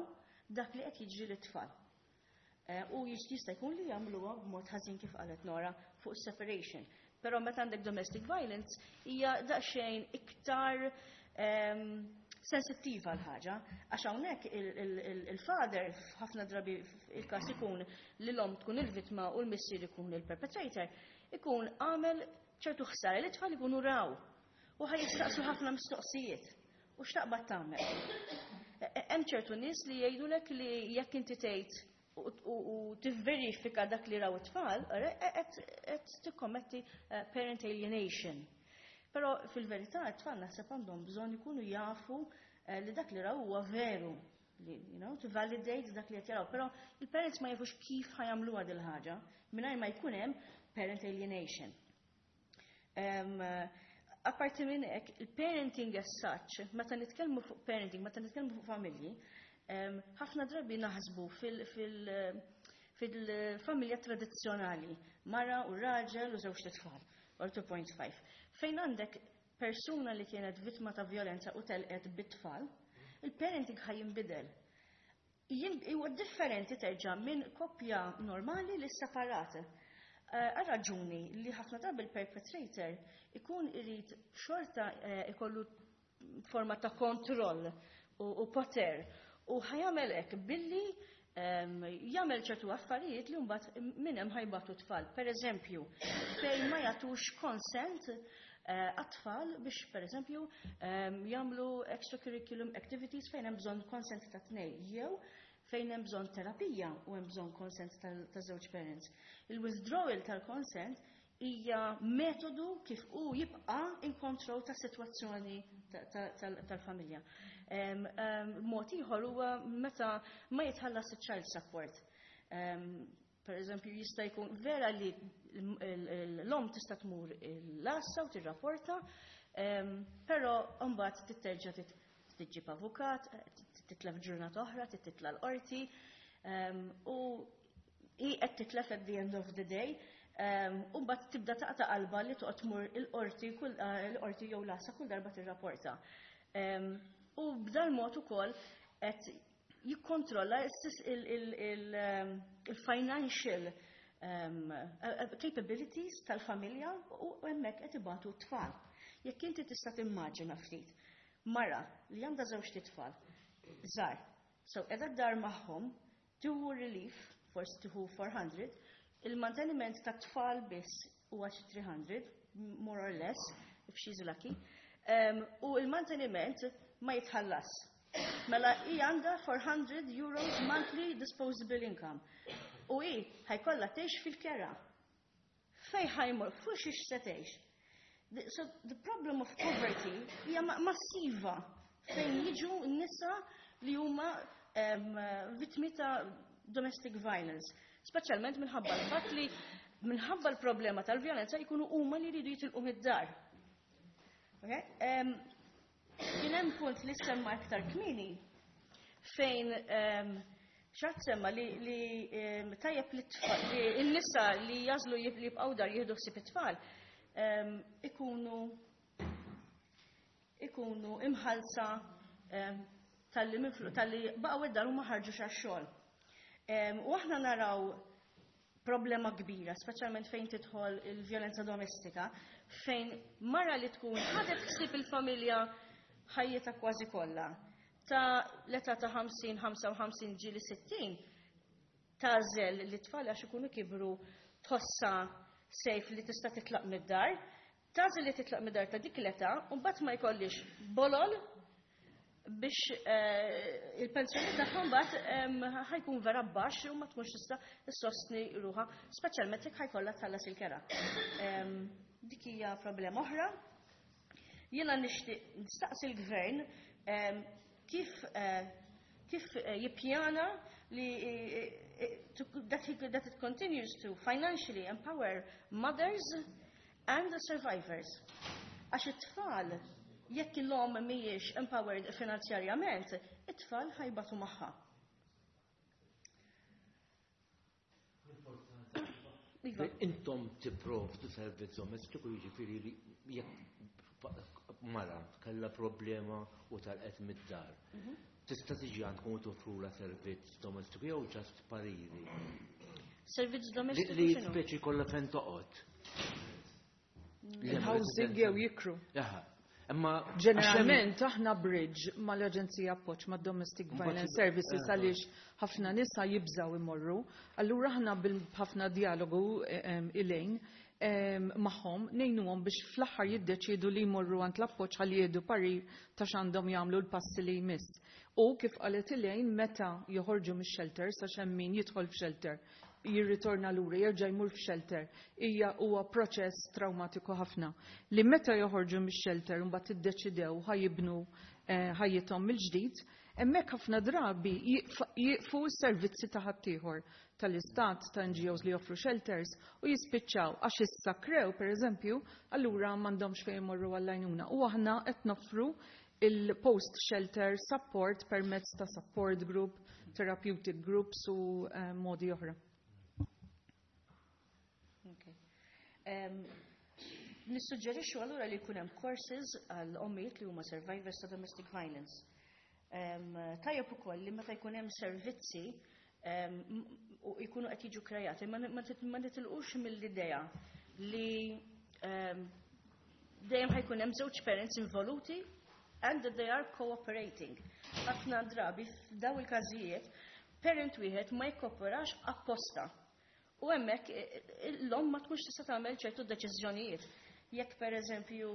dak li qed jiġri lit-tfal. U jista' jkun li jagħmluha b'mod ħażin kif qalet Nora fuq separation. Però meta għandek domestic violence hija daqsxejn iktar sensittiva l-ħaġa, għax hawnhekk il-father ħafna drabi il-każ ikun li l-omm tkun il-vittma u l-missier ikun il-perpetrator, ikun għamel ċertu ħsara li t-tfal ikunu raw u ħa jistaqsu ħafna mistoqsijiet. U x'taqbad tagħmel? Hemm ċertu nies li jgħidulek li jekk inti tgħid u tivverifika dak li raw it-tfal, qed tikkommetti parent alienation. Però fil-verità it-tfal naħseb għandhom bżonn ikunu jafu li dak li raw huwa veru, li, to validate dak li qed jaraw. Però il-parents ma jafux kif ħa jagħmluha dil ħaġa mingħajr ma jkun hemm parent alienation. Apparti minn hekk, il-parenting as such, meta nitkellmu fuq parenting, meta nitkellmu fuq familji, ħafna drabi naħsbu fil-familja tradizzjonali, mara u raġel u żewġ tfal, or 2.5. Fejn għandek persuna li kienet vittma ta' violenza u telqet bit-tfal, il-parenting ħa jinbidel. Huwa differenti terġa' minn koppja normali li separate. Għal raġuni li ħafna drabi il-perpetrator ikun irid xorta ikollu forma ta' kontroll u poter u ħa jagħmel hekk billi jagħmel ċertu affarijiet li mbagħad minn hemm ħa jbatu tfal. Per eżempju, fejn ma jagħtux consent għat-tfal biex per eżempju jagħmlu extracurriculum activities fejn hemm bżonn consent ta' tnej jew fejn hemm bżonn terapija u hemm bżonn consent ta' żewġ parents. Il-withdrawal tal-consent hija metodu kif hu jibqa' in control ta' sitwazzjoni tal-familja. Mod ieħor huwa meta ma jitħallas il-child support. Per eżempju, jista' jkun vera li l-omm tista' tmur l-għassa u tirrapporta, però mbagħad titterġa' tiġġib avukat, titlef ġurnata oħra, titla l-qorti, u hi qed titlef at the end of the day, u mbagħad tibda taqta' qalba li toqgħod tmur il-qorti kull l-qorti jew l-għassa kull darba tirrapporta. U b'dal mod ukoll qed jikkontrolla il-financial capabilities tal-familja u hemmhekk qed ibatu t-tfal. Jekk inti tista' timmaġina ftit, mara li għandha żewġ tfal, żgħar, so qiegħda d-dar magħhom, tieħu relief, forsi tieħu 400, il-manteniment ta' tfal biss huwa xi 300, more or less, if she's lucky, u il-manteniment ma jitħallas. Mela hi għandha 400 euros monthly disposable income. U hi ħa jkollha tgħix fil-kera. Fejn ħa jmur, fuq xiex se tgħix. So the problem of poverty hija massiva fejn jiġu nisa li huma vittmi ta' domestic violence. Speċjalment minħabba l-fatt li minħabba l-problema tal-vjolenza jkunu huma li jridu jitilqu mid-dar. Okay? Kien hemm punt li semma iktar kmieni fejn xatt semma li tajjeb li tfal, li n-nisa li jagħżlu li jibqgħu dar jieħdu ħsieb it-tfal ikunu imħallsa talli baqgħu id-dar u ma ħarġux għax-xogħol. U aħna naraw problema kbira, speċjalment fejn tidħol il-vjolenza domestika, fejn mara li tkun ħadet ħsieb il-familja ħajjitha kważi kollha. Ta' l-età ta' 50, 55 ġieli 60, tagħżel li tfal għax ikunu kibru tħossha safe li tista' titlaq mid-dar, tagħżel li titlaq mid-dar ta' dik l-età, u mbagħad ma jkollix bolol biex il-pensjoni tagħhom mbagħad ħa jkun vera baxx u ma tkunx tista' issostni ruħha, speċjalment jekk ħa jkollha tħallas il-kera. Dik hija problema oħra. Jiena nixtieq nistaqsi l-gvern kif jippjana li that it continues to financially empower mothers and the survivors. Għax it-tfal, jekk l-om mhijiex empowered finanzjarjament, it-tfal ħa jbatu magħha. Iva. Intom tipprovdu servizz domestiku, jiġifieri li jekk mara kellha problema u telqet mid-dar, tista' tiġi għandkom u toffrula servizz domestiku jew just pariri? Servizz domestiku Li x'inhu? speċi kollha fejn toqgħod. Il-housing jew jikru. Jaha. Imma Ġeneralment aħna bridge mal-Aġenzija Appoġġ ma' Domestic Mbagħad Violence Services għaliex ħafna nisa jibżaw imorru. Allura aħna bil-ħafna dialogu ilejn magħhom ngħinuhom biex fl-aħħar jiddeċiedu li jmorru għand l-appoġġ ħalli jieħdu parir ta' x'għandhom jagħmlu l-passi li jmiss. U kif qalet Elaine, meta joħorġu mix-shelter, sa hemm min jidħol f'shelter, jirritorna lura, jerġa' jmur f'shelter, hija huwa proċess traumatiku ħafna. Li meta joħorġu mix-shelter mbagħad iddeċidew ħa jibnu ħajjithom mill-ġdid, hemmhekk ħafna drabi jieqfu s-servizzi ta' ħaddieħor tal-istat, ta' NGOs li joffru shelters u jispiċċaw għax issa krew, per eżempju, allura m'għandhomx fejn imorru għall-għajnuna. U aħna qed noffru il-post shelter support permezz ta' support group, therapeutic groups u modi oħra. Okay. Nissuġġerixxu allura li jkun hemm courses għal ommijiet li huma survivors ta' domestic violence. Tajjeb ukoll li meta jkun hemm servizzi u jkunu qed jiġu krejati, ma nitilqux mill-idea li dejjem ħa jkun hemm żewġ parents involuti and that they are cooperating. Ħafna drabi f'daw il-każijiet parent wieħed ma jkoperax apposta. U hemmhekk l-omm ma tkunx tista' tagħmel ċertu deċiżjonijiet. Jekk per eżempju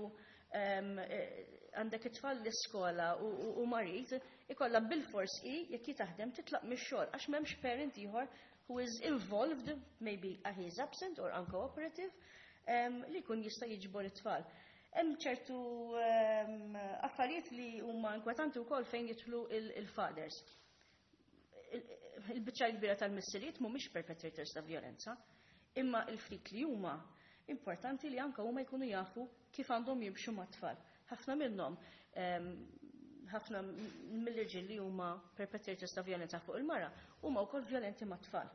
għandek it-tfal l-iskola u marid, ikollha bil-fors i jekk hi taħdem titlaq mix-xogħol għax m'hemmx parent ieħor who is involved, maybe he is absent or uncooperative, li jkun jista' jiġbor it-tfal. Hemm ċertu affarijiet li huma inkwetanti wkoll fejn jidħlu il-fathers. Il-biċċa kbira tal-missiriet mhumiex perpetrators ta' violenza, imma il-ftit li huma importanti li anka huma jkunu jafu kif għandhom jimxu mat-tfal. Ħafna minnhom, ħafna mill-irġiel li huma perpetrators ta' violenza fuq il-mara huma wkoll violenti mat-tfal.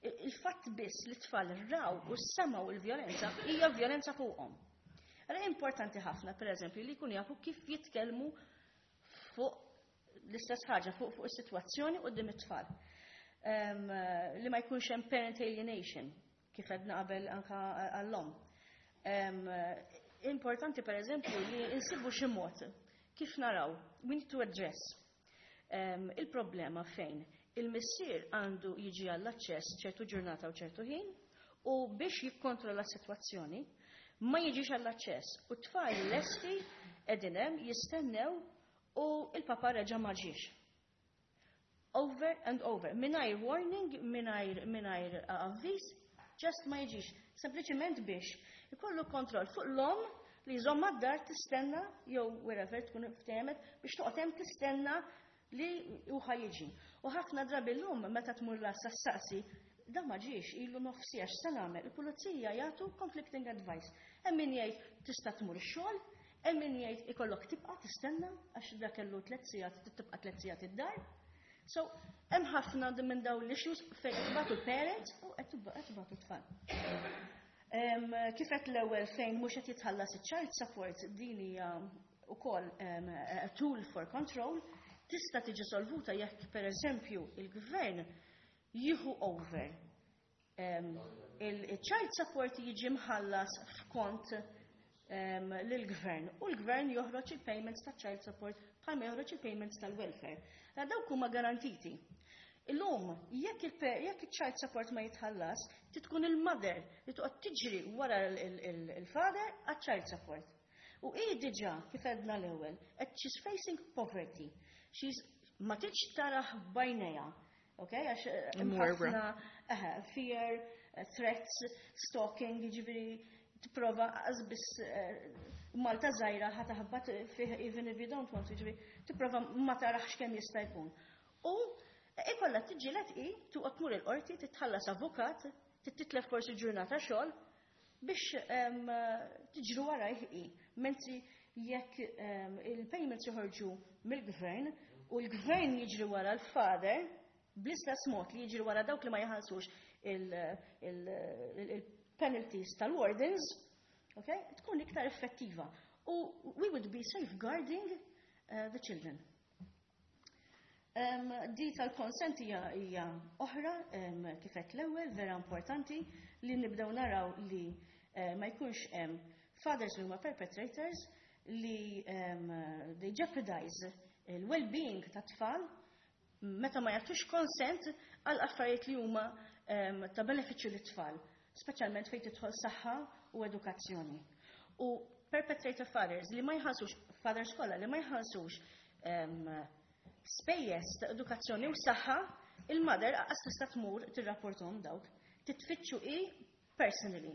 Il-fatt biss li t-tfal raw u semgħu il-violenza hija violenza fuqhom. Allora importanti ħafna, per eżempju, li jkunu jafu kif jitkellmu fuq l-istess ħaġa, fuq is-sitwazzjoni quddiem it-tfal. Li ma jkunx hemm parent alienation, kif għedna qabel anka għall-omm. Importanti, per eżempju, li insibu xi mod kif naraw, we need to address il-problema fejn il-missier għandu jiġi għall-aċċess ċertu ġurnata u ċertu ħin u biex jikkontrolla s-sitwazzjoni ma jiġix għall-aċċess u t-tfal lesti qegħdin hemm jistennew u il-papa reġa' ma ġiex. Over and over. Mingħajr warning, mingħajr avviż, just ma jiġix. Sempliċement biex ikollu kontroll fuq l-omm li jżomm d-dar tistenna jew wherever tkun ftehmet biex toqgħod hemm tistenna li hu ħa jiġi. U ħafna drabi l-lum meta tmur la ssaqsi da ma ġiex ilu nofs siegħa, x'se nagħmel? Il-pulizija jagħtu conflicting advice. Hemm min jgħid tista' tmur ix-xogħol, hemm min jgħid ikollok tibqa' tistenna għax da kellu 3 sigħat, tibqa' 3 sigħat id-dar. So, hemm ħafna minn dawn l-issues fejn qed tbatu l-parents u qed tbatu t-tfal. Kif qed l-ewwel fejn mhux qed jitħallas iċ-child support, din hija wkoll a tool for control, tista' tiġi solvuta jekk, pereżempju, il-gvern jieħu over il-child support, jiġi mħallas f'kont lill-gvern u l-gvern joħroġ il-payments ta' child support bħalma joħroġ il-payments tal-welfare. La dawk huma garantiti. Illum, jekk il-child support ma jitħallas, tkun il-mother li toqgħod tiġri wara il-father għal-child support. U hi diġà, kif għedna l-ewwel, qed she's facing poverty. She's ma tridx tarah b'għajnejha. Okay, għax Imwerwra. ħafna fear, threats, stalking, jiġifieri tipprova biss Malta żgħira, ħa taħbat fih even if you don't want to, jiġifieri tipprova ma tarax kemm jista' jkun. U ikolla tiġġieled i tuqgħod tmur il-qorti, titħallas avukat, titlef forsi ġurnata xogħol biex tiġru warajh i. Mentri jekk il-payments joħorġu mill-gvern u l-gvern jiġri wara l-father bl-istess mod li jiġri wara dawk li ma jħallsux il-penalties tal-wardens, okay, tkun iktar effettiva. U we would be safeguarding the children. Di tal-consent hija oħra, kif għedt l-ewwel, vera importanti li nibdew naraw li ma jkunx hemm fathers li huma perpetrators li they jeopardize il-well-being ta' tfal meta ma jagħtux consent għal affarijiet li huma ta' benefiċċju lit-tfal, speċjalment fejn tidħol saħħa u edukazzjoni. U perpetrator fathers li ma jħallsux, fathers kollha li ma jħallsux spejjeż ta' edukazzjoni u saħħa, il-mother aqas tista' tmur tirrapporthom dawk, titfittxu i personally.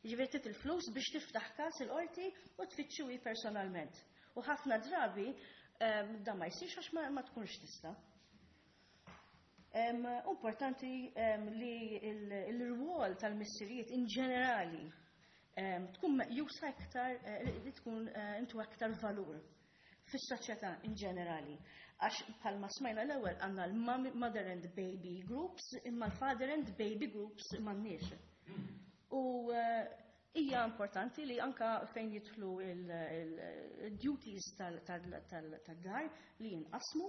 Jiġifieri trid il-flus biex tiftaħ każ il-qorti u tfittxu i personalment. U ħafna drabi da ma jsirx għax ma tkunx tista'. Importanti li il-rwol tal-missirijiet in ġenerali tkun meqjusa iktar, li tkun intu aktar valur fis-soċjetà in ġenerali. Għax bħalma smajna l-ewwel għandna l-mother and baby groups, imma l-father and baby groups m'għandniex. U hija importanti li anka fejn jidħlu il-duties tad-dar li jinqasmu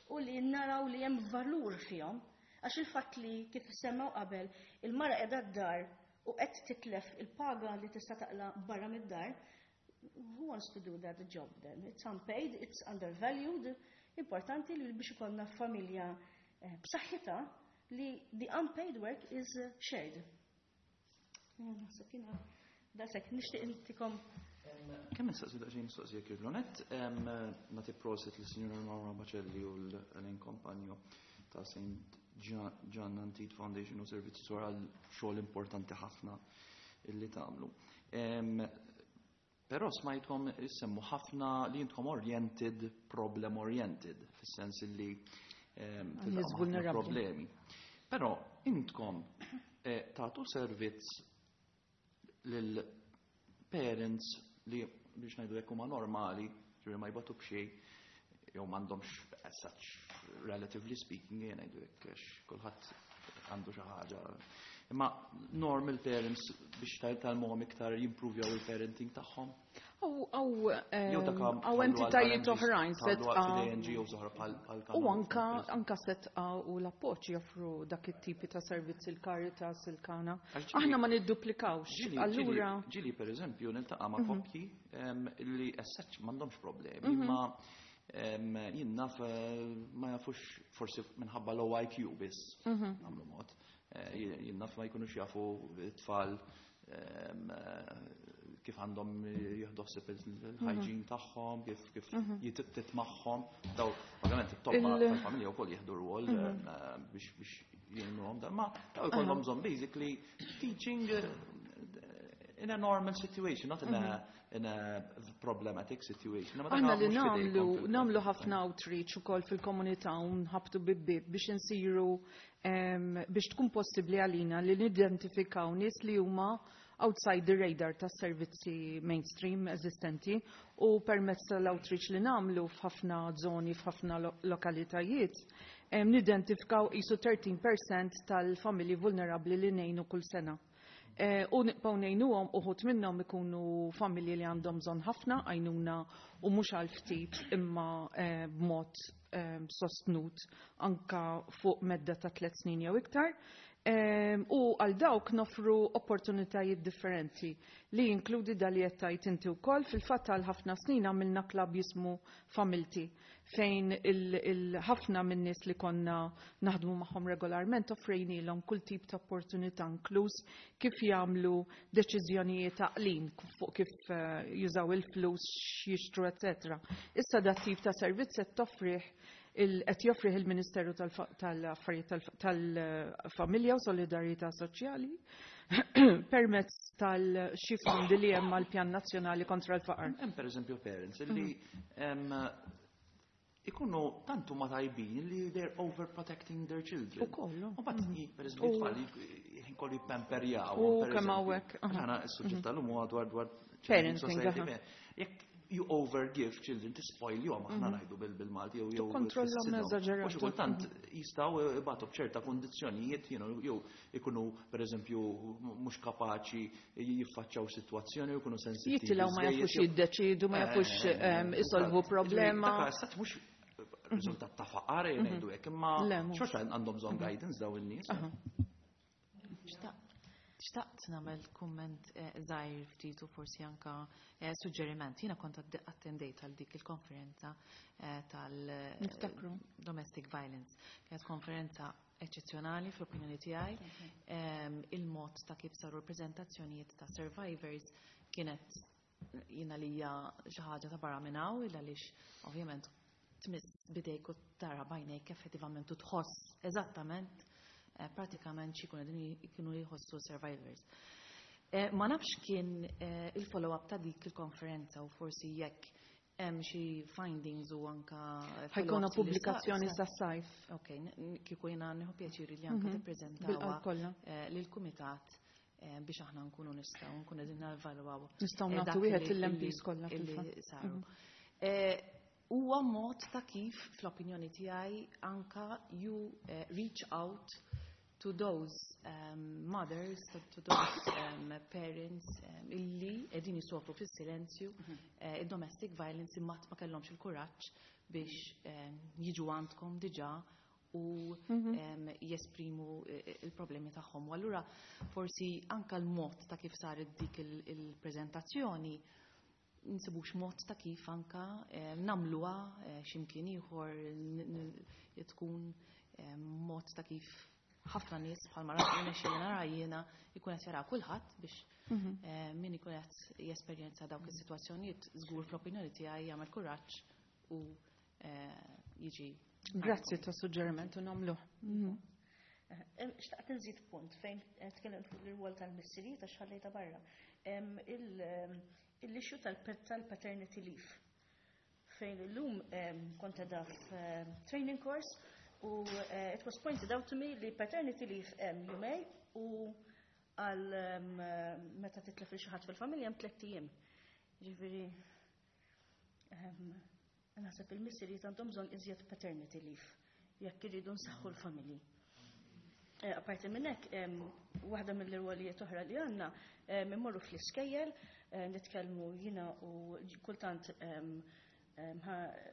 u li naraw li hemm valur fihom. Għax il-fatt li, kif semmew qabel, il-mara qiegħda d-dar u qed titlef il-paga li tista' taqla barra mid-dar, who wants to do that job then? It's unpaid, it's undervalued. Importanti li biex ikollna familja b'saħħitha li the unpaid work is shared. Naħseb jiena daqshekk nixtieq intikom. Kemm nistaqsi daqsxejn mistoqsija kif l-onet, nagħti prosit lis-Sinjura Maura Bacelli u l-Elaine Compagno ta' St. John Antide Foundation u Servizzi Suwar għal xogħol importanti ħafna illi tagħmlu. Però smajtkom issemmu ħafna li intkom oriented, problem oriented, fis-sens illi Nies tiltaqgħu ħafna vulnerabbli. problemi. Però intkom tagħtu servizz lil parents li, biex ngħidu hekk, huma normali, ġifieri ma jbatu b'xejn, jew m'għandhomx as such, relatively speaking, jien ngħidu hekk għax kulħadd għandu xi ħaġa. Imma normal parents biex tgħallmuhom iktar jimprovjaw il-parenting tagħhom. Aw, Jew dak aw entitajiet oħrajn tħallu Sedqa. għal NGOs oħra bħal U Kanal. anka Sedqa u l-Appoġġ joffru dak it-tipi ta' servizzi, il-Caritas, il-Kana. Għax Aħna ma nidduplikawx. Allura Ġieli, per eżempju, niltaqa' ma' koppji li as such m'għandhomx problemi, imma jien naf ma jafux forsi minħabba low IQ biss, nagħmlu mod. Jien naf ma jkunux jafu it-tfal. Kif għandhom jieħdu ħsieb il-hygiene tagħhom, kif titmagħhom. Daw, ovvjament it-tobba tal-familja wkoll jieħdu rwol biex jgħinuhom dan, ma daw ikollhom bżonn basically teaching in a normal situation, not in a problematic situation. Ma dak Aħna li mhux f'idejkom nagħmlu nagħmlu ħafna outreach ukoll fil-komunità u nħabtu bieb biex insiru biex tkun possibbli għalina li nidentifikaw nies li huma outside the radar tas servizzi mainstream eżistenti u permezz tal-outreach li nagħmlu f'ħafna zoni, f'ħafna lokalitajiet, nidentifikaw qisu 13% tal-familji vulnerabli li ngħinu kull sena. U nibqgħu ngħinuhom. Uħud minnhom ikunu familji li għandhom bżonn ħafna għajnuna u mhux għal ftit imma b'mod sostnut anka fuq medda ta' 3 snin jew iktar. U għal dawk nofru opportunitajiet differenti li jinkludi dal li qed tgħid inti wkoll. Fil-fatt għal ħafna snin għamilna klab jismu Familti, fejn il-ħafna minn nies li konna naħdmu magħhom regolarment offrejnilhom kull tip ta' opportunità, inkluż kif jagħmlu deċiżjonijiet għaqlin fuq kif jużaw il-flus, x'jixtru, etc. Issa dat tip ta' servizz qed joffrih il-Ministeru tal-Affarijiet tal-Familja u Solidarjetà Soċjali permezz tal-xi fondi li hemm mal-Pjan Nazzjonali kontra l-Faqar. Hemm pereżempju parents li ikunu tantu ma tajbin li they're overprotecting their children. U kollu. U bat pereżempju tfal ħin kollu jippamperjaw. U kemm hawnhekk. Aħna s-suġġett tal-lum huwa dwar parenting, society. Jekk you overgive children, tispoil jom, aħna ngħidu bil-Malti jew Tikkontrollhom tfissidhom. eżaġerat. U xi kultant jistgħu ibatu b'ċerta kondizzjonijiet, jew ikunu pereżempju mhux kapaċi jiffaċċjaw sitwazzjoni u jkunu sensittivi Jittilgħu ma żejjed, jafux jiddeċidu, ma jafux isolvu problema. Dak stat mhux riżultat ta' faqar jgħidu hekk, imma Le, mhux. xorta għandhom bżonn guidance daw in-nies. Xtaqt nagħmel kumment żgħir ftit u forsi anka suġġeriment. Jiena kont attendejt għal dik il-konferenza tal Niftakru. domestic violence. Kienet konferenza eċċezzjonali fl-opinjoni tiegħi. Il-mod ta' kif saru l-preżentazzjonijiet ta' survivors kienet jiena li hija xi ħaġa ta' barra minn hawn, illa għaliex ovvjament tmiss bidejk u tara b'għajnejk effettivament u tħoss eżattament pratikament x'ikunu qegħdin kienu jħossu survivors. Ma nafx kien il-follow-up ta' dik il-konferenza u forsi jekk hemm xi findings u anka Ħa jkollna follow-ups li pubblikazzjoni sas-sajf. Ok, kieku jiena nieħu pjaċiri li anka tippreżentawha Bil-qalb kollha. Lill-kumitat biex aħna nkunu nistgħu nkunu qegħdin nevalwaw Nistgħu nagħtu dak wieħed lill-MPs kollha illi fil-fatt. saru. Huwa mod ta' kif fl-opinjoni tiegħi anka you reach out to those mothers, to those parents illi qegħdin jisofru fis-silenzju domestic violence imma ma kellhomx il-kuraġġ biex jiġu għandkom diġà u jesprimu il-problemi tagħhom. U allura forsi anka l-mod ta' kif saret dik il-preżentazzjoni nsibux mod ta' kif anka nagħmluha x'imkien ieħor tkun mod ta' kif ħafna nies bħalma rajna xi nara jiena jkun qed jara kulħadd biex min ikun qed jesperjenza dawk is-sitwazzjonijiet żgur fl-opinjoni tiegħi jagħmel kuraġġ u jiġi. Grazzi ta' suġġeriment u nagħmluh. Xtaqt nżid punt fejn tkellimt fuq l-rwol tal-missirijiet għax ħallejta barra. Il-issue tal-paternity leave fejn illum kont qiegħda training course u it was pointed out to me li paternity leave hemm jumejn u għal meta titlef il xi ħadd fil-familja hemm 3 ijiem. Ġifieri naħseb il-missirijiet għandhom bżonn iżjed paternity leave jekk iridu nsaħħu l-familji. Apparti minn hekk, waħda mill-irwolijiet oħra li għandna immorru fl-iskejjel, nitkellmu jiena u kultant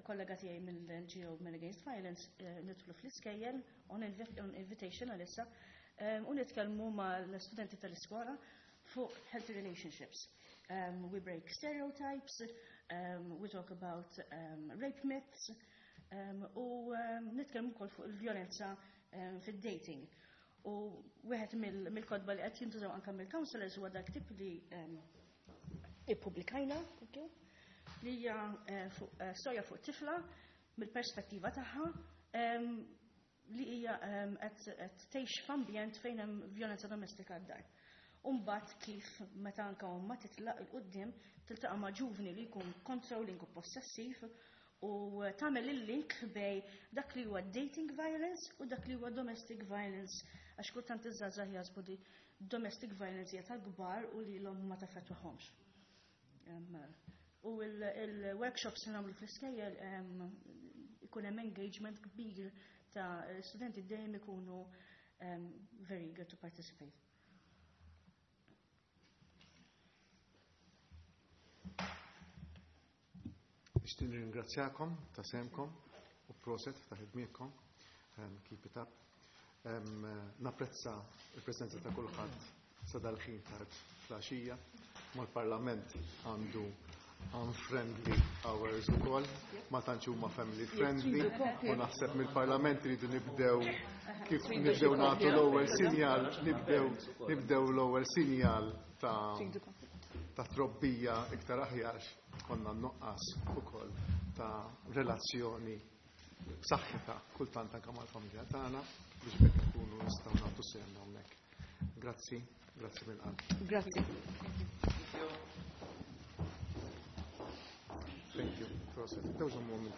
kollega tiegħi mill-NGO Men Against Violence, nidħlu fl-iskejjel on invitation għalissa u nitkellmu mal-studenti tal-iskola fuq healthy relationships. We break stereotypes, we talk about rape myths, u nitkellmu wkoll fuq il-vjolenza fid-dating. U wieħed mill-kotba li qed jintużaw anke mill-counselors huwa dak tip li ippubblikajna, thank you, li hija storja fuq tifla mill-perspettiva tagħha li hija qed tgħix f'ambjent fejn hemm vjolenza domestika d-dar. Umbagħad kif meta anke ommha titlaq 'il quddiem tiltaqa' ma' ġuvni li jkun controlling u possessiv u tagħmel il-link bejn dak li huwa dating violence u dak li huwa domestic violence, għax kultant iż-żgħażagħ jaħsbu li domestic violence hija tal-kbar u li l-omm ma taffettwahomx. U il-workshops li nagħmlu fl-iskejjel ikun hemm engagement kbir ta' studenti dejjem ikunu very eager to participate. Nixtieq nirringrazzjakom ta' sehemkom u proset ta' ħidmietkom. Keep it up. Napprezza il-preżenza ta' kulħadd sa dal-ħin tard fl-għaxija. Mal-Parlament għandu unfriendly hours ukoll, ma tantx huma family friendly, u naħseb mill-Parlament iridu nibdew kif nibdew nagħtu l-ewwel sinjal, nibdew l-ewwel sinjal ta' trobbija iktar aħjar konna nuqqas ukoll ta' relazzjoni b'saħħitha kultant anke mal-familja tagħna biex bekk ikunu nistgħu nagħtu sehemna hawnhekk. Grazzi, grazzi mill-qalb. Grazzi. Thank you. Proset. Those are moments.